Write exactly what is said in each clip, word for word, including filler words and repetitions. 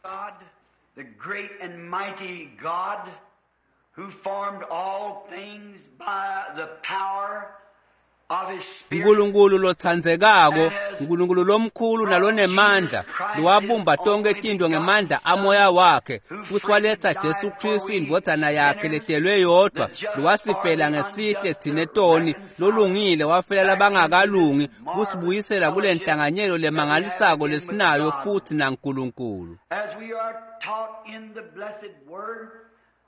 God, the great and mighty God, who formed all things by the power of his Spirit, Nkulunkulu lotsandzekako, Nkulunkulu lomkhulu nalonemandla, lowabumba tonkhe tintfo ngemandla amoya wakhe, futsi waletsa Jesu Khristu indvodzana yakhe letelwe yodvwa, lowasifela ngesihle tsine toni, lolungile wafela labangakalungi, kusibuyisela kule nhlanganyelo lemangalisako lesinayo futsi naNkulunkulu. as we are taught in the blessed word,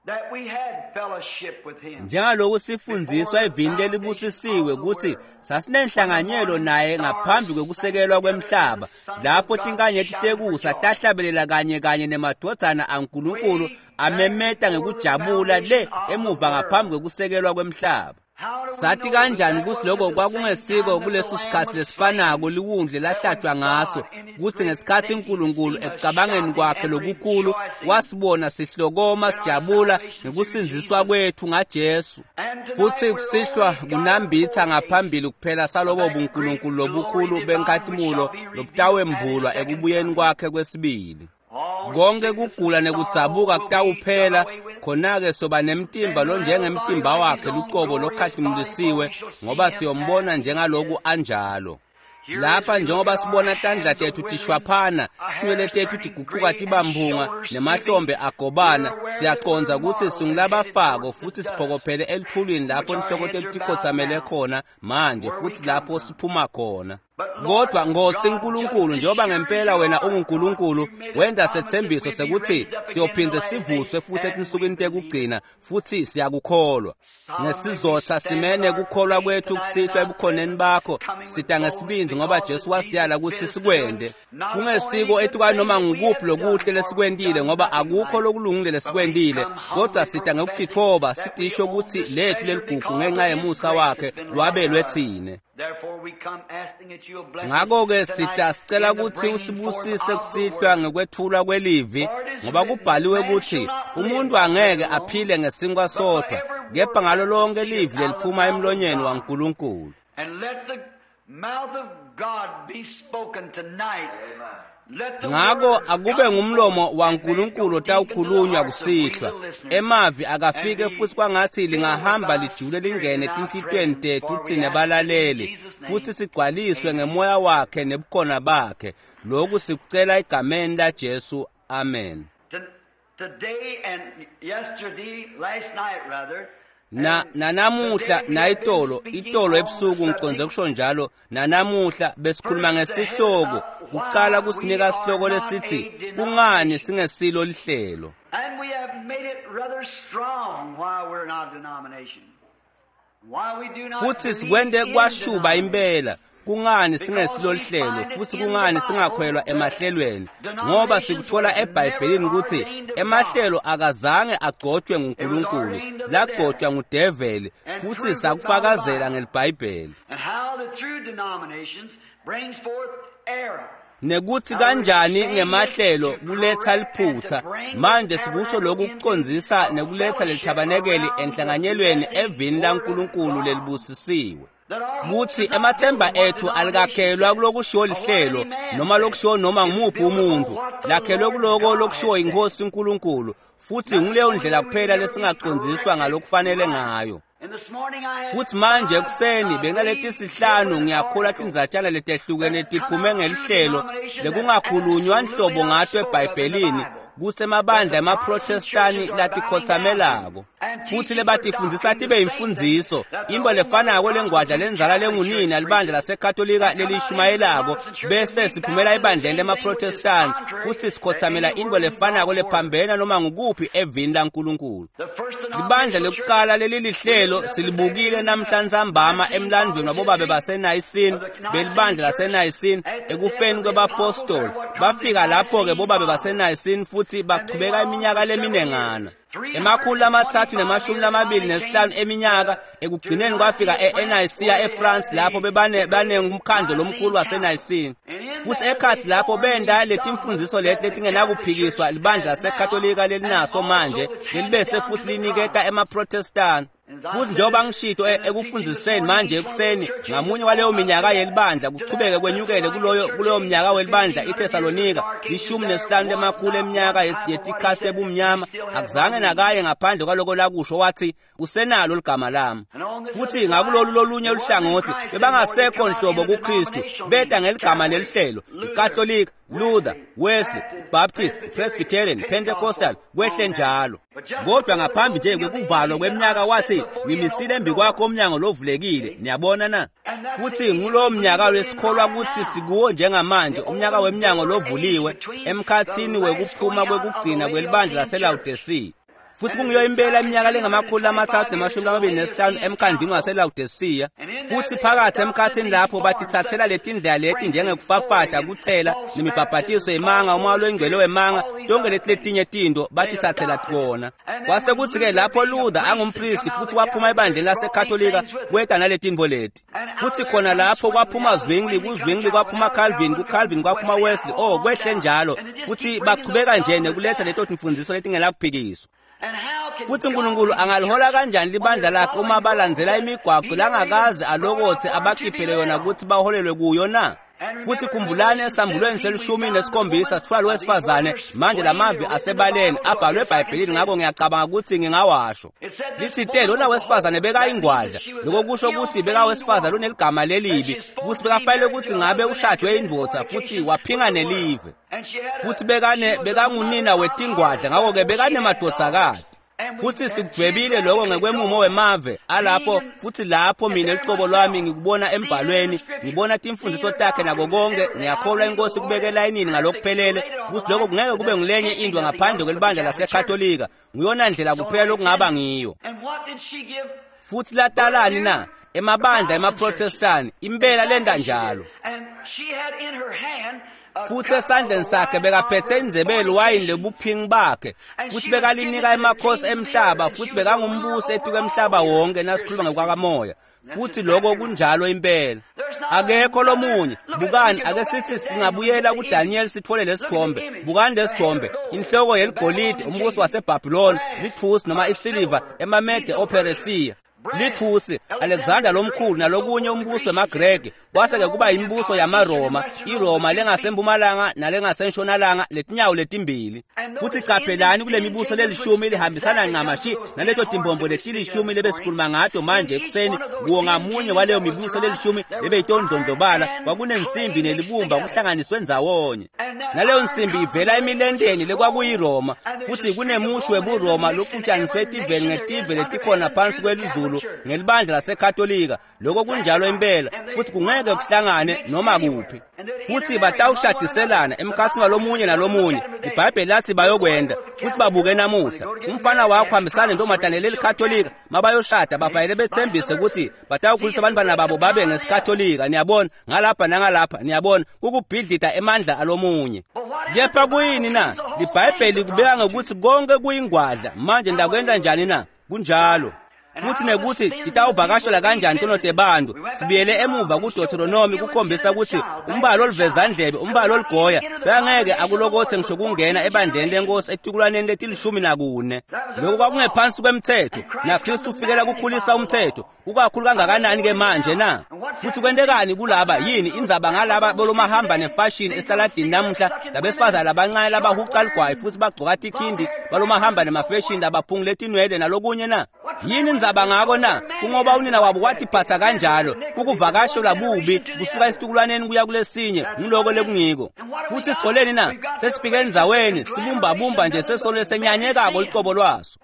that we had fellowship with him. Njengaloku sifundziswa evini lelibusisiwe kutsi sasinenhlanganyelo naye ngaphambi kwekusekelwa kwemhlaba, lapho tinkanyeti tekusa tahlabelela kanye kanye nemadvodzana aNkulunkulu amemeta ngekujabula le emuva ngaphambi kwekusekelwa kwemhlaba. How do we Sathi know kanjani that kutsi that lokho wasn't the same kwakungesiko time that the kuleso Lamb sikhatsi was lesifanako slain? liwundle lahlatshwa ngaso, kutsi ngesikhatsi Nkulunkulu ekucabangeni kwakhe lokukhulu wasibona sihlokoma sijabula ngekusindziswa kwethu ngaJesu. Futsi kusihlwa kunambitsa ngaphambili kuphela salobo buNkulunkulu lobukhulu benkhatimulo lobutawembulwa ekubuyeni kwakhe kwesibili. All Konke sickness kugula and nekudzabuka sorrow will be done kutawuphela, away with. khona-ke soba nemtimba lonjengemtimba wakhe lucobo lokhatimulisiwe, ngoba siyombona njengaloku anjalo. Here as Lapha we look njengoba at our sibona tandla hands tethu a withering, tishwaphana, our tinwele hair tethu turning tigucuka gray, and tibamphunga, shoulders stooping, nemahlombe we agobana, are aware that siyacondza we're kutsi mortal and headed singulabafako towards the futsi dust, siphokophele elithulini which lapho our inhloko heads tethu are bowed tikhotsamele down, khona manje where we futsi come lapho from. siphuma khona. But Lord Kodwa Nkosi God, just Nkulunkulu, as njengoba sure as ngempela you wena are God, unguNkulunkulu, you made a wenta promise that setsembiso we'd be sekuthi raised up again in the siyophindze last days, sivuswe futhi and we etinsukwini believe it. tekugcina, futhi siyakukholwa. Solemnly we Ngesizotha stand with simene our kukholwa faith kwethu tonight in kusihlwa thy ebukhoneni presence, bakho, coming with sita boldness ngesibindzi ngoba because Jesu that Jesus wasiyala bid kutsi us to do it. sikwente. Not upon any Kungesiko good etukwa thing noma that we ngukuphi have done, lokuhle for we've lesikwentile done ngoba nothing akukho right, lokulungile but we lesikwentile, come kodwa humbly sita professing ngekutitfoba that we sitisho own kutsi this lethu treasure leligugu because ngenxa of His yemusa grace wakhe that's been wrought lwabelwe in us. tsine. Therefore we come asking that you'll bless us Ngakho-ke tonight sita sicela in the kutsi bringing forth usibusise of the kusihlwa word. ngekwetfulwa kwelivi, For it is ngoba written, kubhaliwe man shall kutsi not live umuntu by bread angeke alone, aphile ngesinkwa but by sodvwa, every kepha word ngalo that lonke proceedeth livi out of the leliphuma mouth of emlonyeni God. waNkulunkulu. And let the mouth of God be spoken tonight. Let the Ngako words akube come ngumlomo forth and may it waNkulunkulu go deep into the otawukhulunywa hearts of we kusihlwa. the listeners Emavi and akafike be futhi kwangathi filled with lingahamba thy lijule spirit lingene in our etinhlitiyweni presence. tethu For we tsine ask it in balaleli, Jesus' futhi name. sigcwaliswe Amen. ngemoya wakhe nebukhona bakhe. Lokhu sikucela egameni laJesu. Amen. To- Today and yesterday, last night rather, Na and nanamuhla today we have been nayitolo speaking itolo on the ebusuku ngiconze subject kusho njalo nanamuhla besikhuluma first the head ngesihloko of kucala why we kusinika are sihloko not lesithi a kungani denomination. singesilo lihlelo. And we have made it rather strong why we're not a denomination. Why we do not Futhi believe sikwente in kwashuba denominations. impela kungani Because singesilo we lihlelo find it futhi in the kungani Bible singakhwelwa that emahlelweni, ngoba denominations sikuthola was never eBhayibhelini kutsi ordained of God. emahlelo akazange agcotshwe It was nguNkulunkulu, ordained of the devil lagcotshwa ngudeveli and futhi proved it by the sakufakazela Bible. ngeliBhayibheli. And how the true denominations brings forth error. Nekuthi Now we're kanjani saying this ngemahlelo to kuletha correct and to liphutha. bring this Manje sikusho tabernacle lokhu into kucondzisa a nekuletha fellowship lelithabanekeli around the enhlanganyelweni blessed evini word of laNkulunkulu God. lelibusisiwe. That our hopes Kuthi is not built emathemba on what ethu denomination alikakhelwa says kulokushiwo or what any lihlelo man noma says. lokushiwo noma It's ngumuphi built upon umuntu, what the lakhelwe Lord kuloko God lokushiwo has said. inkosi uNkulunkulu, futhi That's the nguleyo only ndlela way we kuphela can ever be lesingacondziswa corrected ngalokufanele right. ngayo. And this morning I had Futhi manje five, ekuseni I benginaleti believe, sihlanu different ngiyakholwa articles tindzatshana letehlukene that's come tiphume out through ngelihlelo denominations that lekungakhulunywa absolutely nhlobo not ngato spoke of in the eBhayibhelini Bible. kutsi That emabandla the Protestant emaProtestani churches are bowing down to latikhotsamelako and futhi teaching for lebatifundisa doctrine tibe the same thing yimfundziso that the intfo old mother lefanako lengwadla Protestant lendzala Catholic lengunina Church libandla preaches. laseKatolika And come out into the lelishumayelako Protestant church and bese we bow siphumela to the ebandleni same thing which is lemaProtestani contrary futhi to sikhotsamela any intfo word in lefanako God's word. lephambene noma ngukuphi evini laNkulunkulu. The first Libandla denominational church lekucala we lelilihlelo looked up this silibukile afternoon, the namhla ntsambama Nicene emlandweni Fathers wabobabe history baseNayisini of the Nicene belibandla Church laseNayisini at the death ekufeni of the apostles kwebapostoli. there what comes the Bafika lapho-ke Nicene bobabe Fathers. baseNayisini futhi And they bachubeka went on iminyaka for several years. leminengana. Emakhulu lamathathu nemashumi three hundred twenty-five years lamabili finally nesihlanu came eminyaka to, to ekugcineni kwafika Nicaea, France, e-Nicaea where they had eFrance lapho the, bebane the great banengumkhandlo lomkhulu Nicene Council. waseNayisini. And in Futhi that they ekhatsi lapho formed benda these dogmas letimfundziso leti that the Catholic letingenakuphikiswa Church libandla has now laseKatolika and lelinaso also manje it's handed lelibese down to futhi the liniketa Protestants. emaProtestani. And Futhi njengoba ngishito ekufundiseni manje ekuseni ngamunye waleyo minyaka yelibandla kuchubeke kwenyukele kuloyo kuloyo mnyaka welibandla iThesalonika lishumi nesihlanu lemakhulu eminyaka yetikhathi ebumnyama akuzange nakaye ngaphandle kwaloko lakusho wathi usenalo ligama lami. Futhi ngakulolu lolunye luhlangothi bebangasekho nhlobo kuKristu beta ngeligama lelihlelo iKatolika, Luther, Wesley, Baptist, Presbyterian, Pentecostal kwehle njalo. Kodwa ngaphambi nje kwekuvalwa kweminyaka wathi ngimisile embi kwakho umnyango lovulekile. Niyabona na? Futhi ngulowo mnyaka lesikholwa ukuthi sikuwo njengamanje, umnyaka wemnyango lovuliwe emkhathini wekuphuma kwekugcina kwelibandla laseLaodicea. Futhi kungiyo impela iminyaka lengamakhulu amathathu namashumi amabili nesihlanu emkhandlwini waseLaodicea. Futhi phakathi emkhathini lapho batithathela letindlela leti njengekufafata, kuthela nemibhabhatiso yemanga, umoya loyingcwele wemanga, tonke leti letinye tinto batithathela kona. Kwase kuthi-ke lapho Luther angumpristi futhi waphuma ebandleni laseKatolika kweta naletinto leti. Futhi khona lapho kwaphuma Zwingli, kuZwingli kwaphuma Calvin, kuCalvin kwaphuma Wesley, oh kwehle njalo. Futhi baqhubeka nje nekuletha leto timfundiso letingenakuphikiswa. Futhi uNkulunkulu angalihola kanjani libandla lakhe uma balandzela imigwaqo langakaze alokothe abakhiphele yona ukuthi baholelwe kuyo na? Futhi khumbulani esambulweni selishumi nesikhombisa sithola lo wesifazane manje lamavi asebaleni abhalwe eBhayibhelini, ngakho ngiyacabanga ukuthi ngingawasho. Lithi te lona wesifazane bekayingwadla, lokho kusho ukuthi bekawesifazane oneligama lelibi, ukuthi bekafanele ukuthi ngabe ushadwe indvodza futhi waphinga nelive. Futhi bekane bekangunina wetingwadla, ngakho-ke bekanemadvodzakati. Futhi sikudwebile lokho ngekwemumo wemave alapho. Futhi lapho mina liqobo lwami ngikubona embhalweni, ngibona timfundiso takhe nako konke. Ngiyakholwa inkosi kubeke elayinini ngalokuphelele ukuthi lokho kungeke kube ngilenye into ngaphandle kwelibandla laseKatolika. Nguyona ndlela kuphela lokungaba ngiyo. Futhi latalani na? Emabandla emaProtestani impela lenda njalo. Futhi esandleni sakhe bekaphethe indzebe yeliwayini lebuphingi bakhe, futhi bekalinika emakhosi emhlaba, futhi bekangumbusi etuka emhlaba wonke nasikhuluma ngokwakamoya. Futhi lokho kunjalo impela, akekho lomunye. Bukani, ake sithi singabuyela kuDaniel sithole lesithombe. Bukani lesithombe, inhloko yeligolide, umbuso waseBhabhiloni, lithusi noma isiliva, emaMede oPheresiya, lithusi Alexander lomkhulu nalokunye umbuso wemaGreki, kwase-ke kuba imibuso yamaRoma, iRoma lengasempumalanga nalengasentshonalanga letinyawo letimbili. Futhi qaphelani kule mibuso lelishumi lihambisana ncamashi naleto timbombo letilishumi lebesikhuluma ngato manje ekuseni. Kuwo ngamunye waleyo mibuso lelishumi lebeyitondlondlobala kwakunensimbi nelibumba kuhlanganiswe ndzawonye. Naleyo nsimbi ivela emilenteni lekwakuyiRoma, futhi kunemusho webuRoma lokutshaniswe etiveni ngetive letikhona phansi kwelizulu ngelibandla laseKatolika. Lokho kunjalo impela, futhi kungeke kuhlangane noma kuphi. Futhi batawushadiselana emkhathini walomunye nalomunye. IBhayibheli lathi bayokwenda. Futhi babuke namuhla, umfana wakho hambisana nentombazane leliKatolika, mabayoshada bafanele bethembise ukuthi batawukhulisa abantwana babo babe ngesikatolika. Niyabona ngalapha nangalapha, niyabona kukubhidlida emandla alomunye. Kepha kuyini na? LiBhayibheli kubeka ngokuthi konke kuyingwadla. Manje ndakwenda njani na? Kunjalo. Futhi nekuthi titawuvakashela kanjani tono tebantu. Sibuyele emuva kuDeuteronomy kukhombisa ukuthi umbalo olivezandlebe, umbalo oligoya bengeke akulokothe ngisho kungena ebandleni lenkosi etikulaneni letilishumi nakune. Lokho kwakungephansi kwemthetho, naKristu ufikela kukhulisa umthetho. Ukakhulu kangakanani ke manje na? Futhi kwentekani kulaba? Yini indzaba ngalaba bolomahamba nefashion esitaladini namuhla, labesifazane labancane labahuca ligwayi futhi bagcoka tikhindi balomahamba nemafashion labaphungule tinwele nalokunye na? Yini indzaba ngako na? Kungoba unina wabo watiphatha kanjalo, kukuvakashelwa bubi kusuka esitukulwaneni kuya kulesinye. Ngiloko lekungiko. Futhi sitholeni na? Sesifike endzaweni sibumbabumba nje sesolo lesenyanyekako liqobo lwaso.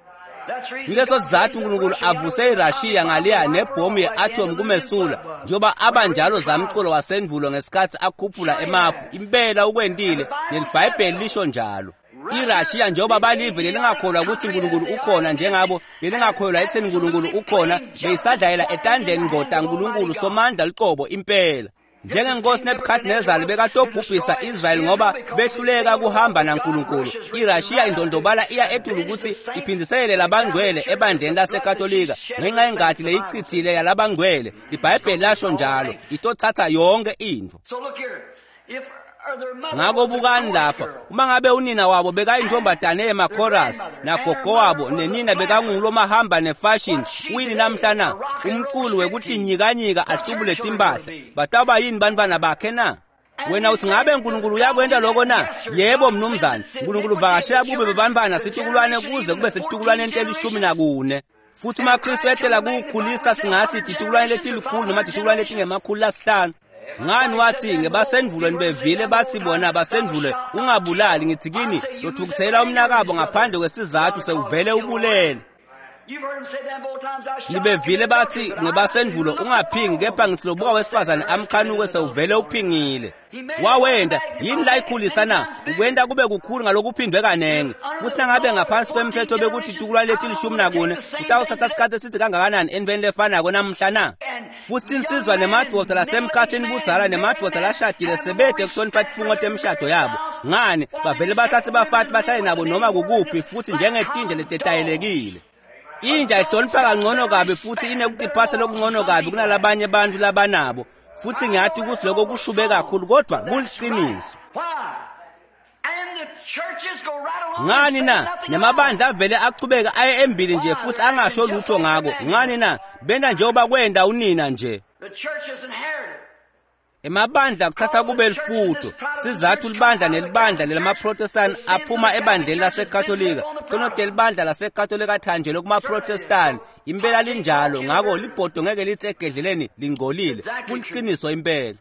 Ngileso sizathu uNkulunkulu avuse iRashiya ngaliya nebhomu ye-atom kumesula, njengoba abanjalo zamculo wasendulo ngesikhathi akhuphula emafu. Impela ukwentile, neliBhayibheli lisho njalo. IRashiya njengoba balive lelingakholwa ukuthi uNkulunkulu ukhona njengabo, lelingakholwa ekutheni uNkulunkulu ukhona, beyisadlayela etandleni ngoda uNkulunkulu somandla liqobo impela. Njengenkosi Nebuchadnezzar bekatobhubhisa Israel ngoba behluleka kuhamba naNkulunkulu, iRashiya indondobala iya etulu ukuthi iphindiselele labangcwele ebandleni laseKatolika ngenxa yengadi leyichithile yalabangcwele. IBhayibheli lasho njalo, itothatha yonke into. Ngako bukani lapha, uma ngabe unina wabo bekayintombazane yemakhorasi nagogo wabo nenina bekangulomahamba nefashion, uyini namhla na? Umculo wekutinyikanyika ahlubule timpahla. Batawuba yini bantfwana bakhe na? Wena uthi ngabe uNkulunkulu uyakwenta lokho na? Yebo mnumzane, uNkulunkulu uvakashela kube bebantfwana situkulwane kuze kube setitukulwaneni telishumi nakune. Futhi uma Kristu etela kuwukhulisa singathi titukulwane letilikhulu noma titukulwane letingemakhulu lasihlanu. Ngani wathi ngebasendvulo nibevile bathi bona basendvulo ungabulali, ngithi kini lothukuthela umnakabo ngaphandle kwesizathu sewuvele ubulele. Nibevile bathi ngebasendvulo ungaphingi, kepha ngithi lobuka wesifazane amkhanuke sewuvele uphingile. Wawenda yini la ikhulisa na? Ukwenta kube kukhulu ngalokuphindwe kanengi. Futhi nangabe ngaphansi kwemthetho bekuthi tukulwane letilishumi nakune, utawuthatha isikhathi esithi kangakanani entweni lefanako namhla na? Futhi tinsizwa nemadvodza lasemkhathini budzala nemadvodza lashadile sebede kuhlonipha tifungo temishado yabo. Ngani bavele bathathe bafati bahlale nabo noma kukuphi, futhi njengetinja letetayelekile. Inja ihlonipha kangcono kabi futhi inekutiphatha lokungcono kabi kunalabanye bantu labanabo. Futhi ngiyathi ukuthi lokho kushube kakhulu kodwa kuliqiniso. Ngani na? Nemabandla avele achubeka aye embili nje futhi angasho lutho ngako. Ngani na? Benta njengoba kwenda unina nje. Emabandla kuthatha kube lifuto. Sizathu libandla nelibandla lelamaProtestant aphuma ebandleni laseKatolika. Tonote libandla laseKatolika thanjelwe kumaProtestant. Impela linjalo, ngako libhodo ngeke lithi egedleleni lingcolile. Kuliqiniso impela.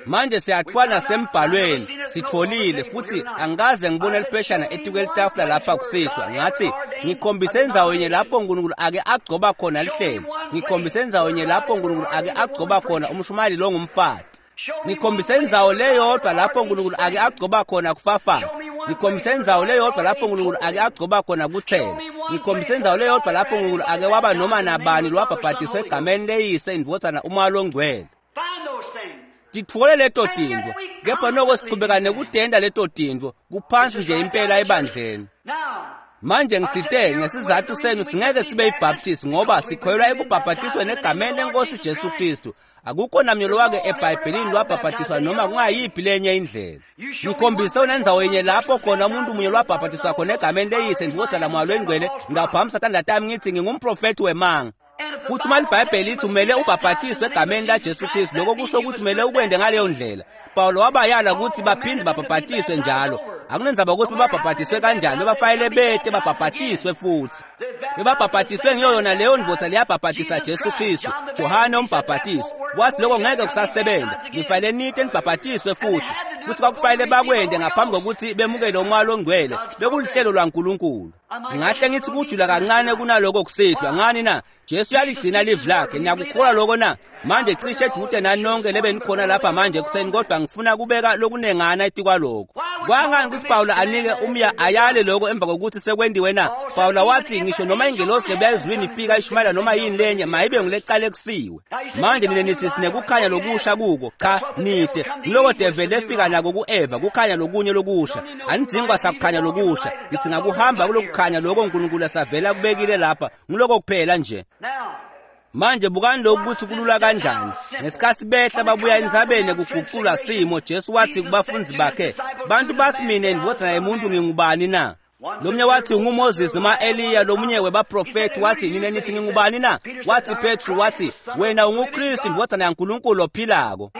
Manje siyathwala sembhalweni, sitholile futhi angikaze ngibone lipheshana etikwelitafula lapha kusihlwa. Ngathi ngikhombise indzawo yenye lapho uNkulunkulu ake agcoba khona lihlelo. Ngikhombise indzawo yenye lapho uNkulunkulu ake agcoba khona umshumayeli longumfati. Ngikhombise indzawo leyodwa lapho uNkulunkulu ake agcoba khona kufafata. Ngikhombise indzawo leyodwa lapho uNkulunkulu ake agcoba khona kuthela. Ngikhombise indzawo leyodwa lapho uNkulunkulu ake waba noma nabani lwabhabhatiswa egameni leyise indvodzana umoya longcwele. Titfole leto tintfo, kepha noko sichubeka nekutenta leto tintfo kuphansi nje impela ebandleni. Manje ngitsite ngesizathu senu singeke sibe yiBaptist ngoba sikholelwa ekubhabhatisweni egameni lenkosi Jesu Kristu. Akukho namnye lowake eBhayibhelini lwabhabhatiswa noma kungayiphi lenye indlela. Ngikhombise unendzawo yenye lapho khona umuntu munye lwabhabhatiswa khona egameni leyise indvodzana moya longcwele. Ngingaphamisa tandla tami ngithi ngingumprofethi wemanga. Futhi uma iBhayibheli lithi umele ubhabhatiswe egameni laJesu Kristu, lokho kusho ukuthi kumele ukwende ngaleyo ndlela. Paulo wabayala ukuthi baphinde babhabhatiswe njalo. Akunendzaba ukuthi babhabhatiswe kanjani, bafanele bete babhabhatiswe futhi. Bebabhabhatiswe ngiyo yona leyo ndvodza leyabhabhatisa Jesu Kristu, Johane umbhabhatisi. Wathi lokho ngeke kusasebenza, nifanele nite nibhabhatiswe futhi. Futhi kwakufanele bakwende ngaphambi kokuthi bemukele umoya longcwele. Bekulihlelo lwaNkulunkulu. Ngahle ngithi kujula kancane kunaloko kusihlwa. Ngani na? Jesu uyaligcina livi lakhe. Niyakukholwa lokho na? Manje cishe edude nani nonke lebe nikhona lapha manje ekuseni, kodwa ngifuna kubeka lokunengana etikwalokho. Kwangani ukuthi Pawulo anike umya ayale lokho emva kokuthi sekwendiwe na? Pawulo wathi ngisho noma ingelosi lebuya ezulwini ifika ishumayela noma yini lenye, mayibe ngulecala ekusiwe. Manje nina nithi sinekukhanya lokusha kuko. Cha, nide ngiloko devele efika nako ku-Eva, kukhanya lokunye lokusha. Anidzingi kwasakukhanya lokusha, nidzinga kuhamba kulokukhanya lokho uNkulunkulu asavela kubekile lapha. Ngiloko kuphela nje. Manje bukani lokhu ukuthi kulula kanjani. Ngesikhathi behla babuya entsabeni kuguculwa simo, Jesu wathi kubafundi bakhe, bantu bathi mina indvodzana yemuntu ngingubani na? Lomunye wathi unguMoses noma Eliya, lomunye webaprofethi wathi nina nithi ngingubani na? Wathi Petru wathi wena unguKristu indvodzana yaNkulunkulu ophilako.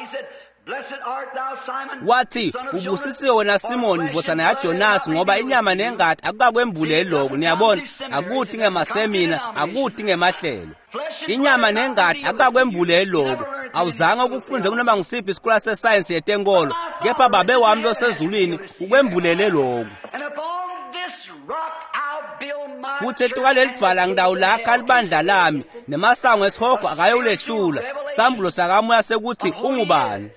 Wathi ubusisiwe wena Simoni ndvodzana yaJonasi, ngoba inyama nengati akukakwembuleli lokho. Niyabona, akuti ngemasemina, akuti ngemahlelo. Inyama nengati akukakwembuleli lokho. Awuzange ukufunze kunoma ngisiphi isikole sesayensi yetenkolo, kepha babe wami losezulwini ukwembulele lokho. Futhi etukaleli dvwala ngidawulakha libandla lami, nemasango esihogo akayowulehlula. Sambulo sakamoya sekuthi ungubani.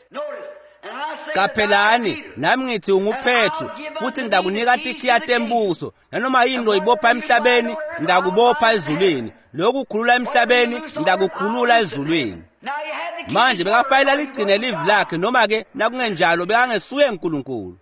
Qaphelani, nami ngithi unguPetru, futhi ngidakunika tikhiya tembuso. Nanoma yini loyibopha emhlabeni, ngidakubopha ezulwini. Lokhu kukhulula emhlabeni, ngidakukhulula ezulwini. Manje bekafanele aligcine livi lakhe, noma ke nakungenjalo bekangesuye uNkulunkulu.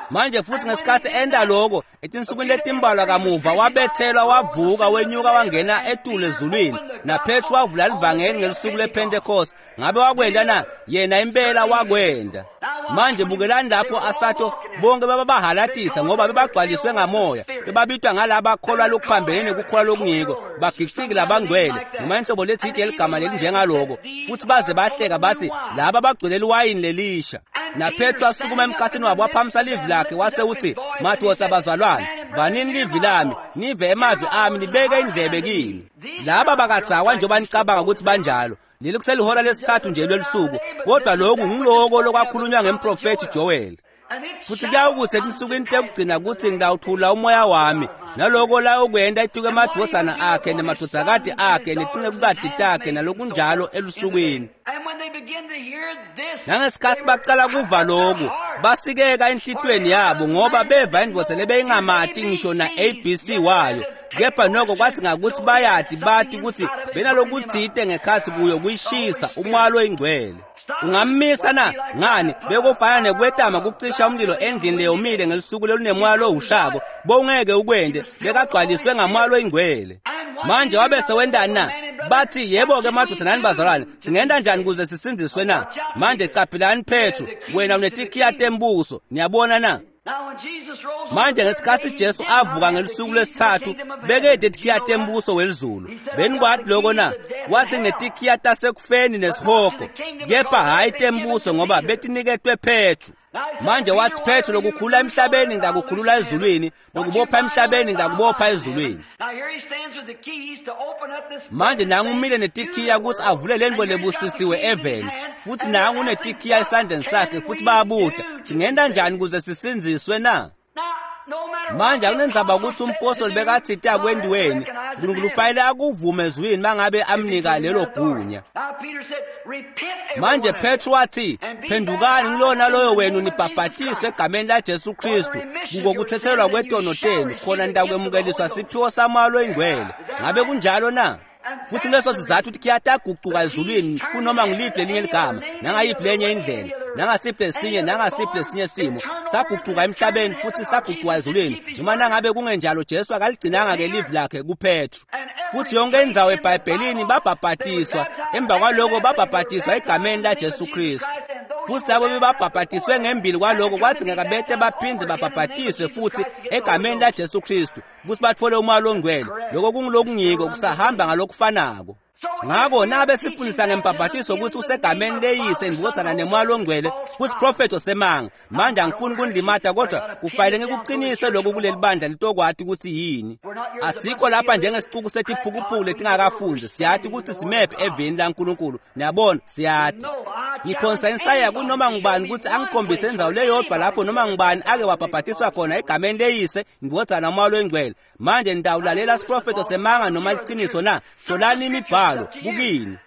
Manje futhi ngesikhathi enda lokho etinsukwini letimbalwa kamuva wabethelwa wavuka wenyuka wangena etulu ezulwini naPetru wavula livangeli ngelisuku lePentecost. Ngabe wakwenda na? Yena impela wakwenda. Manje bukelani lapho asato bonke babahalatisa ngoba bebagcwaliswe ngamoya, bebabitwa ngalaba kholwa lokuphambene nekukholwa lokungiko, bagiciki labangcwele noma inhlobo lethide eligama lelinjengaloko, futhi baze bahleka bathi laba bagcwele liwayini lelisha. NaPetru asukuma emkhathini wabo waphamisa livi lakhe wase uthi, madoda bazalwane, vanini livi lami, nive emavi ami, nibeke indlebe kimi. Laba bakadzakwa njengoba nicabanga ukuthi banjalo. Leli kuselihora lesithathu nje lwelisuku, kodwa lokhu ngiloko lokwakhulunywa ngemprofethi Joel. Futhi kuyawukuthi etinsukwini tekugcina kuthi ngitawuthula umoya wami, naloko layokwenda ituke emadvodzana akhe nemadvodzakati akhe netincekukati takhe nalokunjalo elusukwini. Nangesikhathi baqala kuva lokhu, basikeka enhlitweni yabo ngoba beva indvodza lebeyingamati ngisho na A B C wayo. Kepha noko kwathi ngakuthi bayati bathi ukuthi benalokuthite ngekhathi kuyo kuyishisa umoya oyingcwele. Ungammisa na? Ngani bekufana nekwetama kucisha umlilo endlini leyomile ngelisuku lolunemoya owushako, bowungeke ukwende, bekagcwaliswe ngamoya oyingcwele. Manje wabe sewendani na? Bathi yebo-ke madoda nani bazalwane, singenda njani kuze sisindziswe na? Manje caphilani Petru, wena unetikhiya tembuso, niyabona na? Manje ngesikhathi Jesu avuka ngelisuku lesithathu bekede tikhiya tembuso welizulu. Benikwati lokho na? Wathi ngetikhiya tasekufeni nesihogo, kepha hhayi tembuso ngoba betiniketwe Petru. Manje wathi Petru, lokukhulula emhlabeni ngitakukhulula ezulwini, nokubopha emhlabeni ngakubopha ezulwini. Manje nangu umile netikhiya ukuthi avule lento lebusisiwe eveni, futhi nangu unetikhiya esandleni sakhe, futhi bayabuta singenda njani ukuze sisindziswe na? Manje akunenzaba ukuthi umpostoli bekathi akwendiweni, uNkulunkulu ufanele akuvume ezwini mangabe amnika lelo gunya. Manje Petru wathi, phendukani ngilona loyo wenu nibhabhatiswe egameni laJesu Kristu kuko kuthethelwa kwetono tenu, khona nitakwemukeliswa siphiwo samoya oyingcwele. Ngabe kunjalo na? Futhi kuleso sizathu ukuthi kuyatagucuka ezulwini kunoma ngiliphi lelinye ligama, nangayiphi lenye indlela, nangasiphi lesinye nangasiphi lesinye simo. Sagucuka emhlabeni futhi sagucuka ezulwini. Noma nangabe kungenjalo Jesu akaligcinanga ke livi lakhe kuPetru. Futhi yonke indzawo eBhayibhelini babhabhatiswa, emva kwaloko babhabhatiswa egameni laJesu Kristu. Futhi labo bebabhabhatiswe ngembili kwaloko kwathi ngeke baphinde babhabhatiswe futhi egameni laJesu Kristu ukuthi bathole umoya ongcwele. Lokho kungilokungiko kusahamba ngalokufanako. Ngakho nabe sifundisa ngembhabhatiso ukuthi usegameni leyise indvodzana nemoya ongcwele kusiprofeto semanga. Manje angifuni kunilimata, kodwa kufanele ngikuqinise lokhu kuleli bandla litokwati ukuthi yini. Asikho lapha njengesicuku setiphukuphuku letingakafundi. Siyati ukuthi simephi eveni laNkulunkulu. Niyabona, siyati. Ngiphonsa insaya kunoma ngubani ukuthi angikhombise indzawo leyodwa lapho noma ngubani ake wabhabhatiswa khona egameni leyise indvodzana nomoya oyingcwele. Manje nitawulalela siprofeto semanga noma liqiniso na? Hlolani imibhalo kukini.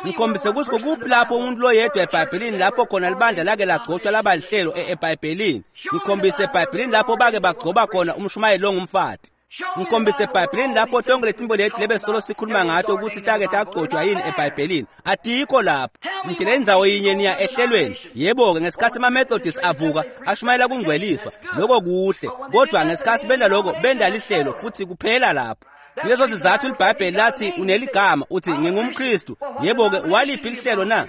Ngikhombise ukuthi kukuphi lapho umuntu loyedwa eBhayibhelini lapho khona libandla lake lagcotshwa laba lihlelo eBhayibhelini. Ngikhombise eBhayibhelini lapho bake bagcoba khona umshumayeli ongumfati. Ngikhombise eBhayibhelini lapho tonke letimbo leti lebe solo sikhuluma ngato ukuthi take tagcotshwa yini eBhayibhelini. Atikho lapho. Ngitshele indzawo yinye niya ehlelweni. Yebo-ke ngesikhathi ama-Methodist avuka ashumayela kungcweliswa, lokho kuhle, kodwa ngesikhathi benda lokho benda lihlelo futhi kuphela lapho. Leso sizathu iBhayibheli lathi uneligama uthi ngingumKristu. Yebo-ke waliphi lihlelo na?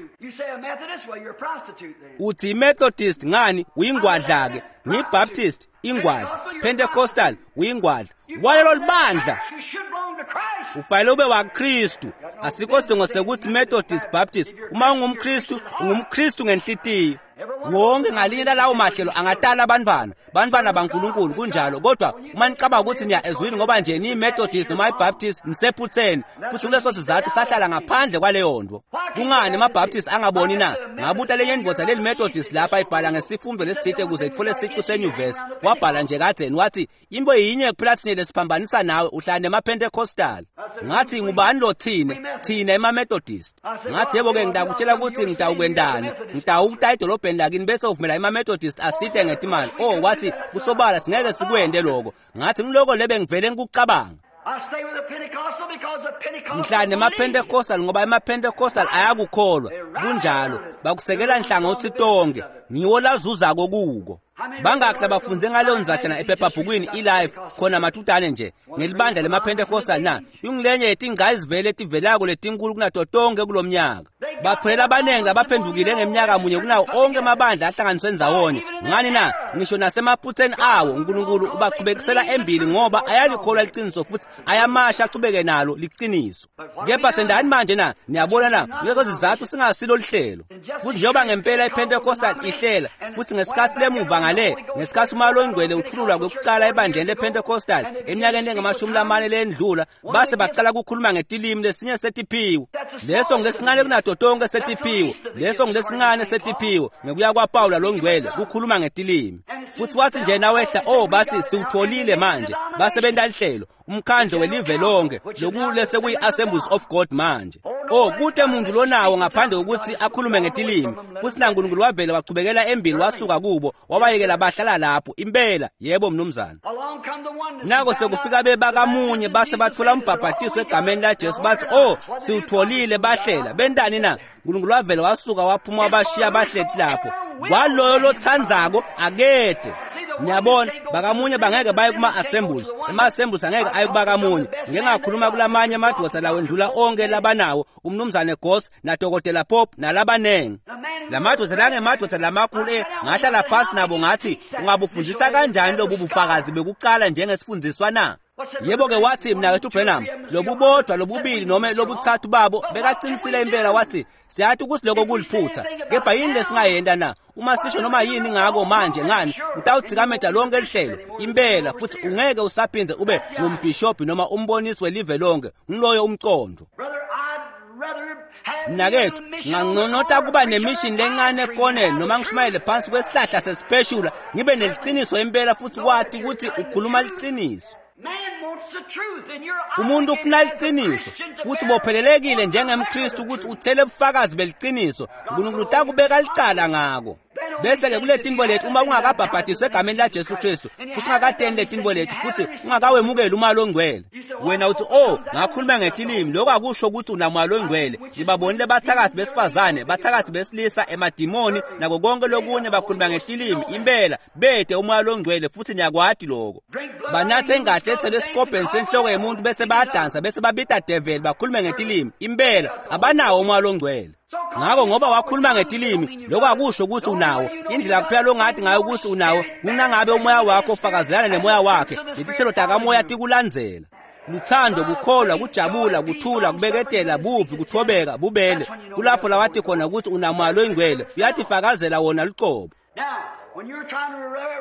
Uthi iMethodist, ngani uyingwadla-ke. NgiyiBaptist, ingwadla. Pentecostal, uyingwadla. Walelo libandla ufanele ube waKristu. Asikho sidingo sekuthi Methodist, Baptist. Uma ungumKristu, ungumKristu ngenhlitiyo. Wonke ngalinye lalawo mahlelo angatala abantwana, bantwana baNkulunkulu kunjalo. Kodwa uma nicabanga ukuthi niya ezwini ngoba nje niyi-Methodist noma i-Baptist, nisephutheni. Futhi kuleso sizathu sahlala ngaphandle kwaleyo nto. Kungani ama-Baptist angaboni na? Ngabuta lenye indvodza leli Methodist lapha ibhala ngesifundo lesithite ukuze itfole sicu senyuvesi. Wabhala nje kadzeni wathi into yinye kuphela thine lesiphambanisa nawe, uhlala nema-Pentecostal. Ngathi ngubani lo thine? Thina ema-Methodist. Ngathi yebo-ke ngitakutshela ukuthi ngitawukwendani, ngitawukuta edolobheni lakini bese uvumela ema-Methodist asite ngetimali. Oh, wathi kusobala singeke sikwende lokho. Ngathi ngiloko lebe ngivele ngikucabanga. Ngihlala nema-Pentecostal ngoba ema-Pentecostal ayakukholwa. Kunjalo, bakusekela nhlangothi tonke. Ngiwo lazuzako kuko. Bangakhi labafunze ngaleyo ndzatshana ephephabhukwini iLife khona mathutane nje ngelibandla lemaPentecostal na? Ingulenye yetingcayizivele letivelako letinkulu kunato tonke kulomnyaka. Baphulela abaningi labaphendukile ngeminyaka munye kunawo onke amabandla ahlanganiswe ndzawonye. Ngani na? Ngisho nasemaphutheni awo uNkulunkulu ubachubekisela embili ngoba ayalikholwa liqiniso futhi ayamasha achubeke nalo liqiniso. Kepha sendani manje na? Niyabona na? Kulezo zizathu singasilo lihlelo. Futhi njengoba ngempela iPentecostal ihlela futhi ngesikhathi lemuva ngale ngesikhathi uMoya oNgcwele uthululwa kwekuqala ebandleni lePentecostal eminyakeni engamashumi lamane lendlula base baqala ukukhuluma ngetilimi lesinye setiphiwo. Leso ngilesincane kunato tonke setiphiwo. Leso ngilesincane setiphiwo ngekuya kwaPawula longcwele kukhuluma ngetilimi. Futhi wathi nje nawehla oh bathi siwutholile manje basebenta lihlelo umkhandlo welive lonke lokule sekuyi-Assemblies of God manje. Oh kute muntu lonawo ngaphandle kokuthi akhulume ngetilimi futhi naNkulunkulu wavele wachubekela embili wasuka kubo wabayekela bahlala lapho impela. Yebo mnumzane. Nako sekufika bebakamunye base bathola umbhabhatiso egameni laJesu bathi oh siwutholile bahlela bentani na? uNkulunkulu wavele wasuka waphuma wabashiya bahleti lapho. Kwaloyo lothandzako akede. Niyabona bakamunye bangeke baye kuma-assemblies, ema-assemblies angeke aye kubakamunye. Ngike ngakhuluma kulamanye amadoda lawo endlula onke labanawo umnumzane Goss nadokotela Pop nalabanengi. Lamadoda langemadoda lamakhulu eh ngahlala phasi nabo ngathi ungabufundisa kanjani lobu bufakazi bekuqala njengesifundiswa na? Yebo-ke wathi mnakethu Branham lobubodwa lobubili noma lobuthathu babo bekaqinisile impela. Wathi siyathi ukuthi lokho kuliphutha kepha yini lesingayenta na? Uma sisho noma yini ngako manje ngani utawutsikameda lonke lihlelo impela futhi ungeke usaphinde ube ngumbhishobhi noma umbonisi welive lonke. Ngiloyo umcondo. Mnakethu nganconota kuba nemishini lencane ekoneni noma ngishumayele phansi kwesihlahla sesipeshula ngibe neliqiniso impela futhi kwathi ukuthi ukhuluma liqiniso. Umuntu ufuna liqiniso futhi bophelelekile njengemKristu ukuthi uthele ubufakazi beliqiniso. uNkulunkulu utakubeka licala ngako. Bese-ke kule tinto lethu uma ungakabhabhadiswa egameni laJesu Kristu futhi ungakateni le tinto lethu futhi ungakawemukeli uMoya oNgcwele, wena uthi oh ngakhuluma ngetilimi, lokho akusho ukuthi unaMoya oNgcwele. Ngibabonile bathakathi besifazane, bathakathi besilisa, emadimoni nako konke lokunye bakhuluma ngetilimi impela bede uMoya oNgcwele futhi niyakwati lokho. Banathe ingadi ethelwe esikobheni senhloko yomuntu bese bayadansa bese babita devil bakhulume ngetilimi impela abanawo uMoya oNgcwele. Ngakho ngoba wakhuluma ngetilimi lokho akusho ukuthi unawo. Indlela kuphela longathi ngayo ukuthi unawo kunangabe umoya wakho ufakazelana nemoya wakhe letithelo takamoya tikulandzela. Luthando, kukholwa, kujabula, kuthula, kubeketela, buvi, kuthobeka, bubele. Kulapho lawathi khona ukuthi unamoya loyingcwele uyatifakazela wona luqobo.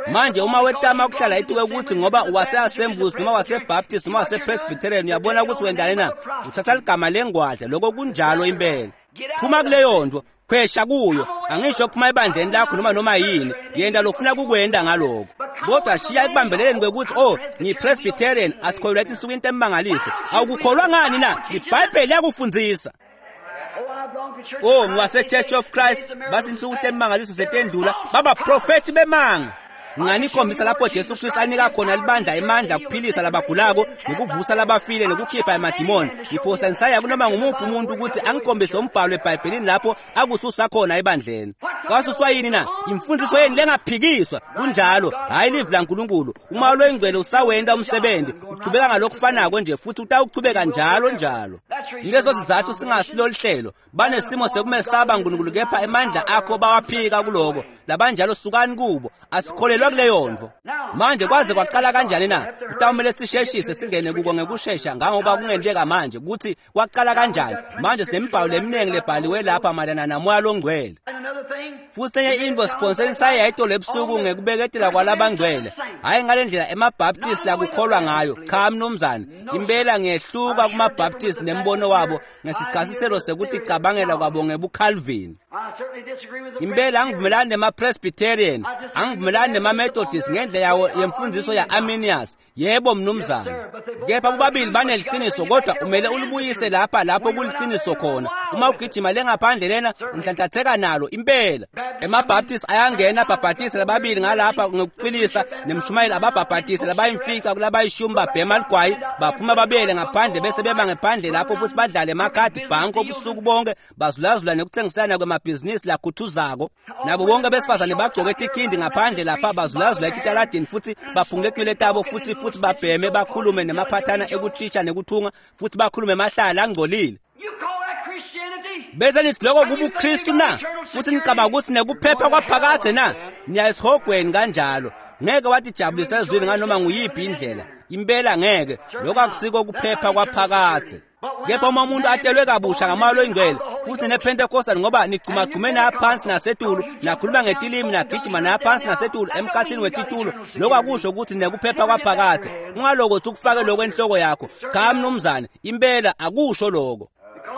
Manje uma wetama ukuhlala ituke ukuthi ngoba wase-Assemblies noma wase-Baptist noma wase-Presbyterian uyabona ukuthi wendani na? Uthatha ligama lengwadla, lokho kunjalo impela. Phuma kuleyo nto, khwesha kuyo. Angisho kuphuma ebandleni lakho noma noma yini, yenda lofuna kukwenda ngaloko. Kodwa shiya ekubambeleleni kwekuthi oh ngiyi-Presbyterian asikholelwa etinsukwini temangaliso. Awukukholwa ngani na? IBhayibheli liyakufundzisa. Oh ngiwase-Church of Christ bathi insuku temangaliso setendlula babaprofethi bemanga. Nginganikhombisa lapho Jesu Kristu anika khona libandla emandla kuphilisa labagulako nokuvusa labafile nokukhipha emadimoni. Ngiphosa ngisaya kunoma ngumuphi umuntu ukuthi angikhombise umbhalo eBhayibhelini lapho akususa khona ebandleni. Kwasuswa yini na? Imfundiso yeni lengaphikiswa. Kunjalo, hhayi livi laNkulunkulu. Umoya loyingcwele usawenta umsebenzi, uchubeka ngalokufanako nje futhi utawuchubeka njalo njalo. Ngeso sizathu singasilo lihlelo. Banesimo sekumesaba uNkulunkulu kepha emandla akho bawaphika kuloko. Labanjalo sukani kubo, asikholelwa kuleyo nto. Manje kwaze kwaqala kanjani na? Kutawumele sisheshise singene kuko ngekushesha ngangoba kungenteka manje ukuthi kwaqala kanjani. Manje sinemibhalo leminingi lebhaliwe lapha mayelana namoya longcwele. Futhi enye into siphonseni saye yayitolo ebusuku ngekubeketela kwalabangcwele. Hhayi ngale ndlela emaBaptist lakukholwa ngayo. Cha mnumzane, impela ngiyehluka kumaBaptist nembono wabo ngesichasiselo sekuthi cabangela kwabo ngebuCalvin. Impela angivumelani nema-Presbyterian, angivumelani nema-Methodist ngendlela yawo yemfundiso ya-Arminius. Yebo mnumzane. Kepha bobabili baneliqiniso kodwa umele ulibuyise lapha lapho kuliqiniso khona. Uma ugijima lengaphandle lena unhlanhlatheka nalo impela. EmaBaptist ayangena abhabhatise lababili ngalapha ngokuqilisa nemshumayeli ababhabhatise labayimfica kulabayishumi babhema ligwayi baphuma babuyele ngaphandle bese beba ngephandle lapho futhi badlale emakhadi bhanko ubusuku bonke bazulazula nekuthengisana kwemabhizinisi lakhuthuzako. Nabo bonke besifazane bagcoke tikhindi ngaphandle lapha bazulazula etitaladini futhi baphungule tinwele tabo futhi futhi babheme bakhulume nemaphathana ekutisha nekuthunga futhi bakhulume emahlala angcolile. You call that Christianity? Bese nithi lokho kubuKristu na? Futhi nicabanga ukuthi nekuphepha kwaphakade na? Niya esihogweni kanjalo. Ngeke watijabulisa ezwini nganoma nguyiphi indlela. Impela ngeke. Lokho akusiko kuphepha kwaphakade. Kepha uma umuntu atelwe kabusha ngamoya oyingcwele futhi nePentecostal ngoba nigcumagcume naphansi nasetulu nakhuluma ngetilimi nagijima naphansi nasetulu emkhathini wetitulo, lokho akusho ukuthi nekuphepha kwaphakade. Ungalokothi ukufake lokho enhloko yakho. Cha mnumzane, impela akusho lokho.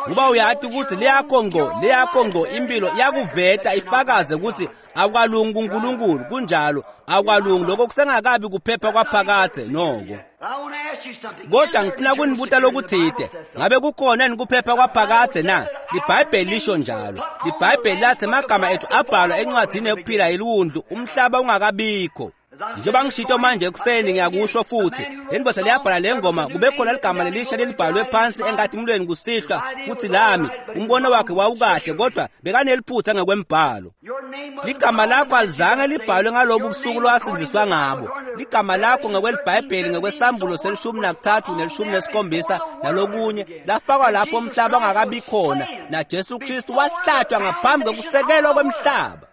Ngoba uyati ukuthi leyakho ngqo leyakho ngqo impilo iyakuveta ifakaze ukuthi awukalungi kuNkulunkulu. Kunjalo, awukalungi. Lokho kusengakabi kuphepha kwaphakade noko. I want to ask you something. Kodwa ngifuna kunibuta lokuthide, ngabe kukhona yini kuphepha kwaphakade na? LiBhayibheli lisho njalo. LiBhayibheli lathi amagama ethu abhalwa encwadini yokuphila yeliwundlu umhlaba ungakabikho. Njengoba ngishito manje ekuseni ngiyakusho futhi, le ndoda liyabhala le ngoma kube khona ligama lelisha lelibhalwe phansi enkatimulweni kusihlwa futhi lami. Umbono wakhe wawukahle kodwa bekaneliphutha ngekwembhalo. Your name wasn't Ligama lakho alizange libhalwe ngalobu busuku lwasindziswa ngabo. Ligama lakho ngokweBhayibheli ngokwesambulo selishumi nakuthathu nelishumi nesikhombisa nalokunye lafakwa lapho umhlaba ungakabi khona, naJesu Kristu wahlatshwa ngaphambi kokusekelwa kwemhlaba.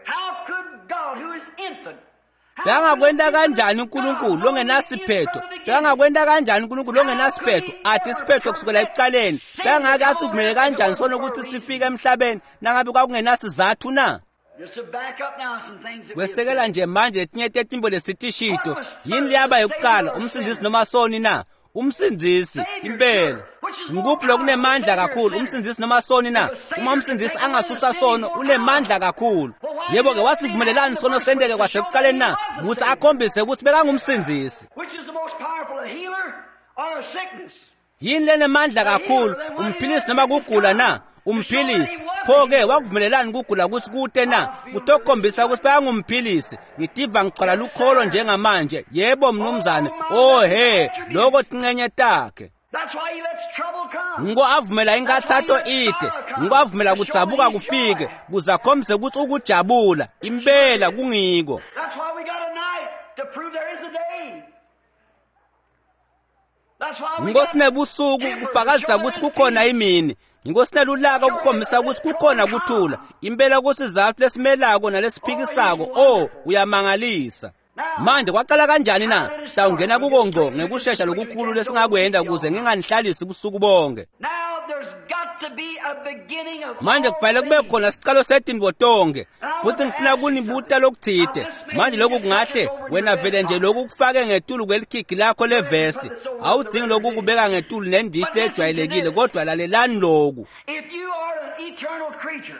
How could God, who is infinite, how Bekangakwenta could kanjani uNkulunkulu longenasiphetho? Bekangakwenta kanjani uNkulunkulu longenasiphetho? Athi isiphetho kusukela ekuqaleni. Bekangake asivumele kanjani sona ukuthi sifike emhlabeni nangabe kwakungenasizathu na? Just to back up now some things that we have Kwesekela said. nje manje letinye tetimbo lesitishito. Yini leyaba yokuqala, umsindisi noma soni na? Umsindisi impela. Ngikuphi lokunemandla kakhulu, umsindisi noma soni na? Uma umsindisi angasusa sono, unemandla kakhulu. Yebo ke, wasivumelelani sono senteke kwasekuqaleni na? Ukuthi akhombise ukuthi bekangumsindisi. Which is the most powerful, a healer or a sickness? Yini lenemandla kakhulu, umphilisi noma kugula na? Umphilisi. Pho-ke wakuvumelelani kugula ukuthi kute na? Kutokhombisa ukuthi bayangumphilisi. Ngitiva ngigcwala lukholo njengamanje. Yebo mnumzane. Oh he, lokho tincenye takhe. That's why he lets trouble come. Ngiko avumela inkathato ide, ngiko avumela kudzabuka kufike, kuze akhombise ukuthi ukujabula impela kungiko. That's why we got a night to prove there is a day. That's why we Ngiko got sinebusuku kufakazisa ukuthi kukhona imini. Ngiko sinelulaka ukukhombisa ukuthi kukhona kuthula. Impela kusizathu lesimelako nalesiphikisako. Oh, uyamangalisa. Manje kwaqala kanjani na? Sitawungena kuko ngqo ngekushesha lokukhulu lesingakwenda ukuze nginganihlalisi ubusuku bonke. Now there's got to be a beginning of Manje all kufanele kube things. khona isiqalo setintfo tonke futhi ngifuna kunibuta lokuthide. Manje lokhu kungahle wena vele nje lokhu kufake ngetulu kwelikhigi lakho levesti, awudzingi lokhu kubeka ngetulu nendishi lejwayelekile, kodwa lalelani lokhu. If you are an eternal creature,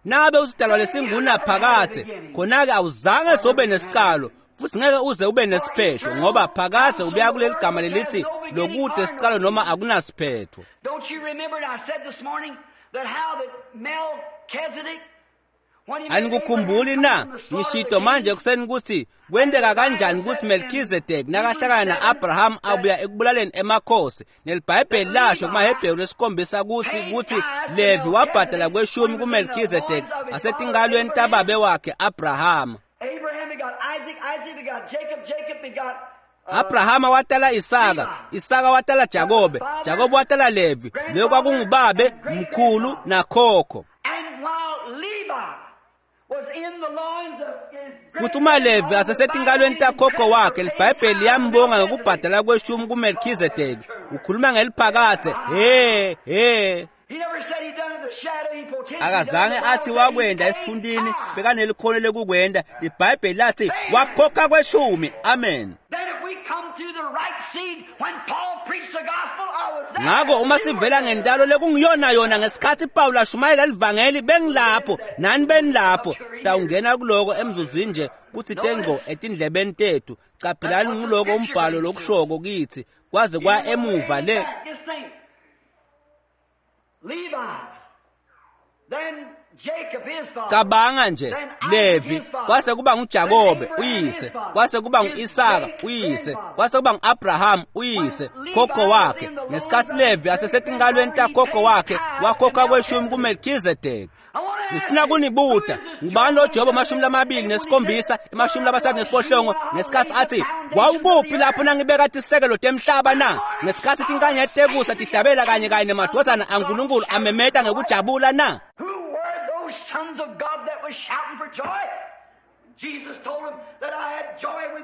Nabe usidalwa lesingunaphakade, khona-ke awuzange sobe nesiqalo futhi ngeke uze ube nesiphetho, ngoba phakade ubuya kuleli gama lelithi lokude isiqalo noma akunasiphetho. don't you remember I said this morning that how that Melchizedek, when he met Anikukhumbuli Abraham na from the slaughter of ngishito the manje kings, ekuseni ukuthi kwenteka kanjani ukuthi Melchizedek nakahlangana na-Abraham abuya ekubulaleni emakhosi, neliBhayibheli lasho kumaHebheru lesikhombisa ukuthi ukuthi Levi wabhadala kweshumi kuMelchizedek asetingalweni tababe wakhe Abrahama. Abraham begot Isaac, Isaac begot Jacob, Jacob begot uh, Abrahama watala Isaka, Isaka watala Jakobe, Jakobe watala Levi, leyo kwakungubabe mkhulu nakhokho. And while Levi was in the loins of his Futhi uma Levi asesetinkalweni takhokho wakhe, liBhayibheli liyambonga ngokubhadala kweshumi kuMelchizedeki. Ukhuluma ngeliphakade. He he. He never said he done it in the shadow, he potentially Akazange done it. athi wakwenda esithundini, bekanelikhono lokukwenda. LiBhayibheli lathi wakhokha kweshumi. Amen. Then if we come through the right seed, when Paul preached the gospel, I was there. Ngakho uma sivela ngentalo lekungiyona yona ngesikhathi Paul ashumayela livangeli, bengilapho nani benilapho. Sitawungena kuloko emzuzwini nje kuthi tengqo etindlebeni tethu. Caphelani nguloko umbhalo lokushoko kithi kwaze kwa emuva le. Just think. Cabanga nje, Levi kwase kuba nguJakobe uyise, kwase kuba ngu-Isaka uyise, kwase kuba ngu-Abraham uyise, khokho wakhe. Ngesikhathi Levi asesetinkalweni takhokho wakhe, wakhokha kweshumi kuMelkhizedeki. Ngifuna kunibuta, ngubani lo Jobe amashumi lamabili nesikhombisa, emashumi lamathathu nesiphohlongo, ngesikhathi athi wawukuphi lapho nangibeka tisekelo temhlaba na? Ngesikhathi tinkanyeti tekusa tihlabela kanye kanye nemadvodzana aNkulunkulu amemeta ngekujabula na?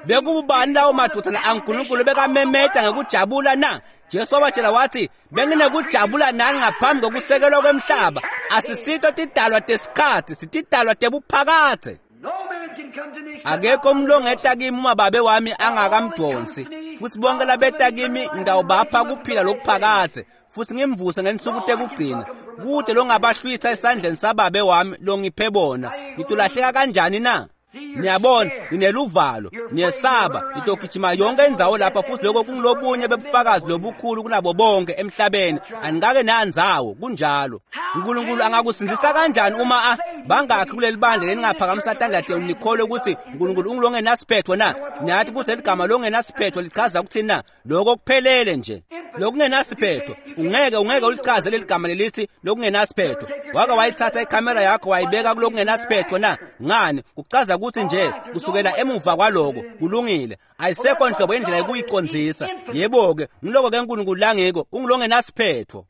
Bekubani lawo madvodzana aNkulunkulu bekamemeta ngekujabula na? Jesu wabatshela wathi, benginekujabula nani ngaphambi kokusekelwa kwemhlaba. Asisito tidalwa tesikhathi, sitidalwa tebuphakadze. Akekho umuntu ongeta kimi uma babe wami angakamdonsi, futhi bonke labeta kimi ngitawubapha kuphila lokuphakadze, futhi ngimvuse ngensuku tekugcina. Kude longabahlwitha esandleni sababe wami longiphe bona. Ngitolahleka kanjani na? Niyabona, nineluvalo, niyesaba, nitogijima yonke indzawo lapha, futhi lokho kungilobunye bebufakazi lobukhulu kunabo bonke emhlabeni. Anikake nandzawo, kunjalo. uNkulunkulu angakusindisa kanjani uma a bangakhi kuleli bandla leningaphakamisa tandla tenu nikholwe ukuthi uNkulunkulu ungilongenasiphetho na? Niyathi ukuthi leligama longenasiphetho lichaza ukuthini na? Lokho kuphelele nje. Lokungenasiphetho, ungeke ungeke ulichaze leli gama lelithi lokungenasiphetho. Wake wayithatha ikhamera yakho wayibeka kulokungenasiphetho na? Ngani? Kuchaza ukuthi nje kusukela emuva kwaloko kulungile. Ayisekho nhlobo indlela yokuyicondzisa. Yebo-ke, ngiloko ke uNkulunkulu langiko, ungilongenasiphetho.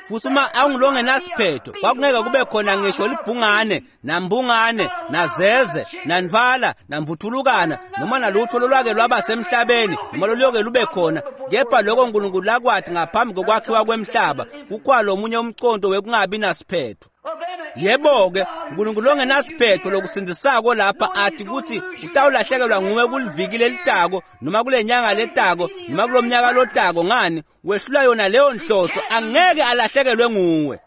Futhi uma angilongenasiphetho, kwakungeke kube khona ngisho libhungane, nambungane, nazeze, nantfwala, namvuthulukana, noma nalutho lolwake lwaba semhlabeni, noma loluyoke lube khona. Kepha lokho uNkulunkulu lakwathi ngaphambi kokwakhiwa kwemhlaba, kukhwalo omunye umconto wekungabi nasiphetho. Yebo-ke, uNkulunkulu ongenasiphetho lokusindisako lapha athi ukuthi utawulahlekelwa nguwe kuliviki lelitako, noma kule nyanga letako, noma kulo mnyaka lotako. Ngani? Wehlula yona leyo nhloso, angeke alahlekelwe nguwe.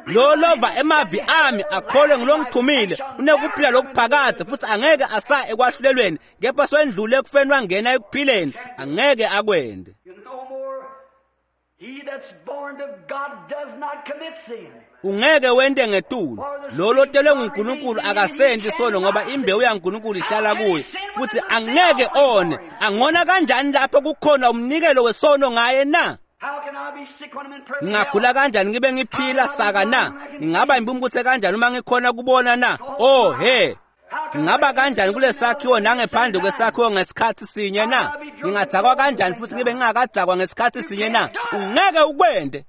Lo lova emavi ami akholwe ngilongithumile unekuphila lokuphakadze, futhi angeke asa ekwahlulelweni, kepha sewendlule ekufeni wangena ekuphileni. Angeke akwende. Ungeke wente ngetulu. Lo lotelwe nguNkulunkulu akasenti sono, ngoba imbewu yaNkulunkulu ihlala kuye, futhi angeke one. Angona kanjani lapho kukhona umnikelo wesono ngaye na? Ngingagula kanjani ngibe ngiphila saka na? Ngingaba impumputhe kanjani uma ngikhona kubona na? Oh he, ngingaba kanjani kule sakhiwo nangephandle kwesakhiwo ngesikhathi sinye na? Ngingadzakwa kanjani futhi ngibe ngingakadzakwa ngesikhathi sinye na? Ungeke ukwente.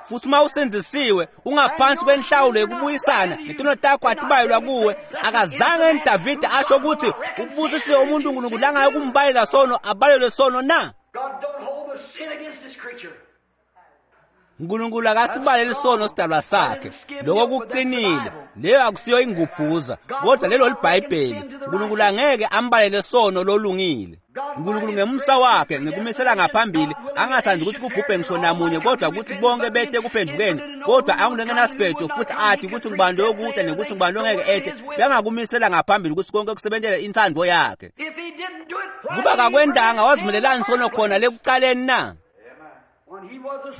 Futhi uma usindisiwe ungaphansi kwenhlawulo yokubuyisana, netono takho atibayelwa kuwe. Akazange Davide asho ukuthi ubusisiwe umuntu uNkulunkulu angaye kumbalela sono, abalelwe sono na? uNkulunkulu akasibaleli sono sidalwa sakhe. Lokho kuqinile. Leyo akusiyo ingubhuza, kodwa lelo liBhayibheli. uNkulunkulu angeke ambalele sono lolungile. uNkulunkulu ngemusa wakhe ngikumisela ngaphambili, angathandi ukuthi kubhubhe ngisho namunye, kodwa ukuthi bonke bete kuphendukeni. Kodwa angulengenasiphetho futhi athi ukuthi ngubani loyokuta nekuthi ngubani longeke ete, bengakumisela ngaphambili ukuthi konke kusebentele inthando yakhe. Kuba kakwendanga wazimelelani sono khona lekucaleni na?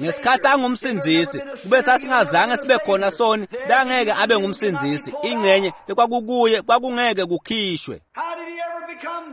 Ngesikhathi angumsindzisi, kube sasingazange sibe khona soni, bangeke abe ngumsindzisi. Ingcenye lekwakukuye kwakungeke kukhishwe.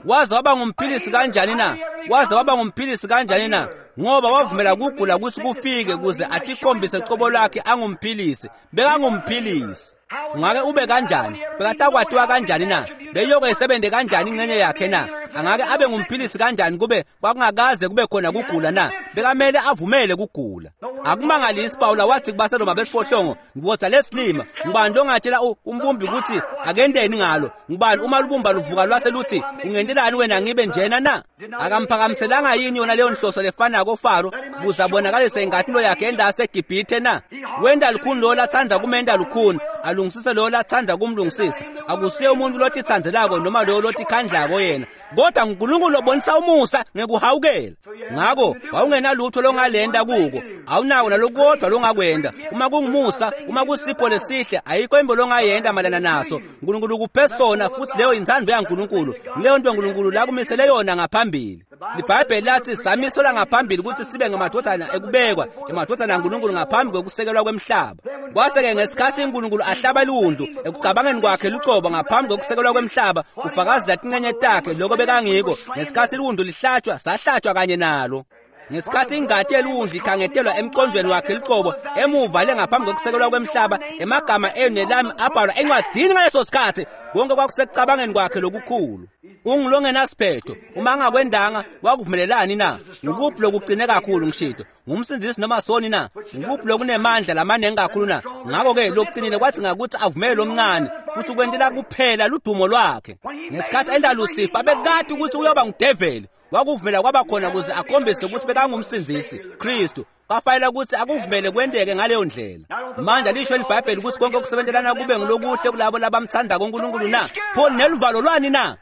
Waze waba ngumphilisi kanjani na? Waze waba ngumphilisi kanjani na? Ngoba wavumela kugula ukuthi kufike kuze atikhombise cobo lwakhe angumphilisi. Bekangumphilisi. Ungake ube kanjani? Bekatakwatiwa kanjani na? Beyoke isebenze kanjani ingcenye yakhe na? Angake abe ngumphilisi kanjani kube kwakungakaze kube khona kugula na? Bekamele avumele kugula. Akumangalisi Pawula wathi kubaseRoma besiphohlongo, ngivotha lesilima, ngubani longatshela umbumbi ukuthi akendeni ngalo? Ngubani uma lubumba luvuka lwase luthi ungentelani wena ngibe njena na? Akamphakamiselanga yini yona leyo nhloso lefanako Faro kuze abonakalise inkathilo yakhe endase eGibhithe na? Wenda lukhuni lo lathanda kumenda lukhuni, alungisise lo lathanda kumlungisisa. Akusiye umuntu lotithandzelako noma lo lotikhandlako yena, kodwa uNkulunkulu obonisa umusa ngekuhawukela. Ngakho wawungenalutho longalenda kuko, awunawo nalokodwa longakwenda. Uma kungumusa, uma kusipho lesihle, ayikho imbo longayenda malana naso. uNkulunkulu ukuphe sona, futhi leyo inthando yaNkulunkulu, leyo nto uNkulunkulu lakumisele yona ngaphambili. LiBhayibheli lathi samiselwa ngaphambili ukuthi sibe ngamadodana ekubekwa, emadodana aNkulunkulu ngaphambi kokusekelwa kwemhlaba. Kwase-ke ngesikhathi uNkulunkulu ahlaba liwundlu ekucabangeni kwakhe lucobo ngaphambi kokusekelwa kwemhlaba, ufakazela tincenye takhe lokho bekangiko. Ngesikhathi liwundlu lihlatshwa, sahlatshwa kanye nalo. Ngesikhathi ingati yeliwundlu ikhangetelwa emqondweni wakhe lucobo emuva le ngaphambi kokusekelwa kwemhlaba, emagama enu nelami abhalwa encwadini ngaleso sikhathi. Konke kwakusekucabangeni kwakhe lokukhulu. Ungilongenasiphetho uma angakwendanga wakuvumelelani na? Ngukuphi lokugcine kakhulu ngishito? Ngumsindzisi noma soni na? Ngukuphi lokunemandla lamanengi kakhulu na? Ngakho-ke lokucinile kwathi ngakuthi avumele lomncane futhi ukwentela kuphela ludumo lwakhe. Ngesikhathi enda Lucifer abekade ukuthi uyoba ngudeveli, wakuvumela kwaba khona ukuze akhombise ukuthi bekangumsindzisi Kristu. Kwafanele ukuthi akuvumele kwenteke ngaleyo ndlela. Manje lisho iBhayibheli ukuthi konke okusebenzelana kube ngilokuhle kulabo labamthandako uNkulunkulu na? Pho neluvalo lwani na?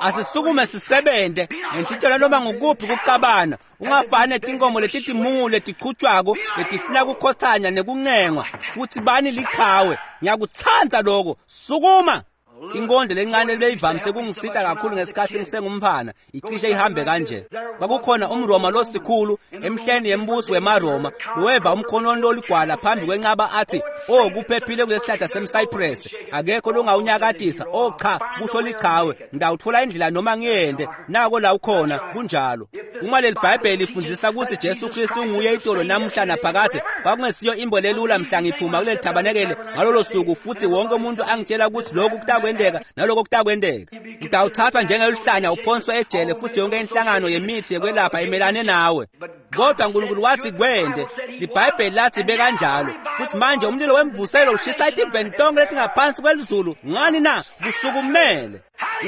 Asisukume sisebente ngenhlitshela noma ngukuphi kucabana. Ungafani netinkomo letitimule letichutshwako letifuna kukhothanya nekuncengwa futhi bani liqhawe. Ngiyakutsandza lokho. Sukuma. Inkondlo lencane lebeyivamise kungisita kakhulu ngesikhathi ngisengumfana icishe ihambe kanje. Kwakukhona umRoma losikhulu emhleni yembuso wemaRoma loweva umkhononi loligwala phambi kwenqaba athi, "Oh, kuphephile kulesihlahla semcypress, akekho longawunyakatisa." Oh cha, kusho lichawe, ngidawuthola indlela noma ngiyende, nako la ukhona. Kunjalo. Uma leli Bhayibheli lifundisa ukuthi Jesu Kristu unguye itolo namuhla naphakade, kwakungesiyo imbo lelula mhla ngiphuma kuleli thabanekele ngalolo suku futhi wonke umuntu angitshela ukuthi lokhu kutakwendeka naloko kutakwendeka. Utawuthathwa njengeluhlanya uphonswe ejele futhi yonke inhlangano yemithi yekwelapha imelane nawe. Kodwa uNkulunkulu wathi kwende, liBhayibheli lathi bekanjalo. Futhi manje umlilo wemvuselo ushisa itiveni tonke letingaphansi kwelizulu. Ngani na? Kusukumele.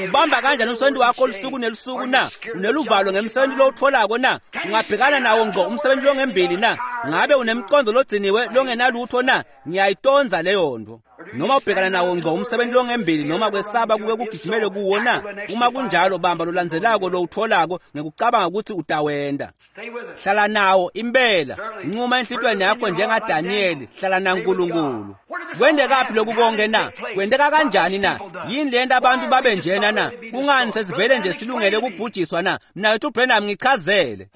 Ubamba kanjani umsebenzi wakho olusuku nelusuku na? Uneluvalo ngemsebenzi lowutholako na? Ungabhekana nawo ngqo umsebenzi longembili na? Ngabe unemqondo logciniwe longenalutho na? Ngiyayitonza leyo nto. Noma ubhekana nawo ngqo umsebenzi longembili noma kwesaba kuke kugijimele kuwo na? Uma kunjalo bamba lolandzelako lowutholako ngekucabanga ukuthi utawenda. Hlala nawo impela. Nquma enhlitweni yakho njengaDanyeli, hlala naNkulunkulu. Kwendekaphi lokhu konke na? Kwendeka kanjani na? Yini lento abantu babe njena na? Kungani sesivele nje silungele ukubhujiswa na? Mnakethu Branham ngichazele.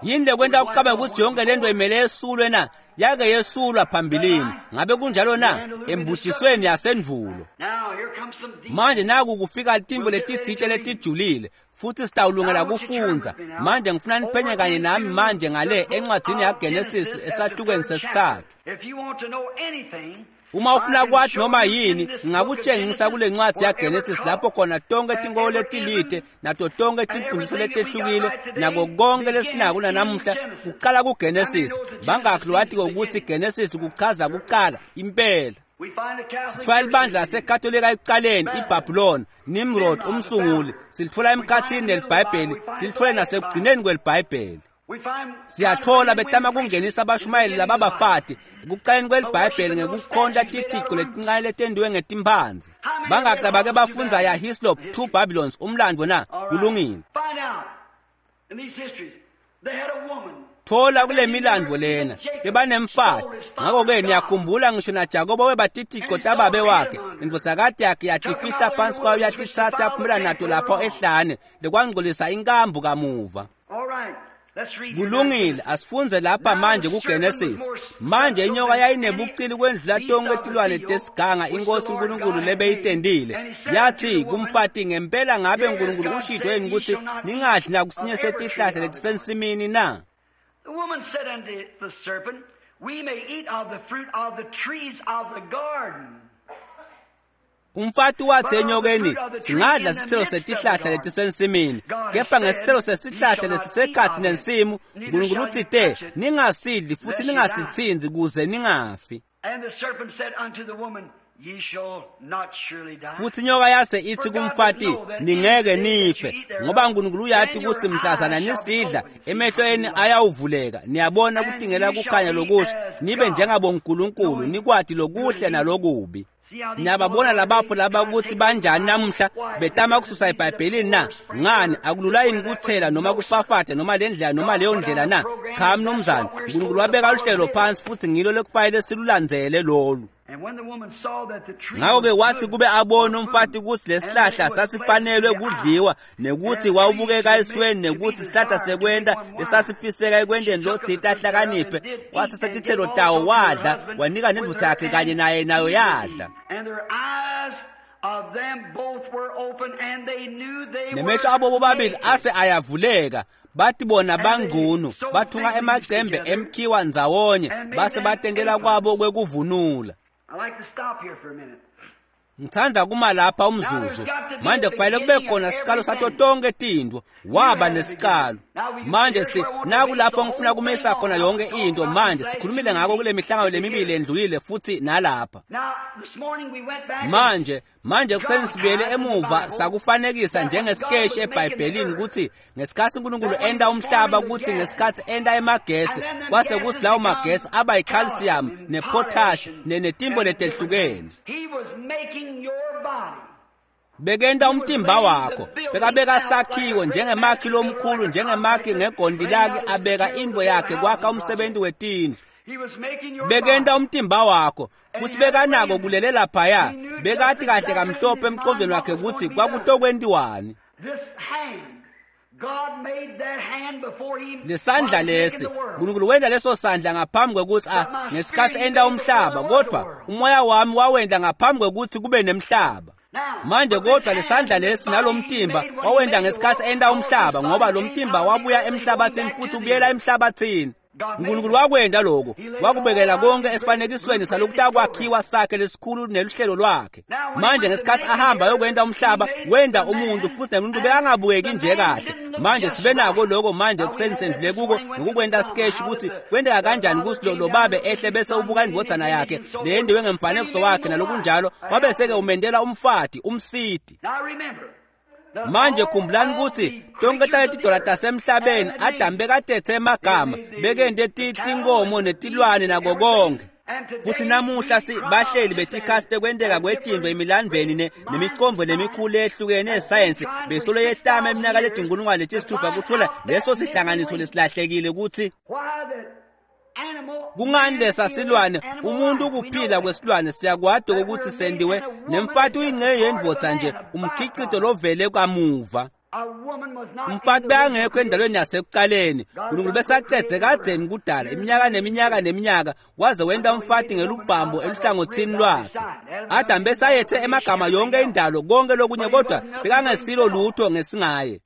Yini lekwenta ukucabanga ukuthi yonke lento imele yesulwe na? Yake yesulwa phambilini. Ngabe kunjalo na? Embujisweni yasendulo. Manje naku kufika timbo letitsite letijulile futhi sitawulungela kufundza. Manje ngifuna niphenye kanye nami manje ngale encwadzini yaGenesis esahlukweni sesithathu. Uma ufuna kwathi noma yini, ngingakutshengisa kule ncwadi yaGenesis lapho khona tonke tinkolo letilide nato tonke timfundiso letehlukile nako konke lesinako nanamuhla kuqala kuGenesis. Bangakhi lowatiko ukuthi Genesis kuchaza kuqala impela. Sithola libandla laseKatolika ekuqaleni, iBhabhiloni, Nimrod umsunguli, silithola emkhathini nelibhayibheli, silithole nasekugcineni kwelibhayibheli. Siyathola betama kungenisa abashumayeli lababafati ekuqaleni kwelibhayibheli ngekukhonta tithixo letincane letendiwe ngetimphanzi. Bangakhi labake bafundza ya Hislop Two Babylons umlandvo na? Kulungile. Thola kule milandvo lena bebanemfati. Ngakho-ke niyakhumbula ngisho naJakobe webatitixo tababe wakhe, indvodzakati yakhe yatifihla phansi kwayo yatitsatsa yaphumela nato lapho ehlane lekwangcolisa inkambu kamuva. Kulungile, asifunze lapha manje kuGenesis. Manje inyoka yayinebucili kwendlula tonke tilwane tesiganga inkosi uNkulunkulu lebeyitendile. Yathi kumfati, ngempela ngabe uNkulunkulu ushito yini ukuthi ningadli nakusinye setihlahla letisensimini na? The woman said unto the serpent, We may eat of the fruit of the trees of the garden. Umfati wathi enyokeni, singadla sithelo setihlahla letisensimini, kepha ngesithelo sesihlahla lesisekhathi nensimu, uNkulunkulu utsite, ningasidli futhi ningasithinzi kuze ningafi. And the serpent said unto the woman, Ye shall not surely die. Futhi inyoka yase ithi kumfati, ningeke nife, ngoba uNkulunkulu uyati ukuthi mhlazana nisidla, emehlo enu ayawuvuleka, niyabona kutingela kukhanya lokusha, nibe njengabonkulunkulu, nikwati lokuhle nalokubi. Niyababona labafo laba ukuthi banjani namuhla betama kususa eBhayibhelini na? Ngani akulula yini kuthela noma kufafatha noma le ndlela noma leyo ndlela na? Cha mnumzane, uNkulunkulu wabeka uhlelo phansi futhi ngilo lekufanele silulandzele lolu. Ngako-ke wathi kube abone umfati kutsi lesihlahla sasifanelwe kudliwa nekuthi wawubukeka esweni nekuthi sihlahla sekwenta lesasifiseka ekwenteni lotsite ahlakaniphe, wathatha titselo tawo wadla, wanika nendvodza yakhe kanye naye nayo yadla. Nemehlo abo bobabili ase ayavuleka, bathi bona bangcunu, bathunga emacembe emkhiwa ndzawonye, base batentela kwabo kwekuvunula. Ngithanda kuma lapha umzuzu. Manje kufanele kube khona isiqalo sato tonke tintfo. Waba nesiqalo. Manje si naku lapho ngifuna kumisa khona yonke into. Manje sikhulumile ngako kule mihlangano lemibili endlulile futhi nalapha. Manje manje kuseni sibuyele emuva sakufanekisa njengesikeshi eBhayibhelini ukuthi ngesikhathi uNkulunkulu enda umhlaba ukuthi ngesikhathi enda emagesi kwase kuthi lawo magesi aba yi-calcium ne-potash netimbo letehlukene. Bekenta umtimba wakho, bekabeka sakhiwo njengemakhi lomkhulu, njengemakhi ngegondi lakhe abeka indvo yakhe kwakha umsebenzi wetindlu. Bekenta umtimba wakho futhi bekanako kulele laphaya, bekati kahle kamhlophe emqondweni wakhe ukuthi kwakutokwentiwani. Lesandla lesi uNkulunkulu wenta leso sandla ngaphambi kwekuthi a ngesikhathi enta umhlaba, kodwa umoya wami wawenta ngaphambi kwekuthi kube nemhlaba. Manje kodwa lesandla lesi nalomtimba wawenta ngesikhathi enta umhlaba, ngoba lo mtimba wabuya emhlabathini futhi ubuyela emhlabathini. uNkulunkulu wakwenta lokho, wakubekela konke esifanekisweni salokutakwakhiwa sakhe lesikhulu neluhlelo lwakhe. Manje ngesikhathi ahamba yokwenta umhlaba, wenda umuntu futhi nemuntu bekangabukeki nje kahle. Manje sibe nako lokho manje kuseni sendlule kuko nokukwenta skeshi ukuthi kwenteka kanjani ukuthi lo babe ehle bese ubuka indvodzana yakhe leyendiwe ngemfanekiso wakhe nalokunjalo, wabese-ke umendela umfati umsiti. Manje khumbulani ukuthi tonke taletidola tasemhlabeni Adamu bekatethe emagama, bekente tinkomo netilwane nako konke. Futhi namuhla si bahleli betikhathi tekwenteka kwetintfo emilandvweni nemicondvo lemikhulu ehlukene yesayensi besolo yetama iminyaka letinkulungwane letisithupha kuthola leso sihlanganiso lesilahlekile ukuthi kungani lesa silwane umuntu ukuphila kwesilwane siyakwadi ukuthi sendiwe nemfati uyingxenye yendvodza nje umkhicito lovele kamuva. Umfati bekangekho endalweni yasekucaleni, uNkulunkulu besacedze kadzeni kudala iminyaka neminyaka neminyaka waze wenta umfati ngelubhambo eluhlangothini lwakhe. Adamu besayethe emagama yonke indalo konke lokunye, kodwa bekangesilo lutho ngesingaye.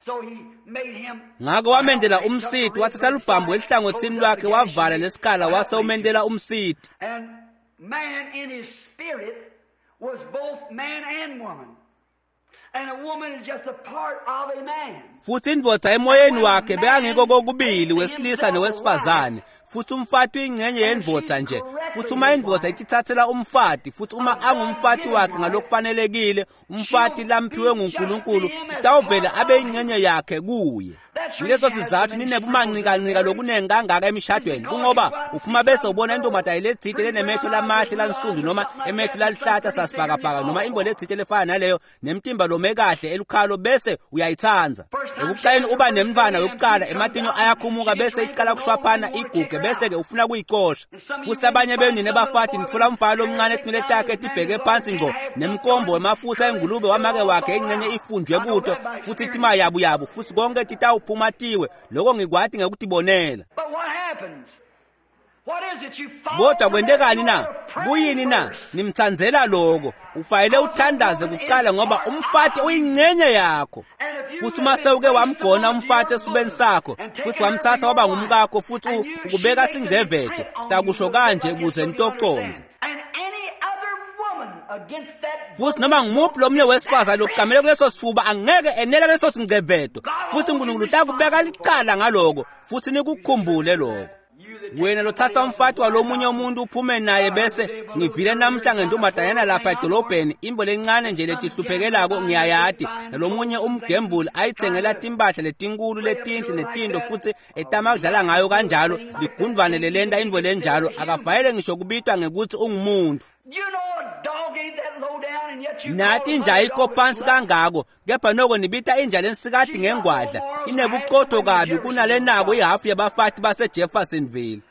Ngako wamendela umsiti, wathatha lubhambo eluhlangothini lwakhe wavala lesikhala wase umendela umsiti. Futhi indvodza emoyeni wakhe bekangekho kokubili wesilisa nowesifazane, futhi umfati uyingxenye yendvodza nje. Futhi uma indvodza itithathela umfati, futhi uma angumfati wakhe ngalokufanelekile, umfati lamphiwe nguNkulunkulu utawuvele abe yingxenye yakhe kuye. Leso sizathu ninebumanqikanqika lokunengi kangaka emishadweni, kungoba uphuma bese ubona intombazane letsite lenemehlo lamahle lansundu noma emehlo laluhlata sasibhakabhaka noma imbo letsite lefana naleyo nemtimba lome kahle elukhalo bese uyayithandza. Ekuqaleni uba nemntfwana wekucala, ematinyo ayakhumuka bese icala kushwaphana iguge bese-ke ufuna kuyicosha. Futhi labanye benu nine bafati nitfola umfana lomncane etinwele takhe tibheke phansi ngqo nemkombo wemafutha engulube wamake wakhe ingxenye ifunjwe kuto futhi timayabuyabu futhi konke titawuphuma tiwe. Lokho ngikwati ngekutibonela. Kodwa kwentekani na? Kuyini na? Nimthandzela lokho. Ufanele uthandaze kucala ngoba umfati uyingxenye yakho. Futhi uma sewuke wamgona umfati esibeni sakho futhi wamthatha waba ngumkakho futhi ukubeka singcevede, sitakusho kanje ukuze nitoconze. Futhi noma ngumuphi lomunye wesifazane lokucamele kuleso sifuba angeke enele leso singcevedo, futhi uNkulunkulu utakubeka licala ngaloko, futhi nikukhumbule lokho. Wena lothatha umfati walomunye umuntu uphume naye bese ngivile namhla ngentombazanyana lapha edolobheni imbo lencane nje letihluphekelako ngiyayati nalomunye umgembuli ayithengela timpahla letinkulu letinhle netinto futhi etama kudlala ngayo kanjalo ligundvwane lelenta intfo lenjalo akavayele ngisho kubitwa ngekuthi ungumuntu. Nathi inja ayikho phansi kangako kepha noko nibita inja lensikati ngengwadla inebuqotho kabi kunalenako ihafu yabafati baseJeffersonville.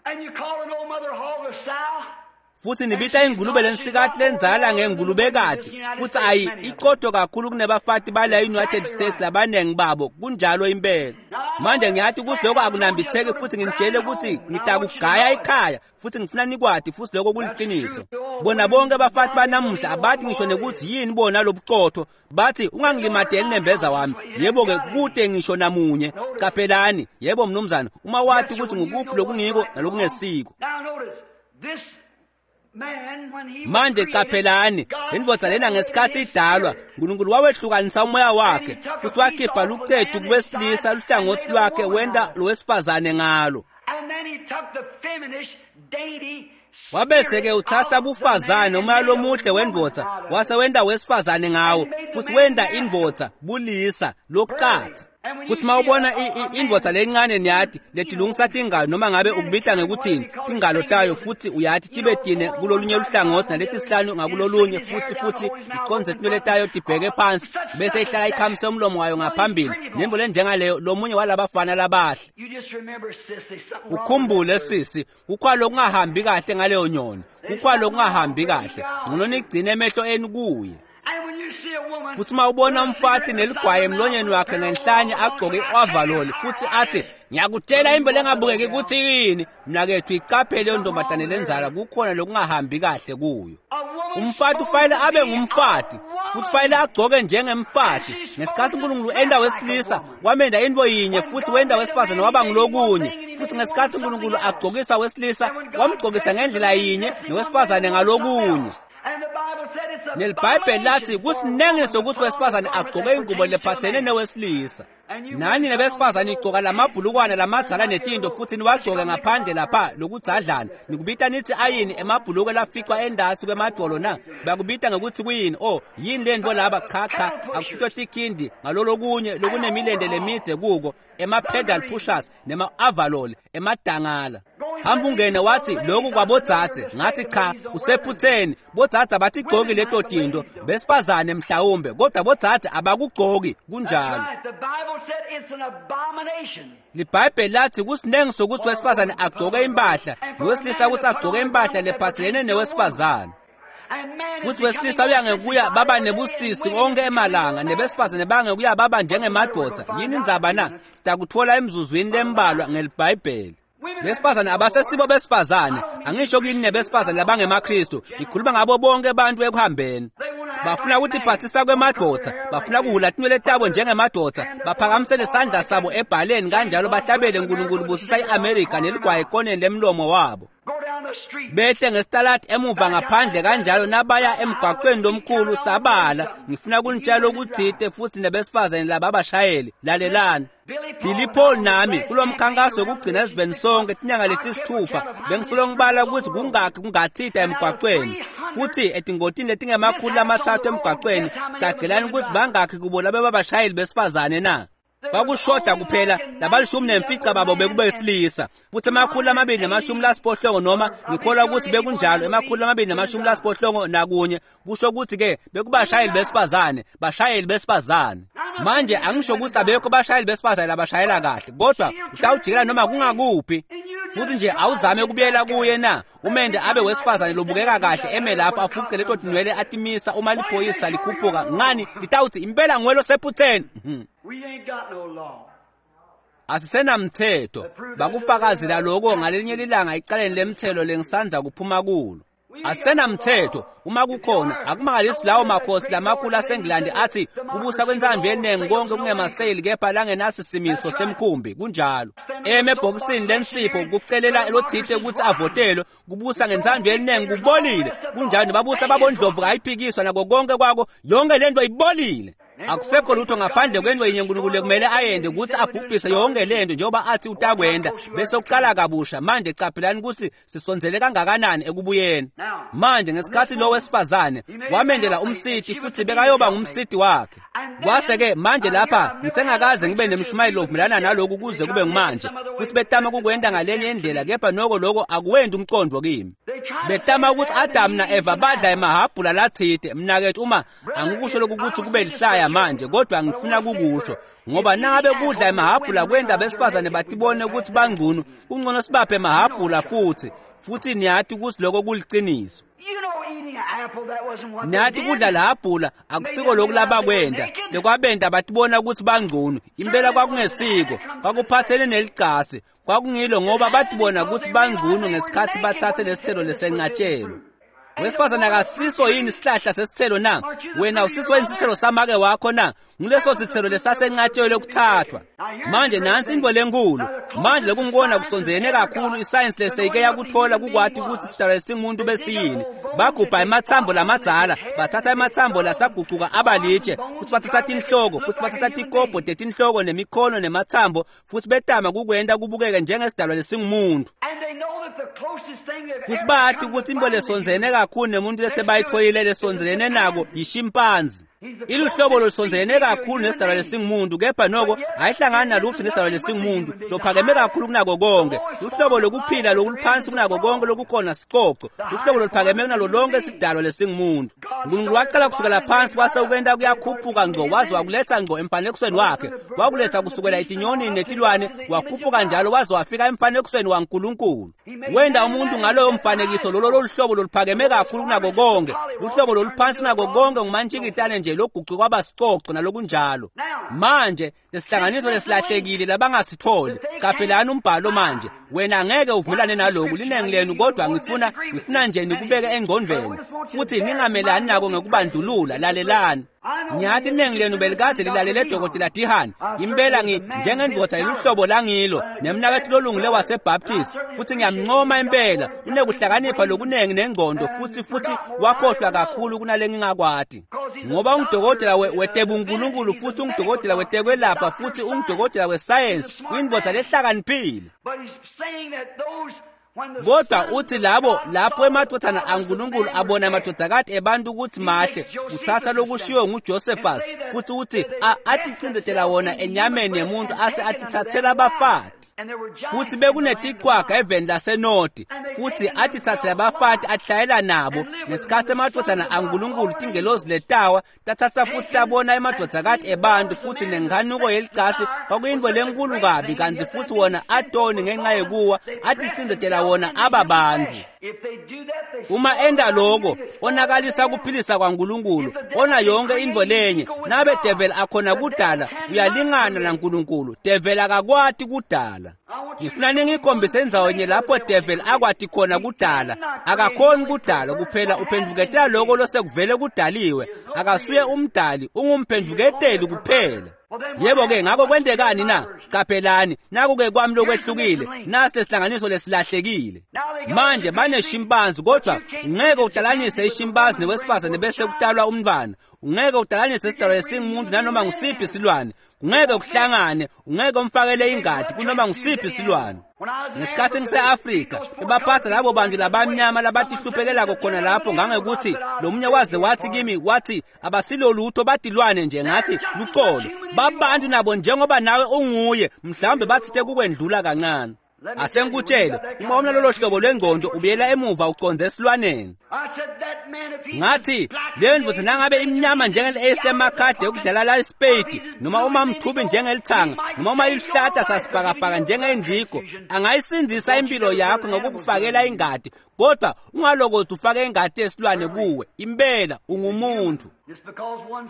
Futhi nibita ingulube lensikati lenzala ngengulubekati futhi ayi iqotho kakhulu kunebafati bala United States labanengi babo kunjalo impela. Manje ngiyathi ukuthi lokho akunambitheki futhi nginitshele ukuthi ngitakugaya ekhaya futhi ngifuna nikwati futhi lokho kuliqiniso. Bona bonke abafati banamuhla abathi ngisho nekuthi yini bona lobuqotho bathi ungangilimadeli nembeza wami. Yebo ke kude ngisho namunye. Qaphelani yebo mnumzana uma wathi ukuthi ngukuphi lokungiko nalokungesiko. Manje qaphelani indvodza lena ngesikhathi idalwa uNkulunkulu wawehlukanisa umoya wakhe futhi wakhipha lucetu kuwesilisa luhlangothi lwakhe wenda lowesifazane ngalo. Wabese-ke uthatha bufazane umoya lomuhle wendvodza wase wenda wesifazane ngawo futhi wenda indvodza bulisa lokuqatha. Futhi mawubona indvodza lencane niyathi letilungisa tingalo noma ngabe ukubita ngekuthini tingalo tayo futhi uyathi tibe tine kulolunye luhlangothi naleti sihlanu ngakulolunye futhi futhi iconze tinwele tayo tibheke phansi bese ihlala ikhamise umlomo wayo ngaphambili nembo lenjengaleyo lomunye walabafana labahle. Ukhumbule sisi kukhona lokungahambi kahle ngaleyo nyoni kukhona lokungahambi kahle ngcono nigcine emehlo enu kuye. Futhi uma ubona umfati neligwayi emlonyeni wakhe ngenhlanye agqoke i-overall futhi athi ngiyakutshela imbo lengabukeki ukuthi yini mnakethu iqaphele leyo ntombazane lenzala kukhona lokungahambi kahle kuyo. Umfati ufanele abe ngumfati futhi ufanele agqoke njengemfati. Ngesikhathi uNkulunkulu enda wesilisa wamenda into yinye futhi wenda wesifazane waba ngulokunye futhi ngesikhathi uNkulunkulu agqokisa wesilisa wamgqokisa ngendlela yinye nowesifazane ngalokunye. NeliBhayibheli lathi kusinengiso ukuthi wesifazane agqoke ingubo lephathene newesilisa. Nani nebesifazane igqoka lamabhulukwana lamadzala netinto futhi niwagqoke ngaphandle lapha lokudzadlana nikubita nithi ayini emabhuluko laficwa endasi kwemadvolo na bakubita ngekuthi kuyini oh yini lento laba cha cha akusito tikhindi ngalolokunye lokunemilende lemide kuko ema-pedal pushers nema-avalol emadangala. Hamba ungene wathi lokhu kwabodzadze ngathi cha usephutheni bodzadze abatigqoki leto tinto besifazane mhlawumbe kodwa bodzadze abakugqoki kunjalo. LiBhayibheli lathi kusinengi sokuthi wesifazane agqoke impahla nowesilisa ukuthi agqoke impahla lephathelene newesifazane. Futhi wesilisa uyangekuya baba nebusisi onke emalanga nebesifazane bangekuya baba njengemadoda. Yini indzaba na? Sitakuthola emzuzwini lembalwa ngeliBhayibheli. Besifazane abasesibo besifazane angisho kini nebesifazane labangemaKristu ngikhuluma ngabo bonke abantu ekuhambeni. Bafuna ukuthi phathisa kwemadoda bafuna kuhula tinwele tabo njengemadoda baphakamisele isandla sabo ebhaleni kanjalo bahlabele uNkulunkulu busisa iAmerica neligwayi ekoneni lemlomo wabo. Behle ngesitalati emuva ngaphandle kanjalo nabaya emgwaqweni lomkhulu sabala. Ngifuna kunitshela ukuthite futhi nebesifazane laba abashayeli lalelani. Billy Paul nami kulomkhankaso wokugcina esiveni sonke tinyanga letisithupha bengisolo ngibala ukuthi kungakhi kungathita emgwaqweni futhi etingotini letingemakhulu lamathathu emgwaqweni cagelani ukuthi bangakhi kubo labe babashayeli besifazane na. Kwakushoda kuphela labalishumi nemfica babo bekubesilisa futhi emakhulu amabili namashumi lasiphohlongo noma ngikholwa ukuthi bekunjalo emakhulu amabili namashumi lasiphohlongo nakunye kusho ukuthi ke bekubashayeli besifazane bashayeli besifazane. Manje angisho ukuthi abekho bashayeli besifazane labashayela kahle kodwa utawujikela noma kungakuphi futhi nje awuzame ukubuyela kuye na umende abe wesifazane lobukeka kahle eme lapho afuqe leto tinwele atimisa uma liphoyisa likhuphuka ngani litawuthi impela ngwelo sephutheni. Asisenamthetho bakufakazela lokho ngalinye lilanga icaleni lemthelo lengisanza kuphuma kulo. Asisenamthetho uma kukhona akumangalisi lawo makhosi lamakhulu aseNgilandi athi kubusa kwensambi eningi konke kungemaseyili kepha langenasisimiso semkhumbi kunjalo. Eme ebhokisini lensipho kucelela lothite ukuthi avotelwe kubusa ngensambi eningi kubolile kunjalo babusa babondlovu ayiphikiswa nako konke kwako yonke lento ibolile. Akusekho lutho ngaphandle kwento yinye uNkulunkulu kumele ayende ukuthi abhubhise yonke lento njengoba athi utakwenda bese uqala kabusha. Manje qaphelani ukuthi sisondzele kangakanani ekubuyeni. Manje ngesikhathi lo wesifazane wamendela umsiti futhi bekayoba ngumsiti wakhe. Kwase-ke manje lapha ngisengakaze ngibe nemshumayelo ovumelana naloku kuze kube ngumanje futhi betama kukwenda ngalenye indlela kepha noko lokho akuwendi umqondo kimi. Betama ukuthi Adam na Eva badla emahabhula lathite mnakethu uma angikusho lokhu ukuthi kube lihlaya manje kodwa ngifuna kukusho ngoba nangabe kudla emahabhula kwenda besifazane batibone ukuthi bangcono kungcono sibaphe emahabhula futhi Futhi niyati ukuthi lokho kuliciniso. Niyati kudla lahhabhula akusiko lokhu labakwenda. Lekwabenda batibona ukuthi bangcono. Impela kwakungesiko, kwakuphathene nelicasi. Kwakungilo ngoba batibona ukuthi bangcono ngesikhathi bathathe lesithelo lesenqatshelwe. Wesifazane akasiso yini isihlahla sesithelo na? Wena usiso yini isithelo samake wakho na? Nguleso sithelo lesasenqatshelwe kuthathwa. Manje nansi into lenkulu. Manje lokungibona kusondelene kakhulu isayensi leseyike yakuthola kukwati ukuthi isidalwa esingumuntu besiyini. Bagubha emathambo lamadzala, bathatha emathambo lasagucuka abalitshe, futhi bathatha tinhloko, futhi bathatha tikobho tetinhloko nemikhono nemathambo, futhi betama kukwenta kubukeke njengesidalwa lesingumuntu. Futhi bathi ukuthi into lesondzene kakhulu nemuntu lesebayitholile lesondzelene nako yishimpanzi. Iluhlobo lolusondzelene kakhulu nesidalwa lesingumuntu, kepha noko ayihlangani nalutho nesidalwa lesingumuntu lophakeme kakhulu kunako konke. Luhlobo lokuphila lokuluphansi kunako konke lokukhona sicoco. Luhlobo loluphakeme kunalo lonke isidalwa lesingumuntu. uNkulunkulu waqala kusukela phansi wase ukwenta kuyakhuphuka ngqo, waze wakuletha ngqo emfanekisweni wakhe. Wakuletha kusukela etinyonini netilwane, wakhuphuka njalo waze wafika emfanekisweni waNkulunkulu. Wenda umuntu ngaloyo mfanekiso lolo loluhlobo loluphakeme kakhulu kunako konke. Luhlobo loluphansi kunako konke ngumantshikitane nje logucu kwaba sicoco nalokunjalo. Manje lesihlanganiso lesilahlekile labangasitholi. Qaphelani umbhalo manje. Wena angeke uvumelane naloku linengi lenu, kodwa ngifuna ngifuna nje nikubeke engqondweni futhi ningamelani nako ngokubandlulula. Lalelani. Ngiyathi iningi lenu belikade lilalele Dokotela Dihani. Impela ngi njengendvodza yeluhlobo langilo nemnaketfu lolungile waseBaptist, futhi ngiyamncoma impela. Unekuhlakanipha lokunengi nengqondo, futhi futhi wakhohlwa kakhulu kunale ngingakwati. Ngoba ungudokotela wetebunkulunkulu, futhi ungudokotela wetekwelapha, futhi ungudokotela wesayensi, uyindvodza lehlakaniphile. Kodwa uthi labo lapho emadvodzana aNkulunkulu abona emadvodzakati ebantu ukuthi mahle, uthatha lokushiwo nguJosephus futhi uthi aticindzetela wona enyameni yemuntu ase atithathela abafati. Futhi bekunetichwaga eveni lasenoti, futhi atithathela abafati ahlayela nabo. Ngesikhathi emadvodzana aNkulunkulu tingelozi letawa tathatha futhi tabona emadvodzakati ebantu, futhi nenkanuko yelicasi kwakuyintfo lenkulu kabi, kanti futhi wona atoni ngenxa yekuwa aticindzetela wona ababantu. Uma enda lokho onakalisa kuphilisa kwaNkulunkulu, ona yonke intfo lenye. Nabe devil akhona kudala, uyalingana naNkulunkulu. Devil akakwati kudala. Ngifuna ningikhombise indzawo lapho devil akwati khona kudala. Akakhoni kudala kuphela, uphendvuketela lokho losekuvele kudaliwe. Akasuye umdali, ungumphendvuketeli kuphela. Yebo-ke, ngakho kwentekani na? Qaphelani, naku-ke kwami lokwehlukile, nasi lesihlanganiso lesilahlekile. Manje baneshimpanzi, kodwa ungeke udalanise ishimpanzi newesifazane bese kutalwa umntwana. Ungeke udalanise isidalwa esingumuntu nanoma ngusiphi isilwane. Ungeke kuhlangane, ungeke umfakele ingadi kunoma ngusiphi isilwane. Ngesikhathi ngise-Afrika, bebaphatha labo bantu labamnyama labatihluphekelayo khona lapho, ngangekuthi lo munye waze wathi kimi, wathi abasilolutho batilwane nje. Ngathi luxolo, babantu nabo njengoba nawe unguye, mhlawumbe bathite kukwendlula kancane. Asengikutshele, uma unalolo hlobo lwengqondo ubuyela emuva uconze esilwaneni. Ngathi le ndvodza nangabe imnyama njengeli-ace lemakhadi yokudlala la isipeyidi, noma uma mthubi njengelithanga, noma uma iluhlata sasibhakabhaka njengendigo, angayisindzisa impilo yakho ngokukufakela ingadi, kodwa ungalokothi ufake ingadi yesilwane kuwe. Impela ungumuntu.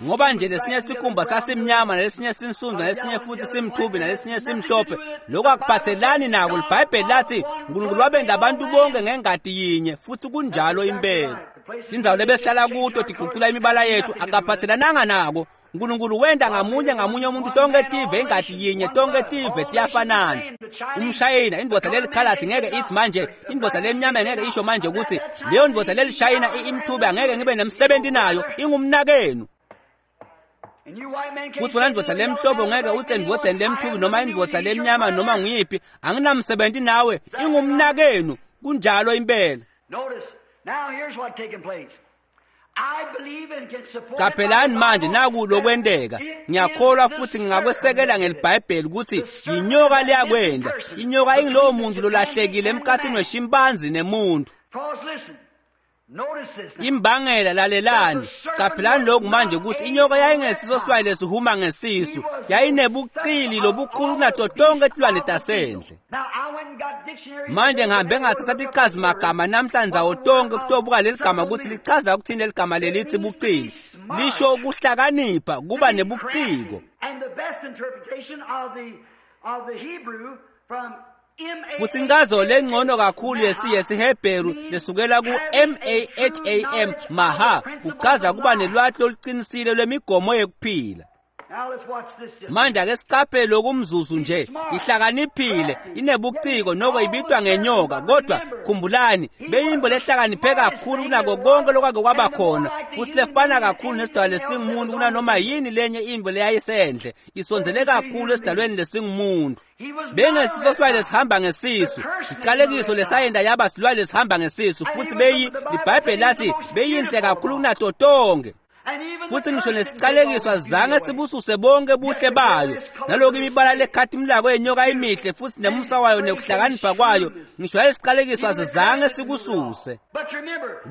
Ngoba nje lesinye sikhumba sasimnyama, nalesinye sinsundu, nalesinye futhi simthubi, nalesinye simhlophe, lokho akuphathelani nako. LiBhayibheli lathi uNkulunkulu wabenda abantu bonke ngengadi yinye, futhi kunjalo impela. Tindzawo lebesihlala kuto tigucula imibala yethu, akaphathelananga nako. uNkulunkulu wenda ngamunye ngamunye umuntu tonke tive ingadi yinye, tonke tive tiyafanana. Umshayina indvodza lelikhalathi ngeke ithi manje, indvodza lemnyama ngeke isho manje ukuthi leyo ndvodza lelishayina imthubi angeke ngibe nemsebenzi nayo, ingumnakenu. Futhi wena ndvodza lemhlobo ngeke uthi endvodzeni lemthubi noma indvodza lemnyama noma nguyiphi, anginamsebenzi nawe, ingumnakenu. Kunjalo impela. Qaphelani manje naku lokwenteka. Ngiyakholwa futhi ngingakwesekela ngeliBhayibheli ukuthi inyoka liyakwenda. Inyoka ingilowo muntu lolahlekile emkhathini weshimpanzi nemuntu. Imbangela, lalelani, qaphelani lokhu manje ukuthi inyoka yayingesiso silwane lesihuma ngesisu, yayinebuqili lobukhulu kunato tonke tilwane tasendle. Manje ngihambe ngathatha tichazi magama namhlanje ndzawo tonke kutobuka leli gama ukuthi lichaza ukuthini leli gama lelithi buqili. Lisho ukuhlakanipha, kuba nebuciko. Futhi incazo lengcono kakhulu yesiHebheru lesukela ku-M A H A M, maha, kuchaza kuba nelwati loluqinisile lwemigomo yekuphila. Manje ake siqaphele lokumzuzu nje, ihlakaniphile, inebuciko noko ibitwa ngenyoka, kodwa khumbulani, beyimbo lehlakaniphe kakhulu kunako konke lokwake kwaba khona, futhi lefana kakhulu nesidalwa lesingumuntu kunanoma yini lenye imbo leyayisendle, isondzele kakhulu esidalweni lesingumuntu. Bengesiso silwane lesihamba ngesisu, siqalekiso lesayenda yaba silwane lesihamba ngesisu, futhi beyi iBhayibheli lathi beyinhle kakhulu kunato tonke. Futhi ngisho nesiqalekiso azange sibususe bonke buhle bayo, nalokhu imibala lekhathimlako yenyoka imihle futhi nemusa wayo nekuhlakanipha kwayo, ngisho lesiqalekiso azange sikususe.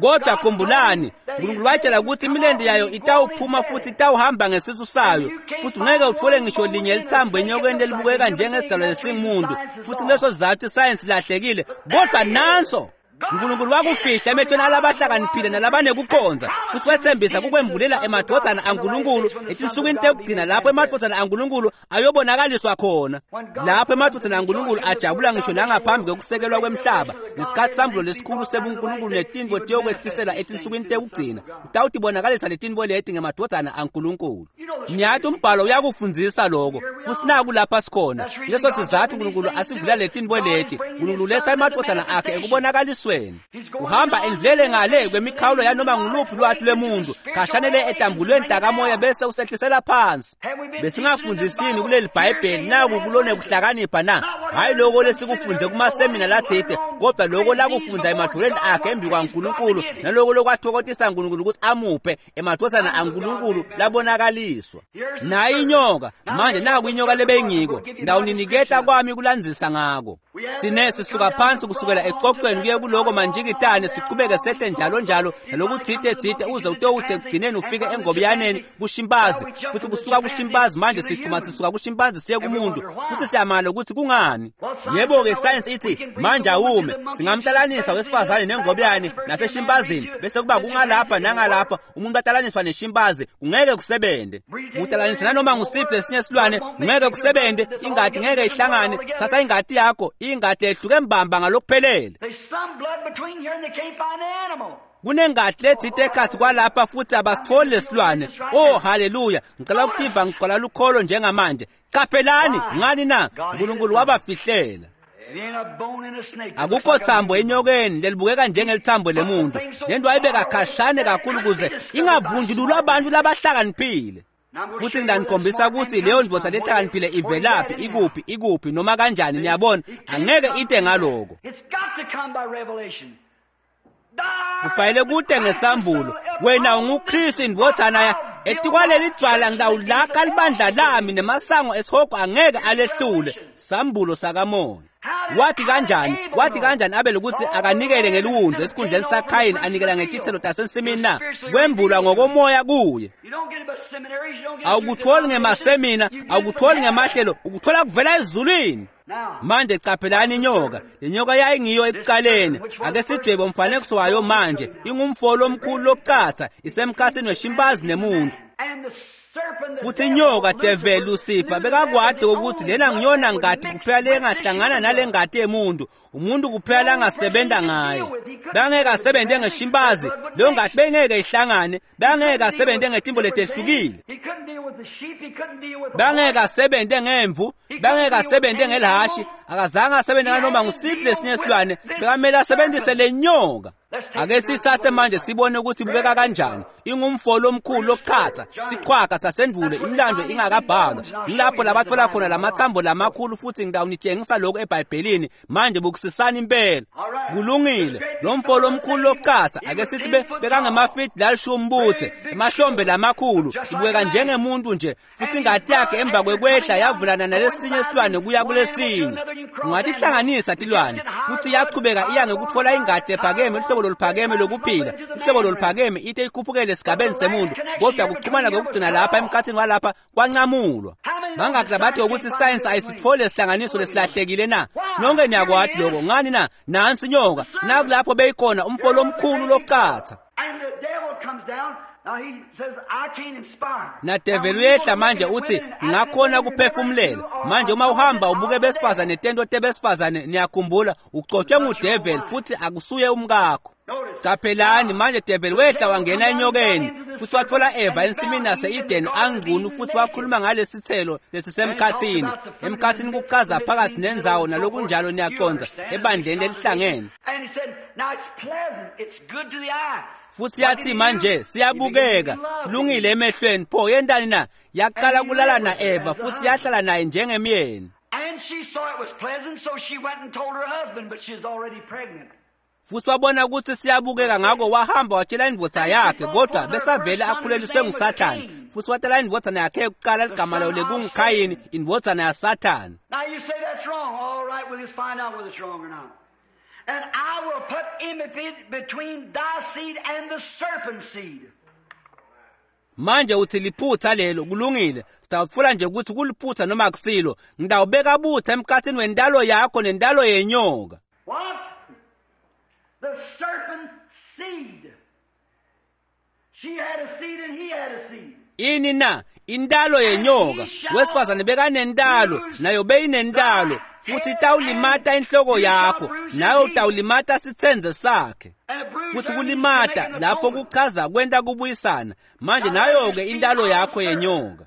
Kodwa khumbulani, uNkulunkulu watshela ukuthi imilente yayo itawuphuma futhi itawuhamba ngesisu sayo, futhi ungeke uthole ngisho linye lithambo enyokeni lelibukeka njengesidalwa lesingumuntu, futhi leso sizathu isayensi lahlekile. Kodwa nanso uNkulunkulu wakufihla emehlweni alabahlakaniphile nalabanekukhonza, futhi wethembisa kukwembulela emadvodzana aNkulunkulu etinsukwini tekugcina lapho emadvodzana aNkulunkulu ayobonakaliswa khona, lapho emadvodzana aNkulunkulu ajabula ngisho nangaphambi kokusekelwa kwemhlaba, ngesikhathi sambulo lesikhulu sebuNkulunkulu netintfo tiyokwehliselwa etinsukwini tekugcina, utawutibonakalisa letintfo leti ngemadvodzana aNkulunkulu. Ngiyathi umbhalo uyakufundzisa lokho, futhi naku lapha sikhona. Leso sizathu uNkulunkulu asivula letintfo leti. uNkulunkulu uletha emadvodzana akhe ekubonakalisweni. Uhamba endlulele ngale kwemikhawulo yanoma nguluphi lwati lwemuntu, khashanele etambulweni takamoya bese usehlisela phansi. Besingafundzisini kuleli Bhayibheli naku kulone kuhlakanipha na? Hayi lokho lesikufunze kumasemina lathide, kodwa lokho lakufundza emadvoleni akhe embi kwaNkulunkulu, naloko lokwathokothisa uNkulunkulu ukuthi amuphe emadvodzana aNkulunkulu labonakaliswa. Nayi inyoka, manje naku inyoka lebeyingiko, ndawuniniketa kwami kulandzisa ngako. Sine sisuka phansi kusukela ecocweni kuye kuloko manjikitane, siqhubeke sehle njalo njalo nalokuthite thite uze utowuthe ekugcineni ufike engobiyaneni kushimpanzi, futhi kusuka kushimpanzi manje sichuma sisuka kushimpanzi siye kumuntu, futhi siyamala ukuthi kungani. Yebo-ke isayensi ithi manje awume, singamtalanisa wesifazane nengobiyane naseshimpazini, bese kuba kungalapha nangalapha, umuntu atalaniswa neshimpanzi kungeke kusebente. Utalanisa nanoma ngusiphi lesinye silwane ngeke kusebente, ingati ngeke ihlangane. Thatha ingati yakho, ingati ehluke mbamba ngalokuphelele. Kunengati lethite ekhathi kwalapha futhi abasitholi lesilwane. Oh haleluya, ngicela ukutiva ngigcwala lukholo njengamanje. Qaphelani, ngani na? uNkulunkulu wabafihlela. Akukho thambo enyokeni lelibukeka njengelithambo lemuntu. Lento ayibeka khashane kakhulu ukuze ingavunjululwa abantu labahlakaniphile. Futhi ngidanikhombisa ukuthi leyo ndvodza lehlakaniphile ivelaphi, ikuphi, ikuphi noma kanjani. Niyabona, angeke ite ngaloko. Kufanele kute ngesambulo. Wena unguKristu indvodzana ya etikwaleli dvwala ngitawulakha libandla lami, nemasango esihogo angeke alehlule. Sambulo sakamoya. Wathi kanjani? Wathi kanjani Abel ukuthi akanikele ngeliwundlu esikhundleni saKhayini, anikela ngetithelo tasensimini na? Kwembulwa ngokomoya kuye. Awukutholi ngemasemina, awukutholi ngemahlelo, ukuthola kuvela ezulwini. Manje qaphelani inyoka. Le nyoka yayingiyo ekuqaleni. Ake sidwebe umfanekiso wayo manje. Ingumfolo omkhulu lokucatha, isemkhathini weshimpanzi nemuntu. Futhi inyoka devil Lucifer bekakwade ukuthi lena ngiyona ngati kuphela lengahlangana nale ngati yemuntu, umuntu kuphela langasebenza ngayo. Bangeke asebenze ngeshimpanzi, leyo ngati bengeke ihlangane, bangeke asebenze ngetimbo letehlukile. Bangeke asebenze ngemvu, bangeke asebenze ngelihashi, akazange asebenze nganoma ngusiphi lesinye silwane, bekamele asebenzise le nyoka. Ake sithathe manje sibone ukuthi ibukeka kanjani. Ingumfolo omkhulu lokuchatha, siqhwaga sasendvulo, imilando ingakabhalwa. Ngilapho labathola khona lamathambo lamakhulu, futhi ngitawunitshengisa lokhu eBhayibhelini. Manje Bukisisani impela. Kulungile, lo mfo lomkhulu lokucatsa ake sithi bekangemafidi lalishumi butse, emahlombe lamakhulu, ibukeka njengemuntu nje, futhi ingati yakhe emva kwekwehla yavulana nalesinye isilwane kuya kulesinye. Ungatihlanganisa tilwane, futhi iyachubeka iya ngekutfola ingati ephakeme, luhlobo loluphakeme lokuphila, luhlobo loluphakeme ite ikhuphukele esigabeni semuntu, kodwa kuchumana kokugcina lapha emkhathini walapha kwancamulwa. Bangaki labathi ukuthi isayensi ayisitfole isihlanganiso lesilahlekile na? Nonke niyakwati lokho. Ngani na? Nansi inyoka, nakulapho beyikhona umfo lomkhulu lokucatsa. Nadeveli uyehla manje uthi ngakhona kuphefumulela. Manje uma uhamba ubuke besifazane tento tebesifazane, niyakhumbula ucotshwe ngudeveli futhi akusuye umkakho. Caphelani manje develi wehla wangena enyokeni futhi wathola Eva ensimini yase-Eden angcunu futhi wakhuluma ngalesithelo lesisemkhathini. Emkhathini kuchaza phakathi nendzawo nalokunjalo, niyaconza ebandleni lelihlangene. Futhi yathi manje siyabukeka, silungile emehlweni. Pho yentani na? Yaqala kulala na-Eva futhi yahlala naye njengemyeni. Futhi wabona ukuthi siyabukeka, ngakho wahamba watshela indvodza yakhe, kodwa besavele akhuleliswe nguSathane. Futhi watala indvodzana yakhe yokuqala ligama layo lekunguKhayini, indvodzana yaSathane. And I will put enmity between thy seed and the serpent's seed. Manje uthi liphutha lelo, kulungile. Sitawutfola nje ukuthi kuliphutha noma akusilo. Ngitawubeka butha emkhathini wendalo yakho nendalo yenyoka. What? The serpent's seed. She had a seed and he had a seed. Ini na? Indalo yenyoka. Wesifazane bekanendalo, nayo beyinendalo. Futhi itawulimata inhloko yakho, nayo utawulimata sitsenze sakhe. Futhi kulimata lapho kuchaza kwenta kubuyisana. Manje nayo ke indalo yakho yenyoka.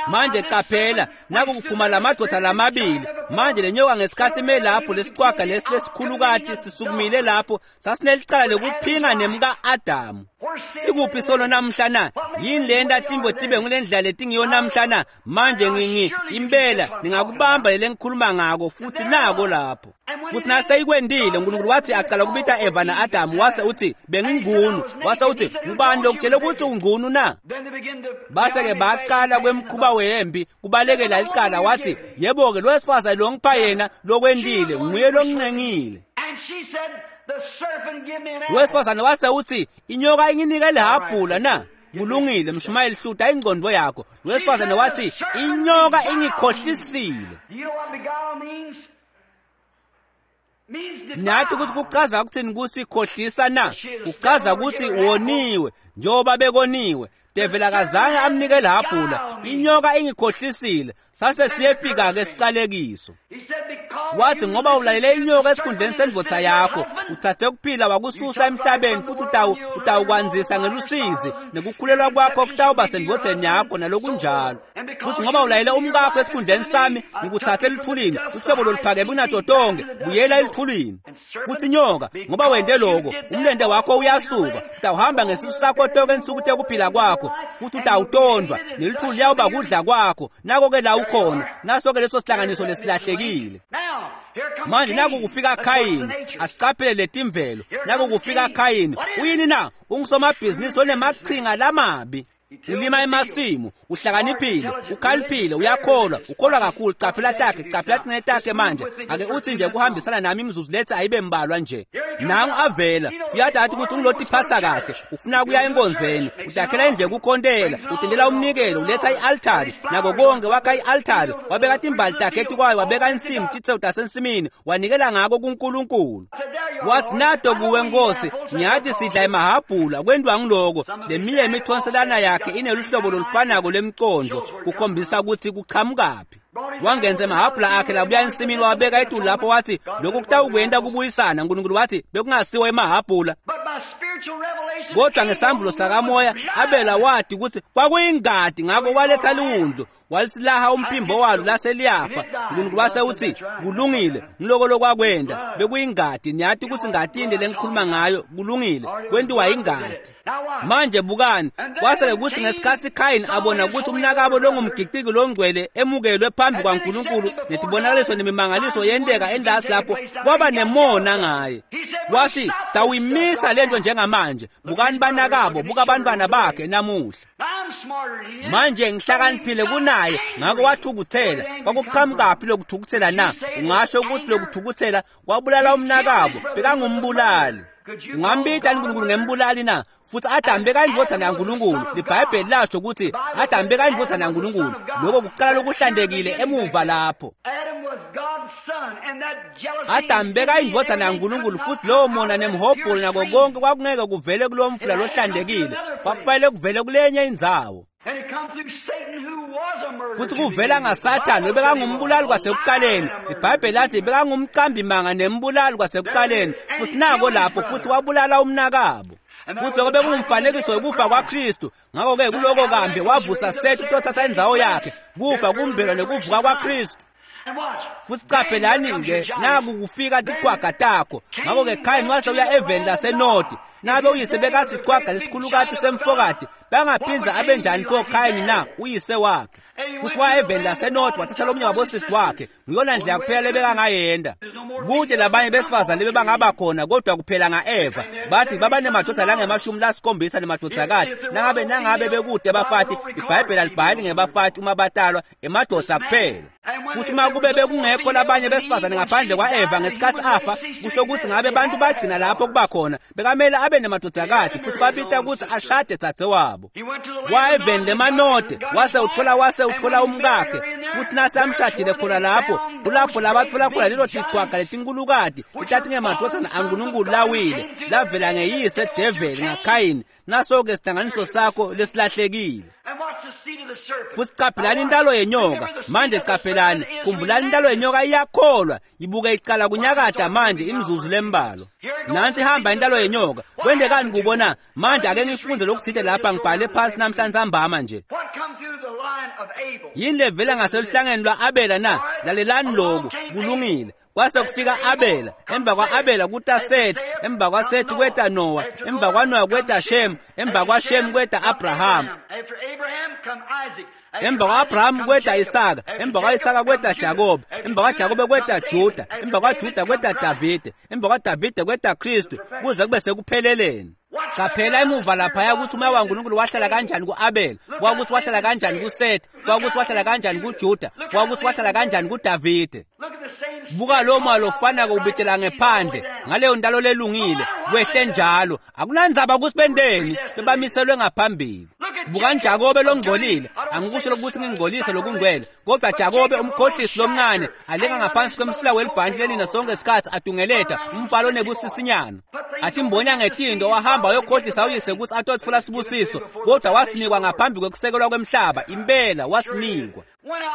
Manje qaphela, naku kuphuma lamadoda lamabili. Manje lenyoka ngesikhathi ime lapho, lesiqwaga lesi lesikhulukati sisukumile lapho, sasinelicala lekuphinga nemka-Adamu. Sikuphi sono namhla na? Yini lenta timvo tibe ngulendlela letingiyo namhla na? Manje ngingi impela ningakubamba lele ngikhuluma ngako futhi nako lapho. Futhi naseyikwendile uNkulunkulu wathi aqala kubita Eva na-Adamu, wase uthi bengingcunu, wase uthi ngubani lokutshela ukuthi ungcunu na? Base-ke baqala kwemkhuba wempi kubalekela licala, wathi yebo-ke lo wesifazane lo ngipha yena lokwendile nguye lomncengile. Wesifazane wase uthi inyoka inginike lihabhula na? Kulungile mshumayeli, hluta ingqondo yakho. Wesifazane wathi inyoka ingikhohlisile. Nathi ukuthi kuchaza ukuthini kusikhohlisa na? Kuchaza ukuthi woniwe njengoba bekoniwe. Develi akazange amnike lihabhula, inyoka ingikhohlisile. Sase siyefika ke sicalekiso. Wathi ngoba ulalele inyoka esikhundleni sendvodza yakho, uthathe ukuphila wakususa emhlabeni, futhi utawu utawukwandzisa ngelusizi nekukhulelwa kwakho kutawuba sendvodzeni yakho nalokunjalo. Futhi ngoba ulalele umkakho esikhundleni sami, ngikuthathe eluthulini, uhlobo loluphakeme kunato tonke, buyela eluthulini. Futhi inyoka, ngoba wente lokho, umlente wakho uyasuka, utawuhamba ngesisu sakho tonke insuku tekuphila kwakho, futhi utawutondwa, neluthuli liyawuba kudla kwakho. Nako-ke la ukhona, naso-ke leso sihlanganiso lesilahlekile. Manje naku kufika Khayini, asiqaphele letimvelo. Naku kufika Khayini, uyini na? Ungusomabhizinisi onemachinga lamabi. Ulima emasimu, uhlakaniphile, ukhaliphile, uyakholwa, ukholwa kakhulu. Caphela takhe, caphela tinene takhe manje. Ake uthi nje kuhambisana nami imizuzu lethi ayibe mbalwa nje. Nangu avela, uyadada ukuthi ungilotiphatha kahle, ufuna kuya enkonzweni, utakhela indlu yokukhontela, utendela umnikelo, uletha i-altari, nako konke wakha i-altari, wabeka timbali takhe etikwayo, wabeka insimu, titselo tasensimini, wanikela ngako kuNkulunkulu. Wathi nato kuwe Nkosi, ngiyathi sidla emahabhula, kwentiwa ngiloko. Leminye imithonselana yakhe ineluhlobo lolufanako lwemconjo, kukhombisa ukuthi kuqhamukaphi. Wangenza emahabhula akhe labuya ensimini, wabeka etulu lapho, wathi lokhu kutawukwenta kubuyisana. uNkulunkulu wathi bekungasiwo emahabhula, Kodwa ngesambulo sakamoya Abela wati ukuthi kwakuyingadi, ngakho waletha liwundlu walisilaha umphimbo walo lase liyafa. Unkulunkulu wase uthi kulungile, ngiloko lokwakwenda bekuyingadi. Niyati ukuthi ingadi yini lengikhuluma ngayo? Kulungile, kwentiwa ingadi. Manje bukani, kwase kuthi ngesikhathi Khayini abona ukuthi umnakabo longumgiciki longcwele emukelwe phambi kwaNkulunkulu netibonakaliso nemimangaliso yenteka endasi lapho, kwaba nemona ngaye. Wathi sitawuyimisa lento njengamanje. Bukani banakabo, buka abantwana bakhe namuhla. Manje ngihlakaniphile kunaye, ngakho wathukuthela. Kwakuqhamukaphi lokuthukuthela na? Ungasho ukuthi lokuthukuthela kwabulala umnakabo, bekangumbulali. Ungambita uNkulunkulu ngembulali na? Futhi Adam bekayindvodzana yaNkulunkulu. LiBhayibheli lasho ukuthi Adam bekayindvodzana yaNkulunkulu. Lokho kuqala lokuhlantekile emuva lapho. Adam bekayindvodzana yaNkulunkulu, futhi lowo mona nemhobholo nako konke kwakungeke kuvele kulowo mfula lohlantekile, kwakufanele kuvele kulenye indzawo. Futhi kuvela ngaSathane bekangumbulali kwasekuqaleni. IBhayibheli lathi bekangumqambimanga nembulali kwasekuqaleni, futhi nako lapho futhi wabulala umnakabo. Futhi lokho bekungumfanekiso wekufa kwaKristu. Ngakho-ke kuloko kambe wavusa Sethu ukutothatha indzawo yakhe, kufa kumbelwa nekuvuka kwaKristu. Futhi qaphelani-ke, naku kufika tichwaga takho. Ngakho-ke Khayini wase uya eveni laseNodi. Nabe uyise bekasichwaga lesikhulukati semfokati, bangaphinza abenjani pho Khayini na uyise wakhe? Futhi waya eveni laseNodi wathatha lomunye wabosisi wakhe. Ngiyona ndlela kuphela lebekangayenda. Kude labanye besifazane bebangaba khona, kodwa kuphela nga-Eva. Bathi babanemadvodza langemashumi lasikhombisa nemadvodzakati. Nangabe nangabe bekude abafati, iBhayibheli alibhali ngebafati uma batalwa, emadvodza kuphela. Futhi uma kube bekungekho labanye besifazane ngaphandle kwa-Eva ngesikhathi afa, kusho ukuthi ngabe abantu bagcina lapho kuba khona. Bekamele abe nemadvodzakati, futhi babita ukuthi ashade dzadzewabo. Waya eveni lemanode, wase uthola wase uthola umkakhe, futhi nase amshadile khona lapho, kulapho labathola khona lelo tichwaga letinkulukati litatingemadvodzana aNkulunkulu lawile, lavela ngeyise develi ngaKhayini. Naso-ke sihlanganiso sakho lesilahlekile. Futhi qaphelani intalo yenyoka. Manje qaphelani, khumbulani intalo yenyoka iyakholwa, ibuke icala kunyakada manje imizuzu lembalwa. Nansi ihamba intalo yenyoka. Kwendekani kubo na? Manje ake ngifunze lokuthile lapha, ngibhale phansi namhlanje sambama nje. Yini levela ngaseluhlangeni lwa-Abela na? Lalelani lokhu, kulungile. Kwase kufika Abela, emva kwa-Abela kuta Seth, emva kwaSeth kweta Noah, emva kwaNoah kweta Shem, emva kwaShem kweta Abraham. Emva kwa-Abraham kweta Isaka, emva kwa-Isaka kweta Jakobe, emva kwaJakobe kweta Juda, emva kwaJuda kweta Davide, emva kwaDavide kweta Kristu, kuze kube sekupheleleni. Qaphela emuva laphaya ukuthi umoya waNkulunkulu wahlala kanjani ku-Abela, kwakuthi wahlala kanjani kuSeth, kwakuthi wahlala kanjani kuJuda, kwakuthi wahlala kanjani kuDavide. Buka lo moya lofanako ubitela ngephandle ngaleyo ntalo lelungile, kwehle njalo. Akunandzaba ukuthi benteni, bebamiselwe ngaphambili. Bukani Jakobe longcolile, angikusho lokuthi ngingcolise lokungcwele, kodwa Jakobe umkhohlisi lomncane alenga ngaphansi kwemsila welibhanti lenina sonke isikhathi atungeleta umfalo onebusisinyana. Atimbonya ngetindo wahamba wayokhohlisa uyise ukuthi atotfola sibusiso, kodwa wasinikwa ngaphambi kwekusekelwa kwemhlaba. Impela wasinikwa.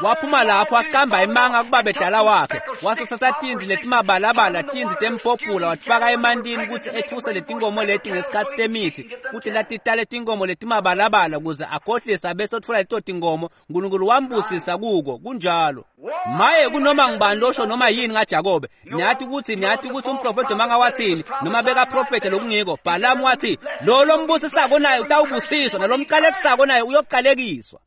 Waphuma lapho aqamba imanga kubabedala wakhe, wasothatha tindzi letimabalabala, tindzi temphophula, watifaka emantini ukuthi ethuse letinkomo leti ngesikhathi temithi, kuthi latitale tinkomo letimabalabala ukuze akhohlise abese otfola leto tinkomo. Nkulunkulu wambusisa kuko kunjalo. Maye kunoma ngubani losho noma yini ngaJakobe. Niyathi ukuthi niyathi ukuthi umprofeti noma ngawathini noma bekaprofethe lokungiko. Bhalamu wathi lo lombusisako naye utawubusiswa, nalomqalekisako naye uyoqalekiswa.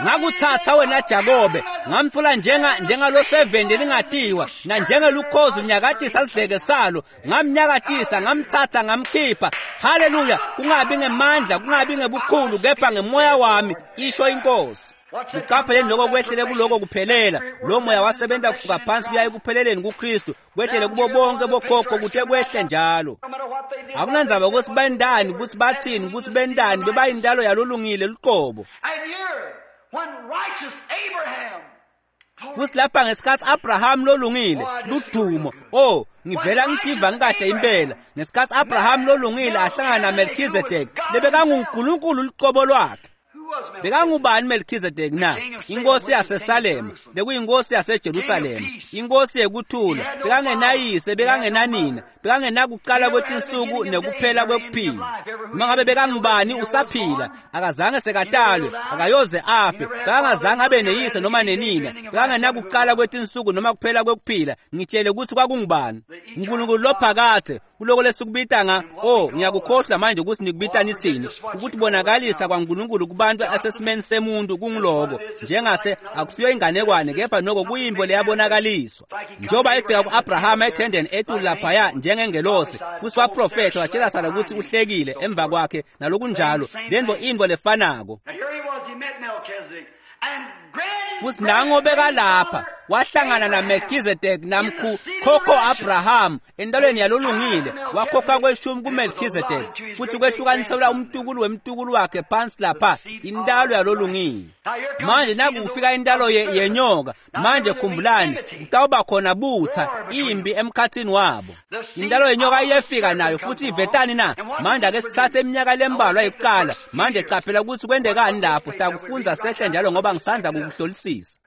Ngakuthatha wena Jakobe, ngamthola njenga njengalo seventy lingatiwa nanjengelukhozi unyakatisa sidleke salo, ngamnyakatisa ngamthatha ngamkhipha. Haleluya! Kungabi ngemandla, kungabi ngebukhulu, kepha ngemoya wami, isho inkosi. Uqapheleni lokho kwehlele kuloko kuphelela. Lo moya wasebenza kusuka phansi kuya ekupheleleni kuKristu, kwehlele kubo bonke bokhokho kuthe kwehle njalo. Akunandzaba ukuthi bendani, ukuthi bathini, ukuthi bendani, bebayintalo yalolungile luqobo. Futhi lapha ngesikhathi Abraham lolungile ludumo, oh ngivela ngitiva ngikahle impela. Ngesikhathi Abraham lolungile ahlangana naMelchizedek, lebekanguNkulunkulu luqobo lwakhe. Bekangubani Melchizedek na? Inkosi yaseSalem, bekuyinkosi yaseJerusalem, inkosi yekuthula. Bekangenayise, bekangenanina, bekangenakuqala kwetinsuku nekuphela kwekuphila. Noma ngabe bekangubani usaphila, akazange sekatalwe, akayoze afe, bekangazange abe neyise noma nenina, bekangenakuqala kwetinsuku noma kuphela kwekuphila. Ngitshele ukuthi kwakungubani? uNkulunkulu lophakathe, kuloko lesikubita nga, oh, ngiyakukhohlwa manje ukuthi nikubita nithini, ukuthi bonakalisa kwaNkulunkulu kubantu asesimeni semuntu kungiloko, njengase akusiyo inganekwane kepha noko kuyimvo leyabonakaliswa. Njengoba efika ku-Abrahama ethendeni etulu laphaya njengengelosi, futhi waprofetha watshela Sara ukuthi uhlekile emva kwakhe nalokunjalo, lento intfo lefanako. Futhi nango bekalapha wahlangana na Melchizedek namkhu khokho Abraham entalweni yalolungile, wakhokha kweshumi kuMelchizedek futhi kwehlukaniselwa umtukulu wemtukulu wakhe phansi lapha intalo yalolungile. Manje nakufika intalo ye, yenyoka, manje khumbulani kutawuba khona butha impi emkhathini wabo. Intalo yenyoka iyefika nayo futhi ivetani na? Manje ake sithathe iminyaka lembalwa yokuqala. Manje caphela ukuthi kwendekani lapho, sitakufunza sehle njalo ngoba ngisandla kukuhlolisisa.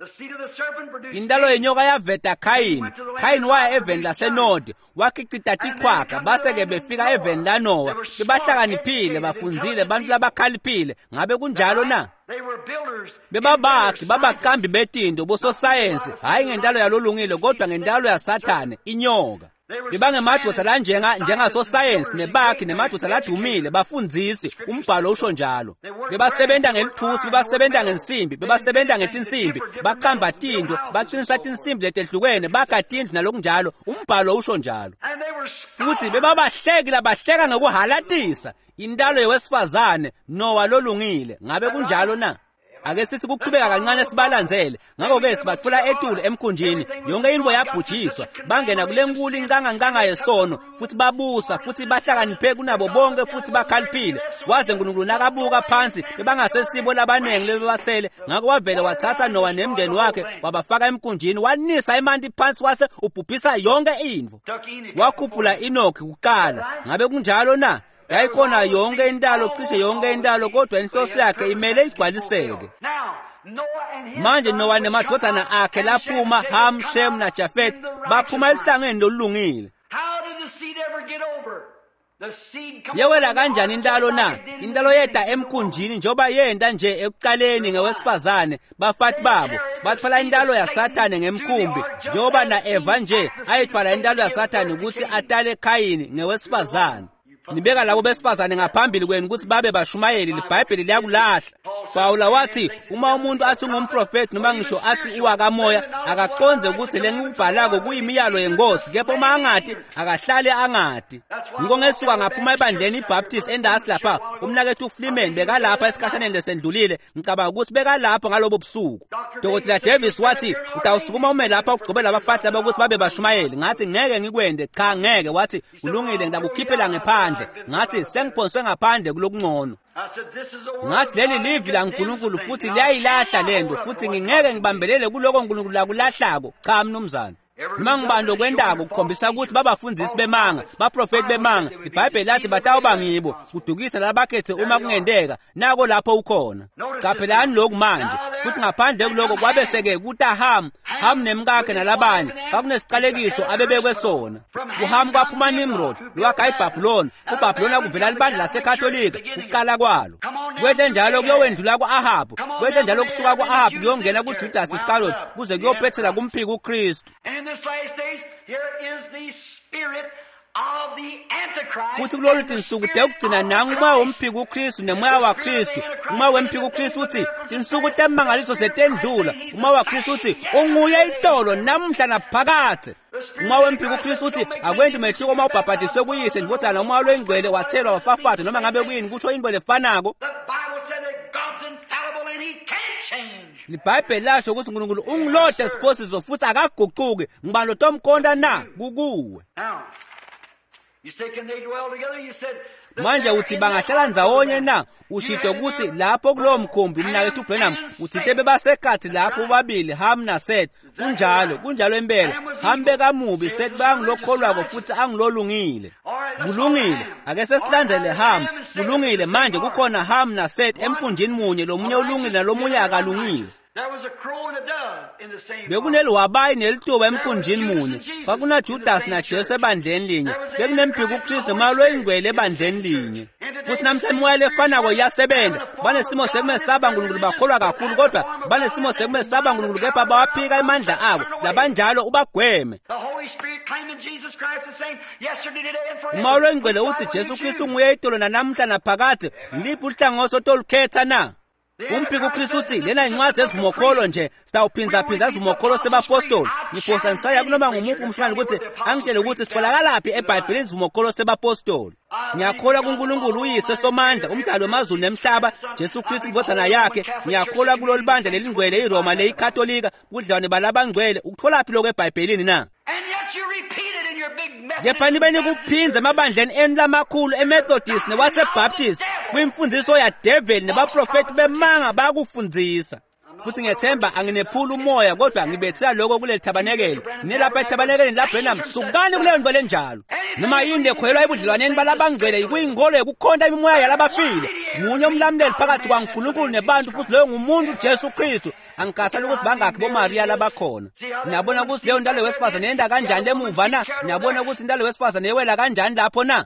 Intalo yenyoka yaveta Khayini. Khayini waya eveni laseNodi, wakhicita tichwaga, base-ke befika eveni laNowa. Bebahlakaniphile, bafundzile, bantu labakhaliphile. Ngabe kunjalo na? Bebabakhi, babaqambi betinto, bososayensi, hhayi ngentalo yalolungile kodwa ngentalo yaSathane, inyoka. Bebangemadvodza lanjenga njengasosayensi nebakhi nemadvodza ladumile, bafundzisi, umbhalo usho njalo. Bebasebenta ngelithusi, bebasebenta ngensimbi, bebasebenta ngetinsimbi, baqamba tintfo, baqinisa tinsimbi letehlukene, bakha tindlu nalokunjalo, umbhalo usho njalo. Futhi bebabahleki labahleka ngekuhalatisa intalo yewesifazane Nowa lolungile. Ngabe kunjalo na? Ake sithi kuqhubeka kancane sibalandzele. Ngakho-ke sibatfola etulu emkhunjini, yonke intfo yabhujiswa, bangena kule nkulu incangancanga yesono, futhi babusa futhi bahlakaniphe kunabo bonke futhi bakhaliphile. Waze uNkulunkulu nakabuka phansi bebangasesibo labaningi lebebasele. Ngakho wavele wathatha Nowa nemndeni wakhe wabafaka emkhunjini, wanisa emanti phansi wase ubhubhisa yonke intfo. Wakhuphula Enoki kuqala. Ngabe kunjalo na? Yayikhona yonke intalo, cishe yonke intalo, kodwa inhloso yakhe imele igcwaliseke. Manje Nowa nemadvodzana akhe laphuma, Ham, Shem naJafet, baphuma eluhlangeni lolungile. Yewela kanjani intalo na? Intalo yeta emkhunjini njengoba yenta nje ekuqaleni ngewesifazane, bafati babo batfwala intalo yaSathane ngemkhumbi, njengoba na-Eva nje ayithwala intalo yaSathane ukuthi atale Khayini ngewesifazane. Nibeka labo besifazane ngaphambili kwenu ukuthi babe bashumayeli, liBhayibheli liyakulahla. Pawula wathi uma umuntu athi ungumprofeti noma ngisho athi uwakamoya, akaqonde ukuthi lengikubhalako kuyimiyalo yenkosi, kepha uma angati akahlale angati. Ngiko ngesuka ngaphuma ebandleni iBaptist endasi lapha, umnakethu Freeman bekalapha esikhashaneni lesendlulile, ngicabanga ukuthi bekalapho ngalobo busuku. Dokotela Davis wathi utawusukuma ume lapha ugcobela abafati laba ukuthi babe bashumayeli. Ngathi ngeke ngikwende, cha ngeke. Wathi kulungile, ngidakukhiphela ngephandle. Ngathi sengiphonswe ngaphandle kulokungcono. Ngathi leli livi laNkulunkulu futhi liyayilahla lento, futhi ngingeke ngibambelele kuloko uNkulunkulu lakulahlako. Cha mnumzane. Noma ngibani lokwendako kukhombisa ukuthi babafundzisi bemanga, baprofeti bemanga. IBhayibheli lathi batawuba ngibo, kudukisa labakhethe uma kungenteka. Nako lapho ukhona. Caphelani lokhu manje. Futhi ngaphandle kuloko kwabe seke kuta Ham, Ham nemkakhe nalabanye, kwakunesiqalekiso abebekwe sona. KuHam kwaphuma Nimrod, lowakha iBhabhiloni. KuBhabhiloni kuvela libandla laseKatolika, ukuqala kwalo. Kwehle njalo kuyowendlula ku-Ahabu, kwehle njalo kusuka ku-Ahabu kuyongena kuJudas Iscariot, kuze kuyophethela kumphiki uKristu. Futhi kulolu tinsuku tekugcina nangu umoya womphiki uKristu nemoya waKristu. Umoya wemphiki uKristu uthi tinsuku temangaliso setendlula. Umoya waKristu uthi unguye itolo namuhla naphakathe. Umoya wemphiki uKristu uthi akwenti mehluko uma ubhabhadiswe kuyise ndvodzana umoya lwengcwele wathelwa wafafatha noma ngabe kuyini, kusho into lefanako. LiBhayibheli lasho ukuthi uNkulunkulu ungilode siphosiso futhi akaguquki. Ngibani lotomkhonta na? Kukuwe. Manje uthi bangahlala ndzawonye na? Ushito ukuthi lapho kulowo mkhumbi umnakethu Branham uthite bebasekhathi lapho bobabili Ham naSeth. Kunjalo, kunjalo impela. Ham bekamubi, Seth bangilokholwako futhi angilolungile. Kulungile, ake sesilandzele Ham. Kulungile, manje kukhona Ham naSeth emkhunjini munye, lomunye ulungile nalomunye akalungile. Bekuneliwabayi nelituba emkhunjini munye. KwakunaJudas naJesu ebandleni linye. BekunempikuKristu nomoya loyingcwele ebandleni linye. Futhi namhla imoya lefanako iyasebenza. Banesimo sekumesaba uNkulunkulu, bakholwa kakhulu, kodwa banesimo sekumesaba uNkulunkulu kepha bawaphika emandla abo. Labanjalo ubagweme. Umoya loyingcwele uthi Jesu Kristu nguye itolo nanamhla naphakade. Ngiliphi uhlangothi otolukhetha na? Umphiko uKristu uthi lena incwadi ezivumokholo nje, sitawuphindzaphindza izivumokholo sebapostoli. Ngiphosa ngisaya kunoma ngumuphi umshumane ukuthi angitshele ukuthi sitholakalaphi eBhayibhelini izivumokholo sebapostoli. Ngiyakholwa kuNkulunkulu uyise somandla, umdali wamazulu nemhlaba, Jesu Kristu indvodzana yakhe. Ngiyakholwa kulolu bandla lelingcwele iRoma leyikatolika, budlelwane balabangcwele. Ukutholaphi lokho eBhayibhelini na? Kepha nibe nikuphindza emabandleni enu lamakhulu eMethodist newaseBaptist kwimfundiso yadeveli nebaprofethi bemanga bayakufundzisa. Futhi ngiyethemba anginephula umoya, kodwa ngibethela lokho kuleli thabanekele. Nilapha ethabanekeleni laBrenham, sukani kuleyo nto lenjalo. Noma yini lekholelwa ebudlelwaneni balabangcwele kuyinkolo yokukhonta imimoya yalabafile. Munye umlamuleli phakathi kwaNkulunkulu nebantu, futhi loyo ngumuntu Jesu Kristu. Angikhathali ukuthi bangakhi boMariya labakhona. Niyabona ukuthi leyo ntalo wesifazane yenda kanjani lemuva na? Niyabona ukuthi intalo wesifazane yewela kanjani lapho na?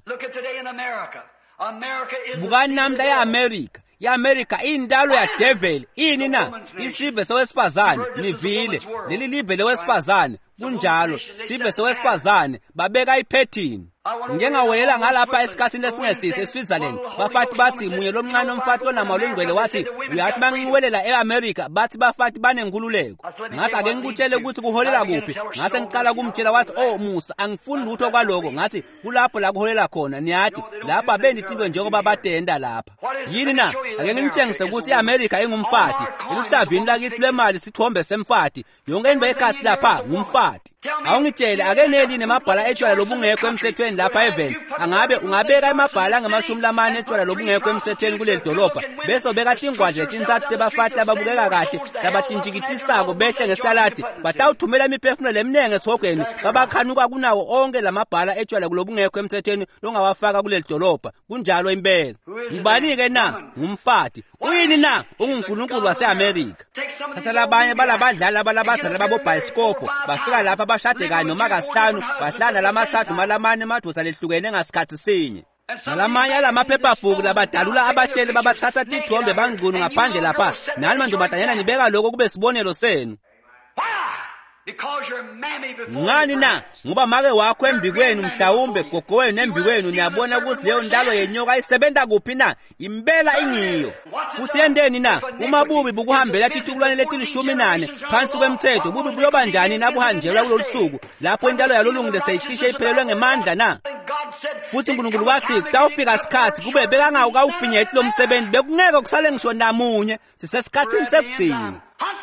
Bukani namhla e-Amerika. I-Amerika iyintalo yadeveli. Ini na? Isive sowesifazane. Nivile leli live lowesifazane. Kunjalo, sive sowesifazane babeka iphethini. Ngike ngawelela ngalapha esikhathini lesingesithe eSwitzerland. Bafati bathi munye lomncane umfati lonamalo ingcwele wathi uyathi bangiwelela e-Amerika, bathi bafati banenkululeko. Ngathi ake ngikutshele ukuthi kuholela kuphi. Ngase ngiqala kumtshela wathi oh Musa, angifuni lutho kwaloko. Ngathi kulapho la kuholela khona. Niyathi lapha benditinto njengoba batenda lapha. Yini na? Ake ngimtshengise ukuthi i-Amerika ingumfati. Eluhlavini lakithi lwemali sithombe semfati. Yonke into ekhathi lapha ngumfati. Awungitshele ake neli nemabhala etshwala lobungekho emthethweni lapha eveni. Angabe ungabeka emabhala angamashumi lamane etshwala lobungekho emthethweni kuleli dolobha, bese ubeka tingwadla letintsatfu tebafati lababukeka kahle labatintshikitisako behle ngesitaladi, batawuthumela imiphefumulo leminengi esihogweni babakhanuka kunawo onke lamabhala etshwala kulobungekho emthethweni longawafaka kuleli dolobha. Kunjalo impela. Ngubani-ke na? Ngumfati. Uyini na? UnguNkulunkulu wase-Amerika. Thatha labanye balabadlali abalabadzala babobhayisikobho bafika lapha bashade kanye noma kasihlanu, bahlala lamathathu noma lamane emadoda lehlukene ngasikhathi sinye. Nalamanye alamaphephabhuku labadalula abatsheli babathatha tithombe bangcunu ngaphandle lapha. Nani mantombazanyana nibeka lokho kube sibonelo senu. Ngani na? Ngoba make wakho embikwenu, mhlawumbe gogo wenu embikwenu, niyabona ukuthi leyo ntalo yenyoka isebenza kuphi na? Impela ingiyo. Futhi yenteni na? Uma bubi bukuhambela titukulwane letilishumi nane phansi kwemthetho, bubi buyoba njani nabuhanjelwa kulolu suku lapho intalo yalolungile seyicishe iphelelwe ngemandla na? Futhi uNkulunkulu wathi kutawufika isikhathi kube bekangawukawufinyeti lo msebenzi, bekungeke kusale ngisho namunye. Sisesikhathini sekugcina.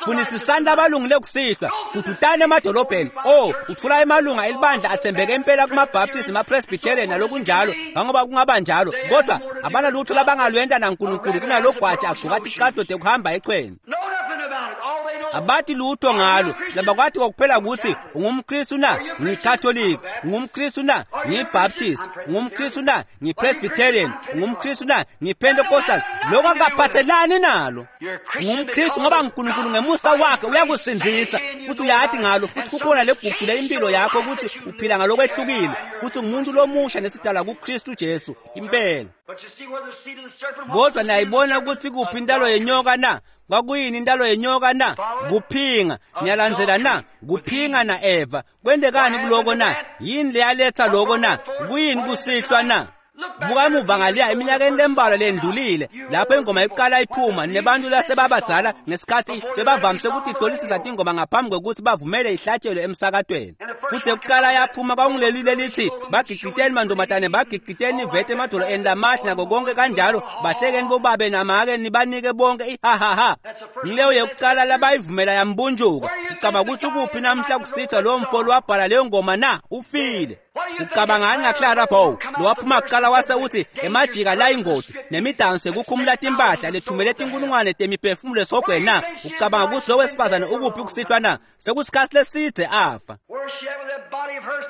Funisisani abalungile kusihlwa, kudutane emadolobheni. Oh, uthola emalunga elibandla athembeke impela kumaBaptist nemaPresbyterian nalokunjalo, ngangoba kungaba njalo, kodwa abanalutho labangalwenta naNkulunkulu kunalogwaja agcuka ticathulo tekuhamba echweni. Abathi lutho ngalo. Labakwathi kokuphela ukuthi ungumKristu na? NgiyiKatolika. UngumKristu na? NgiyiBaptist. UngumKristu na? NgiyiPresbyterian. UngumKristu na? NgiyiPentecostal. Lokho akaphathelani nalo. UngumKristu ngoba uNkulunkulu ngemusa wakhe uyakusindisa, futhi uyathi ngalo, futhi kukhona leguqule impilo yakho ukuthi uphila ngalokwehlukile, futhi umuntu lomusha nesidala kuKristu Jesu impela. Kodwa nayibona ukuthi kuphi intalo yenyoka na? Kwakuyini intalo yenyoka na? Kuphinga. Niyalandzela na? Kuphinga na Eva. Kwendekani kuloko na? Yini leyaletha loko na? Kuyini kusihlwa na? Buka emuva ngaliya eminyakeni lembalwa lendlulile lapho ingoma iqala iphuma nebantu lasebabadzala ngesikhathi bebavamise ukuthi ihlolisisa tingoma ngaphambi kokuthi bavumele ihlatshelwe emsakatweni. Futhi ekuqala yaphuma kwakungileli lelithi bagigiteni mantombazane, bagigiteni ivete emadolo eni lamahle nako konke kanjalo, bahlekeni bobabe namake nibanike bonke ihahaha. Ngileyo yokuqala labayivumela yambunjuka. Ucabanga ukuthi ukuphi namhla kusihlwa lowo mfolo wabhala leyo ngoma na? Ufile. Ucabangani ngaClara Bow lowaphuma kuqala wase uthi emajika la ingodi nemidanso ekukhumula timpahla lethumele tinkulungwane temiphefumulo esogweni na? Ucabanga ukuthi lo wesifazane ukuphi kusihlwa na? Sekusikhathi leside afa.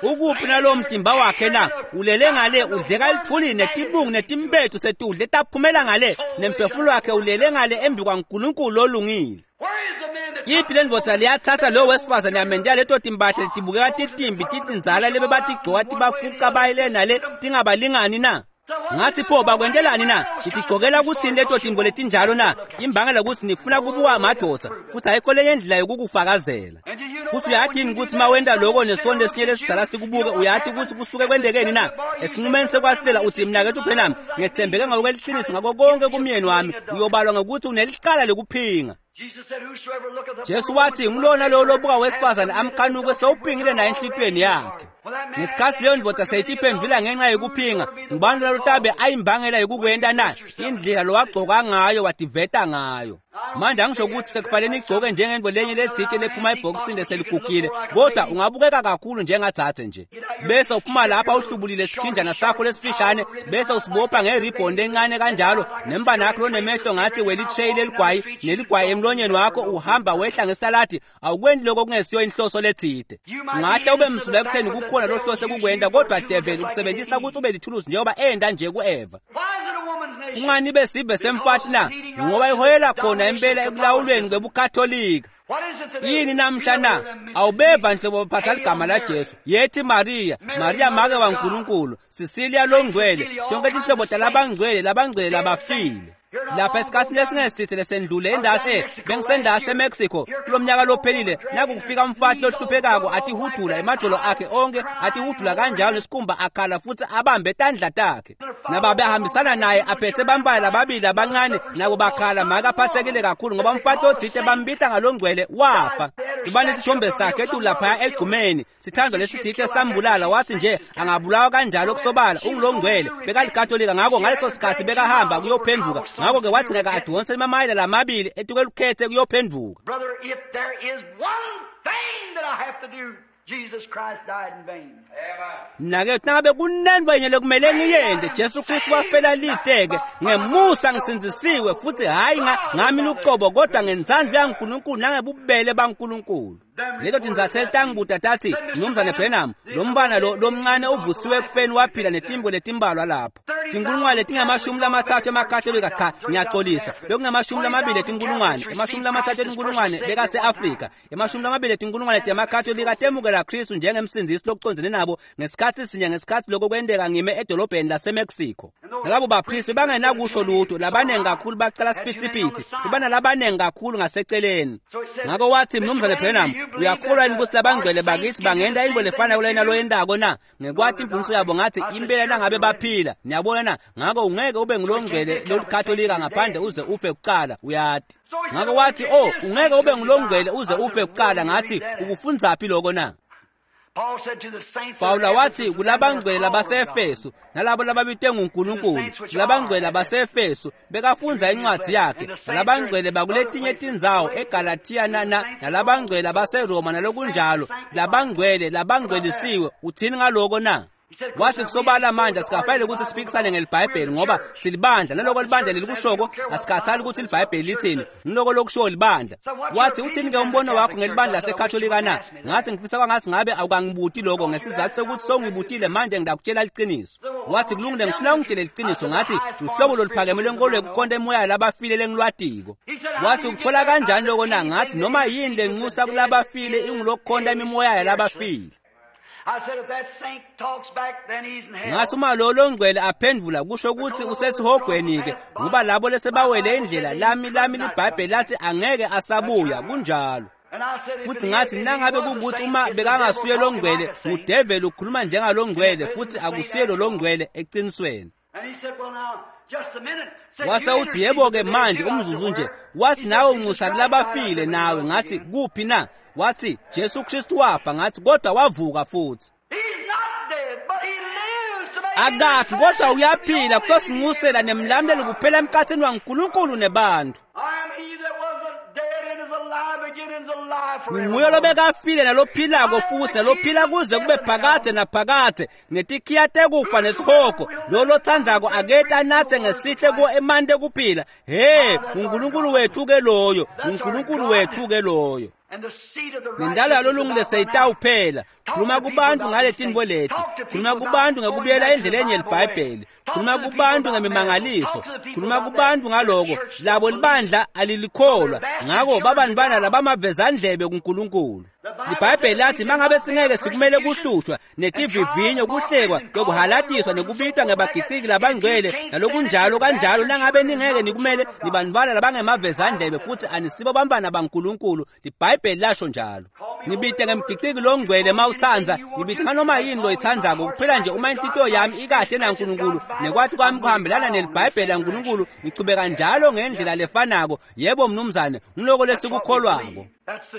Ukuphi nalowo mtimba wakhe na? Ulele ngale udleka lithuli netibungu netimbethu setudle taphumela ngale, nemphefumulo wakhe ulele ngale embi kwaNkulunkulu olungile. Yiphi le ndvodza leyathatha lowo wesifazane yamendela leto timpahla letibukeka titimbi titindzala lebe batigcoka tibafuca bayile nale tingabalingani na? Ngathi pho bakwentelani na? Nitigcokela kuthini leto tintfo letinjalo na? Imbangela kutsi nifuna kubuka madoda futhi ayikho lenye indlela yokukufakazela. Futhi uyadini ukuthi mawenda lokho nesonto lesinye lesidzala sikubuke, uyati ukuthi kusuke kwentekeni na? Esinqumeni sekwahlulela uthi mnakethu Branham, ngethembeke ngokweliciniso ngako konke kumyeni wami, uyobalwa ngokuthi unelicala lekuphinga. Jesu wathi ngulona lowo lobuka wesifazane amkhanuke sewuphingile naye enhlitiyweni yakhe. Ngesikhathi leyo ndvodza seyitiphendvula ngenxa yekuphinga, ngubani lalotabe ayimbangela yokukwenta na? Indlela lowagcoka ngayo wativeta ngayo. Manje angisho ukuthi sekufanele nigcoke njengento lenye letsite lephuma ebhokisini leseligugile, kodwa ungabukeka kakhulu njengadzadze nje. Bese uphuma lapha uhlubulile sikhinjana sakho lesifishane, bese usibopha ngeribhoni lencane kanjalo, nembana yakho lonemehlo ngathi welitreyi leligwayi neligwayi emlonyeni wakho, uhamba wehla ngesitaladi. Awukwendi lokho kungesiyo inhloso letsite. Ungahle ube msulwa ekutheni kukhona lohlose kukwenta, kodwa devil ukusebenzisa ukuthi ube lithuluzi njengoba enda nje ku-Eva. Kungani besive semfati na? Ngoba iholela khona impela ekulawulweni kwebukatholika. Yini namhla na? Awubeva nhlobo baphatha ligama la Jesu. Yethi Maria, Maria make waNkulunkulu, Cecilia longcwele, tonke tinhlobo talabangcwele, labangcwele labafile. Lapha esikhathini lesingesithe lesendlule endase bengisendase eMexico kulomnyaka lophelile, nakufika umfati lohluphekako atihudula emadolo akhe onke, atihudula kanjalo nesikhumba akhala futhi abambe tandla takhe. Nababe ahambisana naye aphethe bambala lababili abancane, nabo bakhala. Make aphathekile kakhulu ngoba umfati othite bambita ngalongcwele wafa. Ibani isithombe sakhe etu laphaya egcumeni, sithandwa lesithite sambulala. Wathi nje angabulawa kanjalo kusobala ungulongcwele, bekalikatolika. Ngakho ngaleso sikhathi bekahamba kuyophenduka, ngakho-ke wathi ngeke adonse emamayela lamabili etuke lukhethe kuyophenduka. Brother, if there is one thing that I have to do, Jesus Christ died in vain. Mnakethu, nangabe kunento yenye lekumele ngiyente, Jesu Kristu wafela liteke. Ngemusa ngisindzisiwe futhi hhayi ngami luqobo, kodwa ngentsandvo yaNkulunkulu nangebubele baNkulunkulu. Leto tinzatheli tangibuta tathi, Mnumzane Branham, lo mfana lo lomncane uvusiwe ekufeni waphila netimbo letimbalwa lapho. Tinkulungwane letingamashumi lamathathu emakatolika, cha ngiyaxolisa, bekungamashumi lamabili etinkulungwane, emashumi lamathathu etinkulungwane bekase-Afrika, emashumi lamabili etinkulungwane temakatolika temukela Kristu njengemsindzisi lokucondzene nabo ngesikhathi sinye. Ngesikhathi lokho kwenteka ngime edolobheni laseMexico. Nalabo baphristi bangenakusho lutho, labanengi kakhulu bacala siphithiphithi, bebanalabanengi kakhulu ngaseceleni. Ngakho wathi, Mnumzane Branham, uyakholwa yini ukuthi labangcwele bakithi bangenta into lefana kulena loyentako na? Ngekwati imfundiso yabo ngathi impela nangabe baphila. Niyabona na? Ngakho ungeke ube ngulongcwele lolikatolika ngaphandle uze ufe kucala, uyati. Ngakho wathi, oh, ungeke ube ngulongcwele uze ufe kucala. Ngathi, ukufundzaphi lokho na? Paul said to the saints Pawula wathi kulabangcwele labaseEfesu nalabo lababitwe nguNkulunkulu, kulabangcwele labaseEfesu bekafundza incwadi yakhe, nalabangcwele bakuletinye tindzawo eGalathiya na na nalabangcwele labaseRoma nalokunjalo, labangcwele labangcwelisiwe. Uthini ngaloko na? Wathi kusobala manje asikafanele ukuthi siphikisane ngelibhayibheli ngoba silibandla, naloko libandla lelikushoko asikhathali ukuthi libhayibheli lithini, ngiloko lokushiwo libandla. Wathi uthini-ke umbono wakho ngelibandla lasekhatolika na? Ngathi ngifisa kwangathi ngabe awukangibuti lokho ngesizathu sokuthi sewungibutile manje ngidakutshela liciniso. Wathi kulungile, ngifuna ungitshele liciniso. Ngathi luhlobo loluphakeme lwenkolo yokukhonta emoya labafile lengilwatiko. Wathi ukuthola kanjani loko na? Ngathi noma yini lenxusa kulabafile ingulokukhonta imimoya yalabafile. I said, if that saint talks back, then he's in hell. Ngathi uma lo longcwele aphendvula kusho ukuthi usesihogweni-ke, ngoba labo lesebawele indlela lami lami libhayibheli lathi angeke asabuya. Kunjalo. And I said, if Futhi it ngathi is, nangabe if he was a kukuthi saint, uma it's the bekangasuye devil talking longcwele, like a saint. ngudeveli ukhuluma njengalongcwele futhi akusiye lo longcwele eqinisweni. And he said, well, now, just a minute. Said, Wase you uthi intercede yebo-ke with the dead manje too. I said, umzuzu nje. where? Wathi He said, nawe Jesus unxusa Christ died. I kulabafile said, nawe. "Well, Ngathi again." kuphi na? Wathi Jesu Kristu wafa. Ngathi kodwa wavuka futhi. He's not dead, but he lives to make Akafi kodwa uyaphila intercession. kutosinxusela nemlamleli kuphela emkhathini waNkulunkulu nebantu. I am he that wasn't dead and is alive again and is alive Nguye forever. lobekafile nalophilako futhi nalophila kuze kube phakadze naphakadze, ngetikhiya tekufa nesihogo. Lo lotsandzako akete anatse ngesihle kuwo emanti ekuphila. He, uNkulunkulu wethu ke loyo, uNkulunkulu wethu ke loyo. Nendalo yalolungile seyitawuphela. Khuluma kubantu ngale tintfo leti. Khuluma kubantu ngekubuyela endleleni yeliBhayibheli. Khuluma kubantu ngemimangaliso. Khuluma kubantu ngaloko labo libandla alilikholwa. Ngako babantwana labamavezandlebe kuNkulunkulu. LiBhayibheli lathi mangabe singeke sikumele kuhlushwa netivivinyo, kuhlekwa, lokuhalatiswa nekubitwa ngebagiciki labangcwele nalokunjalo kanjalo, nangabe ningeke nikumele nibantwana labangemavezandlebe futhi anisibo bantwana baNkulunkulu. LiBhayibheli lasho njalo. Ngibite ngemgiciki longcwele mawutsandza, ngibite nganoma yini loyitsandzako, kuphela nje uma inhlitiyo yami ikahle naNkulunkulu nekwati kwami kuhambelana neliBhayibheli laNkulunkulu, ngichubeka njalo ngendlela lefanako. Yebo mnumzane, ngiloko lesikukholwako.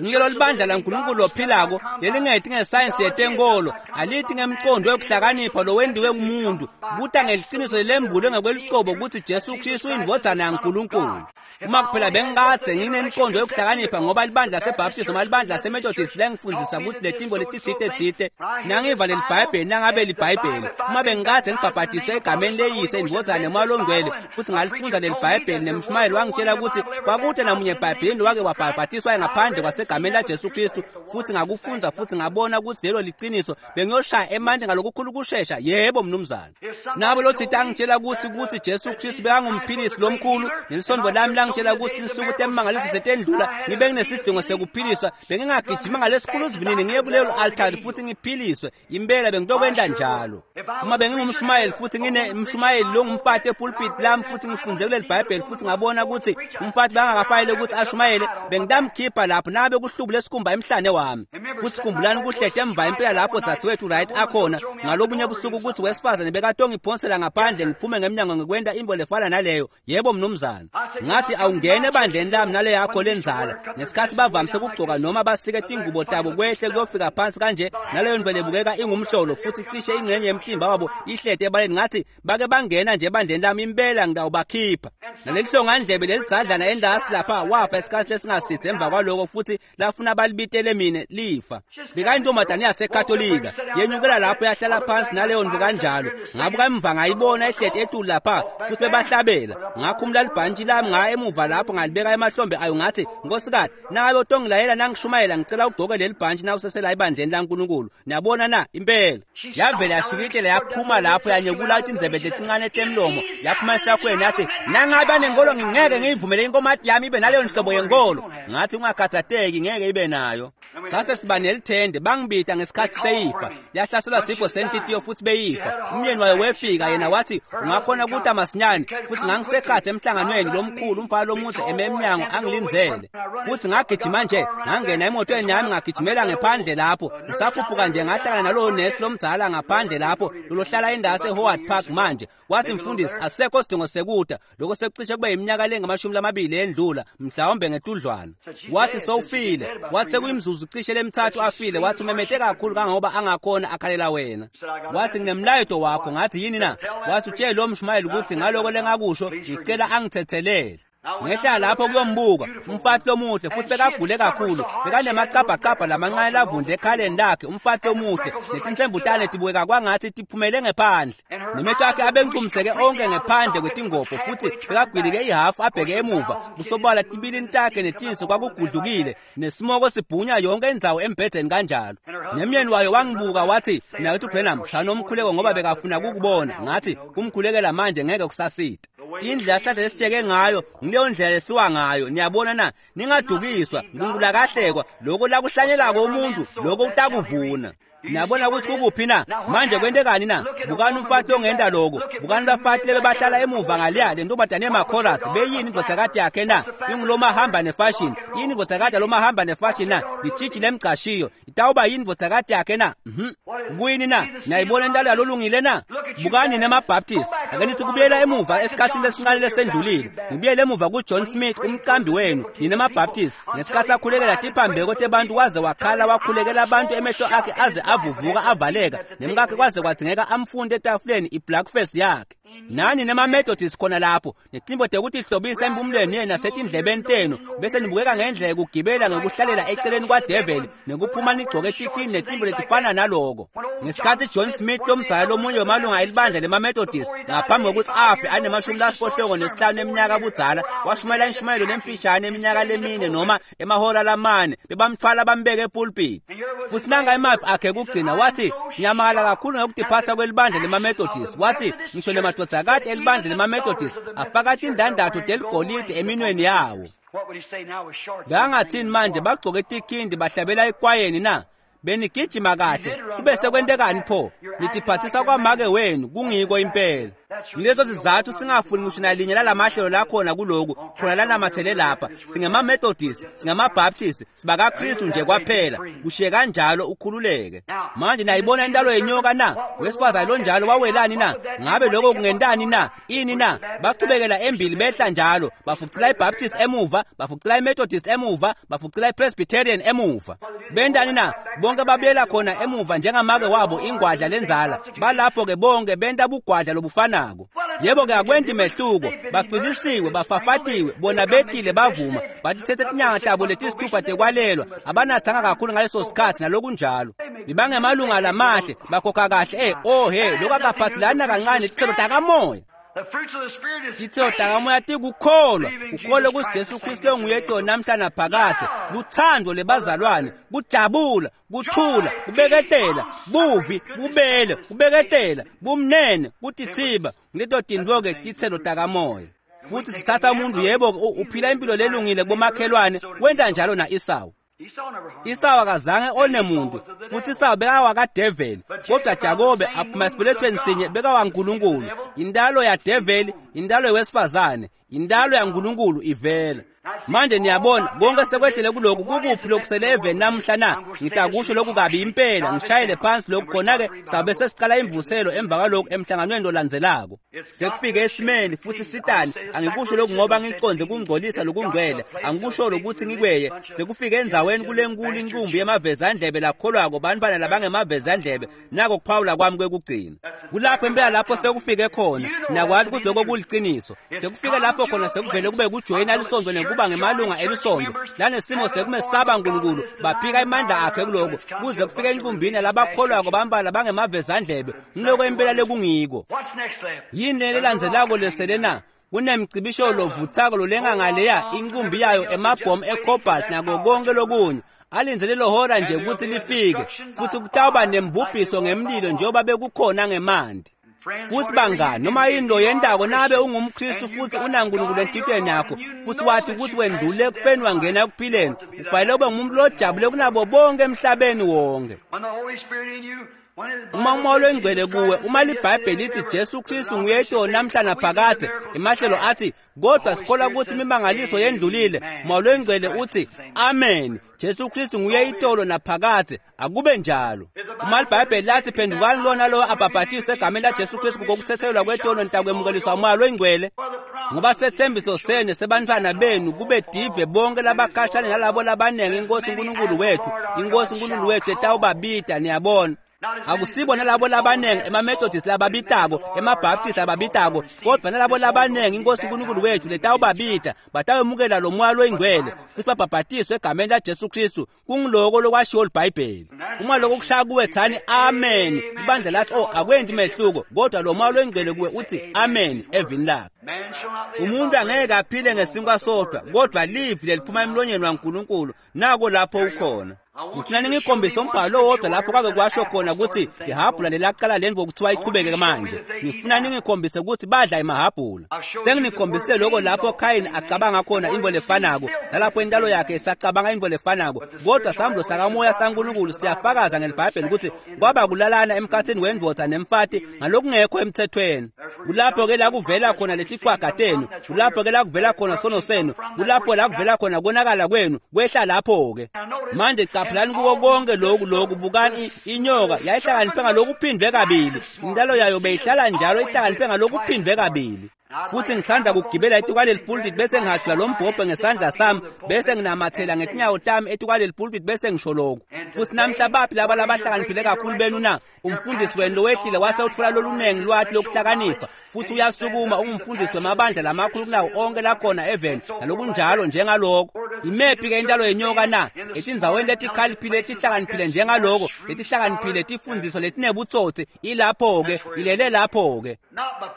Ngilo libandla laNkulunkulu lophilako lelingeti ngesayensi yetenkolo, alithi ngemcondo wekuhlakanipha lowendiwe ngumuntu, kuta ngeliciniso lelembulwe ngekwelucobo kutsi Jesu Kristu uyindvodzana yaNkulunkulu. Uma kuphela bengikadze nginemcondo wekuhlakanipha ngoba libandla laseBaptist noma libandla laseMethodist lengifundzisa kutsi letintfo letitsite tsite, nangiva leliBhayibheli nangabe liBhayibheli, uma bengikadze ngibhabhatiswe egameni leyise indvodzana nemoya longcwele futhi ngalifundza leliBhayibheli nemshumayeli wangitshela kutsi kwakute namunye eBhayibhelini lowake wabhabhatiswa ngaphandle kwasegameni laJesu Kristu, futhi ngakufundza futhi ngabona kutsi lelo liciniso, bengiyoshaya emanti ngalokukhulu kushesha. Yebo mnumzane. Nabo lotsite angitshela kutsi kutsi Jesu Kristu bekangumphilisi lomkhulu, nelisondvo lami langitshela kutsi insuku temangaliso setendlula, ngibe nginesidingo sekuphiliswa, bengingagijima ngalesikhulu sivinini ngiye kulelo altari futhi ngiphiliswe. Impela bengitokwenta njalo. Uma bengingumshumayeli futhi nginemshumayeli longumfati epulpit lami futhi ngifunde kuleli Bhayibheli futhi ngabona kutsi umfati bangakafayele ukuthi ashumayele, bengitamkhipha lapho nabe kuhlubule esikhumba emhlane wami. Futhi khumbulani kuhlete emva impela lapho dzadzewethu Wright akhona ngalobunye busuku kutsi wesifazane bekatongiphonsela ngaphandle ngiphume ngemnyango ngikwenta intfo lefana naleyo. Yebo mnumzane. Ngathi awungene ebandleni lami nale yakho lenzala ngesikhathi bavamise ukugcoka noma basike tingubo tabo kwehle kuyofika phansi kanje, naleyo ndlela ebukeka ingumhlolo futhi cishe ingxenye yemtimba wabo ihlete ebaleni. Ngathi bake bangena nje ebandleni lami impela ngitawubakhipha. Nalelihlongandlebe lelidzadlana endasi lapha wafa isikhathi lesingasidze emva kwaloko futhi lafuna balibitele mine lifa. Bekayintombazane yaseKatolika yenyukela lapho yahlala phansi naleyo ndlu kanjalo. Ngabuka emva ngayibona ihleti etulu lapha futhi bebahlabela. Ngakhumula libhantshi lami ngaya emuva lapho ngalibeka emahlombe ayo ngathi, nkosikati, nangabe utongilayela nangishumayela ngicela ugcoke leli bhantshi nawusesela ebandleni laNkulunkulu. Niyabona na impela. Yavela yashikitela yaphuma lapho yanyekula tindzebe letincane temlomo yaphuma esakhweni yathi, nangabe anenkolo ngingeke ngiyivumele inkomati yami ibe naleyo nhlobo yenkolo. Ngathi ungakhathateki ngeke ibe nayo. Sase siba nelithende bangibita ngesikhathi seyifa. Yahlaselwa sifo senhlitiyo futhi beyifa. Umyeni wayo wefika yena wathi ungakhona kuta masinyane, futhi ngangisekhathi emhlanganweni lomkhulu umfana lomudze eme emnyango angilindzele. Futhi ngagijima nje ngangena emotweni yami ngagijimela ngephandle lapho. Ngisakhuphuka nje ngahlangana nalowo nesi lomdzala ngaphandle lapho lolohlala indase eHoward Park manje. Wathi mfundisi asekho sidingo sekuta, lokho sekucishe kube iminyaka lengamashumi lamabili endlula mhlawumbe ngetudlwana. Wathi sowufile, wathi sekuyimzuzu cishe lemithathu afile. Wathi umemete kakhulu kangangoba angakhona akhalela wena. Wathi nginemlayeto wakho. Ngathi yini na? Wathi utshele lo mshumayeli ukuthi ngaloko lengakusho ngicela angithethelele. Ngehla lapho kuyombuka umfati lomuhle futhi bekagule kakhulu, bekanemacabhacabha lamancane lavundle ekhaleni lakhe, umfati lomuhle netintsembutane tibukeka kwangathi tiphumele ngephandle, nemehlo akhe abencumiseke onke ngephandle kwetingobho futhi bekagwilike ihafu abheke emuva, kusobala tibilini takhe netinso kwakugudlukile nesimoko sibhunya yonke indzawo embhedzeni kanjalo. Nemyeni wayo wangibuka wathi, mnakethu Branham, shaya umkhuleko ngoba bekafuna kukubona. Ngathi kumkhulekela manje ngeke kusasita. Indlela sihlahla lesitsheke ngayo ngileyo ndlela lesiwa ngayo. Niyabona na? Ningadukiswa. Nkulunkulu akahlekwa. Lokho lakuhlanyelako umuntu lokho utakuvuna. Niyabona ukuthi kukuphi na? Manje kwentekani na? Bukani umfati ongenta lokho. Bukani bafati lebebahlala emuva ngaliya le ntombazane yemakhorasi beyini indvodzakati yakhe na? Ingulomahamba nefashion. Yini indvodzakati yalomahamba nefashion na? Litshitshi lemgcashiyo. Itawuba yini indvodzakati yakhe na? Mhm. Kuyini na? Niyayibona intalo yalolungile na? Bukani nemaBaptist. Ake nithi kubuyela emuva esikhathini lesincane lesendlulile. Ngibuyele emuva kuJohn Smith umcambi wenu nina maBaptist ngesikhathi akhulekela tiphambeko tebantu waze wakhala wakhulekela abantu emehlo akhe aze avuvuka avaleka nemkakhe kwaze kwadzingeka amfunde etafuleni iblackface yakhe. Nani nemaMethodist khona lapho netimbo tekutihlobisa empumulweni yenu nasetindlebeni tenu bese nibukeka ngendlela yekugibela ngekuhlalela eceleni kwadeveli nekuphuma nigcoke tikini netimbo letifana naloko. Ngesikhatsi John Smith lomdzala lomunye wemalunga elibandla lemaMethodist ngaphambi kokuthi afe anemashumi lasiphohlongo nesihlanu eminyaka budzala washumayela inshumayelo lemfishane eminyaka lemine noma emahora lamane bebamthwala bambeke epulpit. Futhi nanga emavi akhe kugcina wathi ngiyamakala kakhulu ngokutiphatha kwelibandla lemaMethodist. Wathi ngisho nemadvodzakati elibandla lemaMethodist afaka tindandatho teligolide eminweni yawo. Bangathini manje bagcoke tikhindi bahlabela ekwayeni na? Benigijima kahle kube sekwentekani pho? Nitiphathisa kwamake wenu kungiko impela. Ngileso sizathu singafuni ngisho nalinye lalamahlelo lakhona kuloku khona lanamathele lapha. SingemaMethodist, singamaBaptist, sibakaKristu nje kwaphela. Kushiye kanjalo ukhululeke. Manje nayibona intalo yenyoka na? Wesifazane lonjalo wawelani na? Ngabe lokho kungentani na? Ini na? Bachubekela embili behla njalo, bafucela iBaptist emuva, bafucela iMethodist emuva, bafucela iPresbyterian emuva. Bentani na? Bonke babuyela khona emuva njengamake wabo ingwadla lenzala. Balapho ke bonke benta bugwadla lobufana. Yebo ke akwenti mehluko, bacwilisiwe, bafafatiwe, bona betile bavuma, batithethe tinyanga tabo letisithupha tekwalelwa, abanathanga kakhulu ngaleso sikhathi nalokunjalo. Bibangemalunga lamahle, bakhokha kahle, eh oh he, lokho akaphathelani kancane titselo takamoya. Titselo takamoya tikukholwa, ukholwe kusi Jesu Kristu onguye namhla naphakadze, luthando lebazalwane, kujabula, kuthula, kubeketela, buvi, bubele, kubeketela, bumnene, kutithiba. Leto tintfo ke titselo takamoya. Futhi sithatha umuntu yebo uphila impilo lelungile kubomakhelwane, wenta njalo na Esau. Esau akazange one muntu, futhi Esau bekawakadeveli, kodwa Jakobe aphuma esibelethweni sinye bekawaNkulunkulu. Indalo yadeveli, indalo yewesifazane, indalo yaNkulunkulu ivela. Manje niyabona konke sekwehlele kulokhu kukuphi lokusele eveni namuhla na? Ngitakusho lokhu kabi impela, ngishayele phansi lokhu khona-ke sizabe sesiqala imvuselo emva kwalokhu emhlanganweni lolandzelako. Sekufike esimeni futhi sitani, angikusho lokhu ngoba ngiconde kungcolisa lokungcwele, angikusho lokuthi ngikweye. Sekufike endzaweni kulenkulu inqumbi yemavezandlebe lakholwako bantwana labangemavezandlebe, nako kuphawula kwami kwekugcina. Kulapho impela lapho sekufike khona, nakwati ukuthi lokho kuliciniso. Sekufike lapho khona sekuvele kube kujoyina lisonto nekuba ngemalunga elisonto lanesimo sekumesaba uNkulunkulu, baphika imandla akhe kuloko kuze kufike enqumbini labakholwako bambala bangemavezandlebe. Ngiloko impela lekungiko. Yini lelandzelako lesele na? Kunemcibisho lovuthako lolenga ngaleya inqumbi yayo emabhomu ecobalt nako konke lokunye. Alindzele lohora nje ukuthi lifike, futhi kutawuba nembubhiso ngemlilo njengoba bekukhona ngemanti. Futhi bangani, noma yini loyentako nabe ungumKristu futhi unaNkulunkulu enhlitiyweni yakho, futhi wathi ukuthi wendlule ekufeni wangena ekuphileni, ufanele ube ngumuntu lojabule kunabo bonke emhlabeni wonke. Uma umoya oyingcwele kuwe, uma liBhayibheli lithi Jesu Kristu nguye itolo namhla naphakadze, emahlelo athi kodwa sikholwa ukuthi imimangaliso yendlulile, umoya oyingcwele uthi amen, Jesu Kristu nguye itolo naphakadze, akube njalo. Uma liBhayibheli lathi phendukani lona lowo abhabhatiswe egameni laJesu Kristu ngokuthethelelwa kwetono nitakwemukeliswa umoya oyingcwele, ngoba sethembiso senu sebantwana benu kube dive bonke labakhashane nalabo labanengi inkosi uNkulunkulu wethu, inkosi uNkulunkulu wethu etawubabida. Niyabona, akusibo nalabo labanengi emaMethodist lababitako, emaBaptist lababitako, kodwa nalabo labanengi inkosi uNkulunkulu wethu letawubabida batawemukela lo moya loyingcwele futhi babhabhatiswe egameni laJesu Kristu. Kungiloko lokwashiwo liBhayibheli. Uma lokho kushaya kuwe thani amen. Ibandla lathi oh akwenti mehluko, kodwa lo moya loyingcwele kuwe uthi amen evini lakhe. Umuntu angeke aphile ngesinkwa sodwa, kodwa livi leliphuma emlonyeni waNkulunkulu. Nako lapho ukhona. Ngifuna ningikhombise umbhalo owodwa lapho kwake kwasho khona ukuthi ihabhula lelaqala lendvo kuthiwa ichubeke manje. Ngifuna ningikhombise ukuthi badla imahabhula. Senginikhombise lokho lapho Khayini acabanga khona into lefanako, nalapho intalo yakhe isacabanga into lefanako, kodwa sambulo sakamoya saNkulunkulu siyafakaza ngeliBhayibheli ukuthi kwaba kulalana emkhathini wendvodza nemfati ngalokungekho emthethweni. Kulapho ke la kuvela khona letichwaga tenu, kulapho ke la kuvela khona sono senu, kulapho la kuvela khona konakala kwenu, kwehla lapho ke. Manje caphelani kuko konke lokhu lokhu, bukani inyoka yayihlakaniphe ngalokuphindwe kabili, intalo yayo beyihlala njalo ihlakaniphe ngalokuphindwe kabili. Futhi ngithanda ukugibela etukwaleli pulpit bese ngihajula lo mbhobho ngesandla sami bese nginamathela ngetinyawo tami etukwaleli pulpit bese ngisho lokhu. Futhi namhla baphi laba labahlakaniphile kakhulu benu na? Umfundisi wenu lowehlile wase uthola lolunengi lwathi lokuhlakanipha futhi uyasukuma ungumfundisi wemabandla lamakhulu kunawo onke lakhona eveni nalokunjalo njengaloko. Imephi ke intalo yenyoka na? Etindzaweni letikhaliphile letihlakaniphile njengaloko, letihlakaniphile tifundziswa letinebutsotsi ilapho-ke, ilele lapho-ke.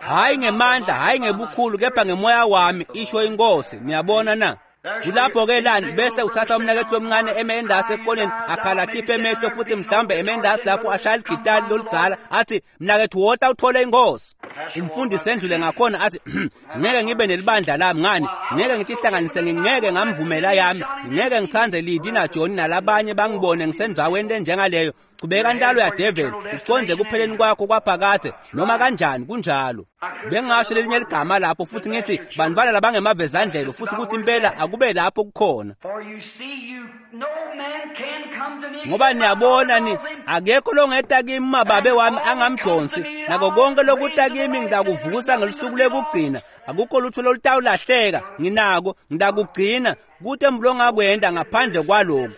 Hhayi ngemandla, hhayi ngebukhulu, kepha ngemoya wami, isho inkosi. Niyabona na? Kulapho-ke lani bese uthatha umnakethu lomncane eme endasi ekoneni akhala akhiphe emehlo futhi mhlawumbe eme endasi lapho ashaya ligitali loludzala athi mnakethu wota uthole inkosi. Umfundisi endlule ngakhona athi ngeke ngibe nelibandla lami ngani, ngeke ngitihlanganise, ngingeke ngamvumela yami, ngeke ngitsandze Lidi naJohn nalabanye bangibone ngisendzaweni lenjengaleyo. Chubeka ntalo ya devil uconze kupheleni kwakho kwaphakadze noma kanjani kunjalo. Bengingasho lelinye ligama lapho futhi ngithi bantwana labangemavezandlelo futhi kuthi impela akube lapho kukhona. Ngoba niyabona ni akekho longeta kimi mababe wami angamdonsi nako konke lokuta kimi ngitakuvusa ngelusuku lekugcina. Akukho lutho lolutawulahleka nginako ngitakugcina kute mlongakwenda ngaphandle kwaloko.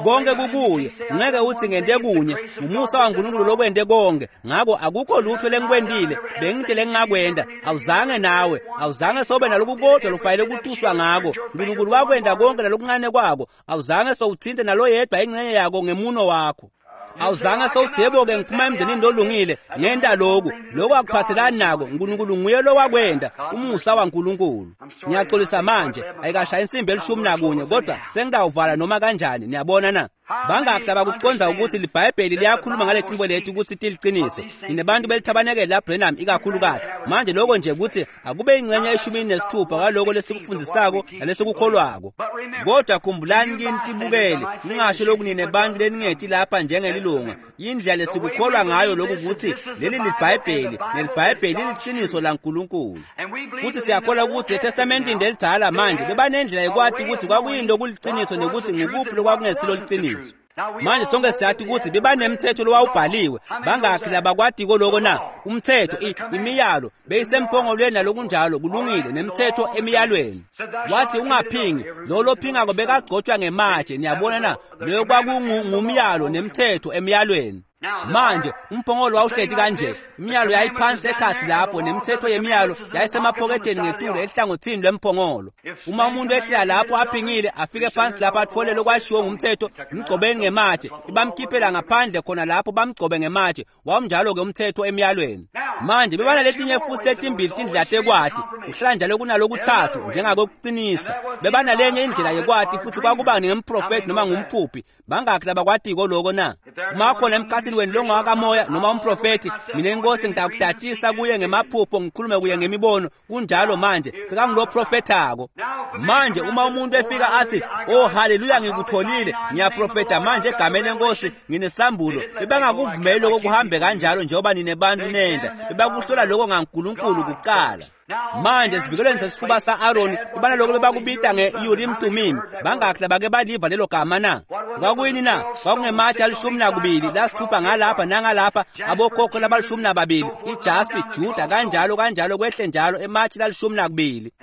Konke kukuye, ngeke uthi ngente kunye, umusa waNkulunkulu lokwente konke. Ngako akukho lutho lengikwentile, bengithe lengingakwenda, awuzange nawe, awuzange sobe nalokukodwa lokufanele kutuswa ngako. uNkulunkulu wakwenda konke nalokuncane kwako, awuzange sowuthinte naloyedwa ingxenye yako ngemuno wakho. Awuzange sowuthi yebo-ke ngiphuma emndenini lolungile ngenta loku, lokhu akuphathelani nako. uNkulunkulu nguye lowakwenda, umusa waNkulunkulu. Ngiyaxolisa manje, ayikashaya insimbi elishumi nakunye kodwa sengitawuvala noma kanjani. Niyabona na? Bangaki labakuqonda ukuthi liBhayibheli liyakhuluma ngale tinto leti ukuthi tiliqiniso? Ninebantu belithabanekele la Branham ikakhulukati. Manje lokho nje ukuthi akube ingxenye eshumini nesithupha kwaloko lesikufundisako nalesikukholwako. Kodwa khumbulani kini tibukele, ningasho lokhu ninebantu leningeti lapha njengelilunga. Indlela lesikukholwa ngayo lokhu ukuthi leli liBhayibheli, neliBhayibheli liliqiniso laNkulunkulu. Futhi siyakholwa ukuthi eTestamentini lelidala manje bebanendlela yokwati ukuthi kwakuyinto kuliqiniso nokuthi ngukuphi lokwakungesilo liqiniso. Manje sonke siyathi ukuthi bebanemthetho lowawubhaliwe. Bangakhi labakwatiko lokho na? Umthetho, imiyalo beyisempongolweni nalokunjalo, kulungile, nemthetho emiyalweni. Wathi ungaphingi, lo lophingako bekagcotshwa ngematshe. Niyabona na? Leyo kwakungumyalo nemthetho emiyalweni. Manje umphongolo wawuhleti kanje, imiyalo yayiphansi ekhathi lapho nemithetho yemiyalo yayisemaphoketheni ngetulu ehlangothini lwemphongolo. Uma umuntu ehlela lapho aphingile afike phansi lapho athole lokwashiwo ngumthetho, mgcobeni ngematshe, ibamkhiphela ngaphandle khona lapho bamgcobe ngematshe. Wawunjalo-ke umthetho emiyalweni. Manje bebanaletinye futhi letimbili tindlela tekwati, kuhlala njalo kunalokuthathu njengakokuqinisa. Bebanalenye indlela yekwati futhi kwakuba ngemprofeti noma ngumphuphi. Bangakhi labakwatiko loko na? Uma khona emkhathini wenu longakamoya noma umprofeti, mina inkosi ngitakutatisa kuye ngemaphupho ngikhulume kuye ngemibono. Kunjalo manje bekanguloprofethako. Manje uma umuntu efika athi oh haleluya ngikutholile, ngiyaprofetha manje egameni lenkosi nginesambulo, bebangakuvumeli lokho kuhambe kanjalo njengoba ninebantu nenda. Bebakuhlola lokho ngaNkulunkulu kuqala. Manje esivikelweni sesifuba sa-Aroni bebanaloko bebakubita nge-Urim Tumim. Bangakhi labake baliva lelo gama na? Kwakuyini na? Kwakungematshe alishumi nakubili lasithupha ngalapha nangalapha, abokhokho labalishumi nababili, ijaspi, Juda, kanjalo kanjalo kwehle njalo ematshe lalishumi nakubili.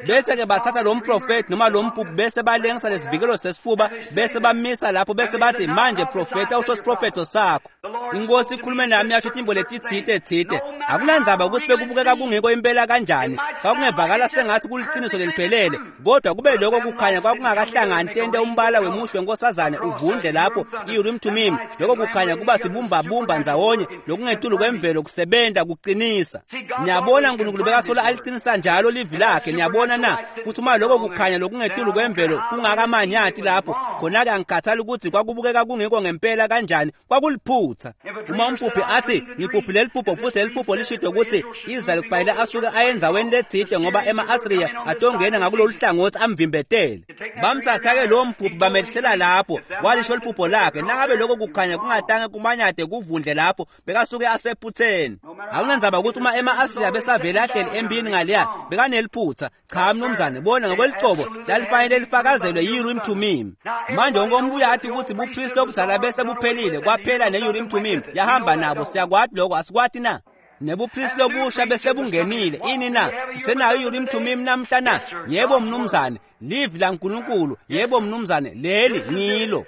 Bese-ke bathatha lo mprofethi noma lo mpuphu bese balengisa lesivikelo sesifuba bese bamisa lapho bese bathi manje profetha usho isiprofetho sakho. Inkosi ikhulume nami yasho timbo letitsite tsite. Akunandzaba ukuthi bekubukeka kungekho impela kanjani, kwakungevakala sengathi kuliqiniso leliphelele, kodwa kube lokho kukhanya kwakungakahlangani tente umbala wemusho wenkosazane uvundle lapho i-Urim Tumim. Lokho kukhanya kuba sibumbabumba ndzawonye lokungetulu kwemvelo kusebenta kuqinisa. Niyabona uNkulunkulu bekasola aliqinisa njalo livi lakhe. Niyabona na? Futhi uma lokho kukhanya lokungetulu kwemvelo kungakamanyati lapho, khona-ke angikhathali ukuthi kwakubukeka kungekho ngempela kanjani, kwakuliphutha. Uma umphuphi athi ngiphuphile leliphupho futhi leliphupho lishito ukuthi Israyeli kufanele asuke aye endzaweni letsite ngoba ema-Asiriya atongena ngakulolu hlangothi amvimbetele. Bamthatha-ke lowo mphuphi bamehlisela lapho, walisho liphupho lakhe. Nangabe lokho kukhanya kungatange kumanyade kuvundle lapho, bekasuke asephutheni. Akunandzaba ukuthi uma ema-Asiriya besavele ahleli empini ngaleya, bekaneliphutha. Cha mnumzane, bona ngokwelicobo lalifanele lifakazelwe yi-Urim Tumim. Manje wonke umuntu uyathi ukuthi bupristi obudzala bese buphelile, kwaphela ne-Urim Tumim yahamba nabo. Siyakwati lokho, asikwati na? Nebupristi lobusha bese bungenile. Ini na? Sisenayo i-Urim Thummim namhla na? Yebo mnumzane, livi laNkulunkulu. Yebo mnumzane, leli ngilo.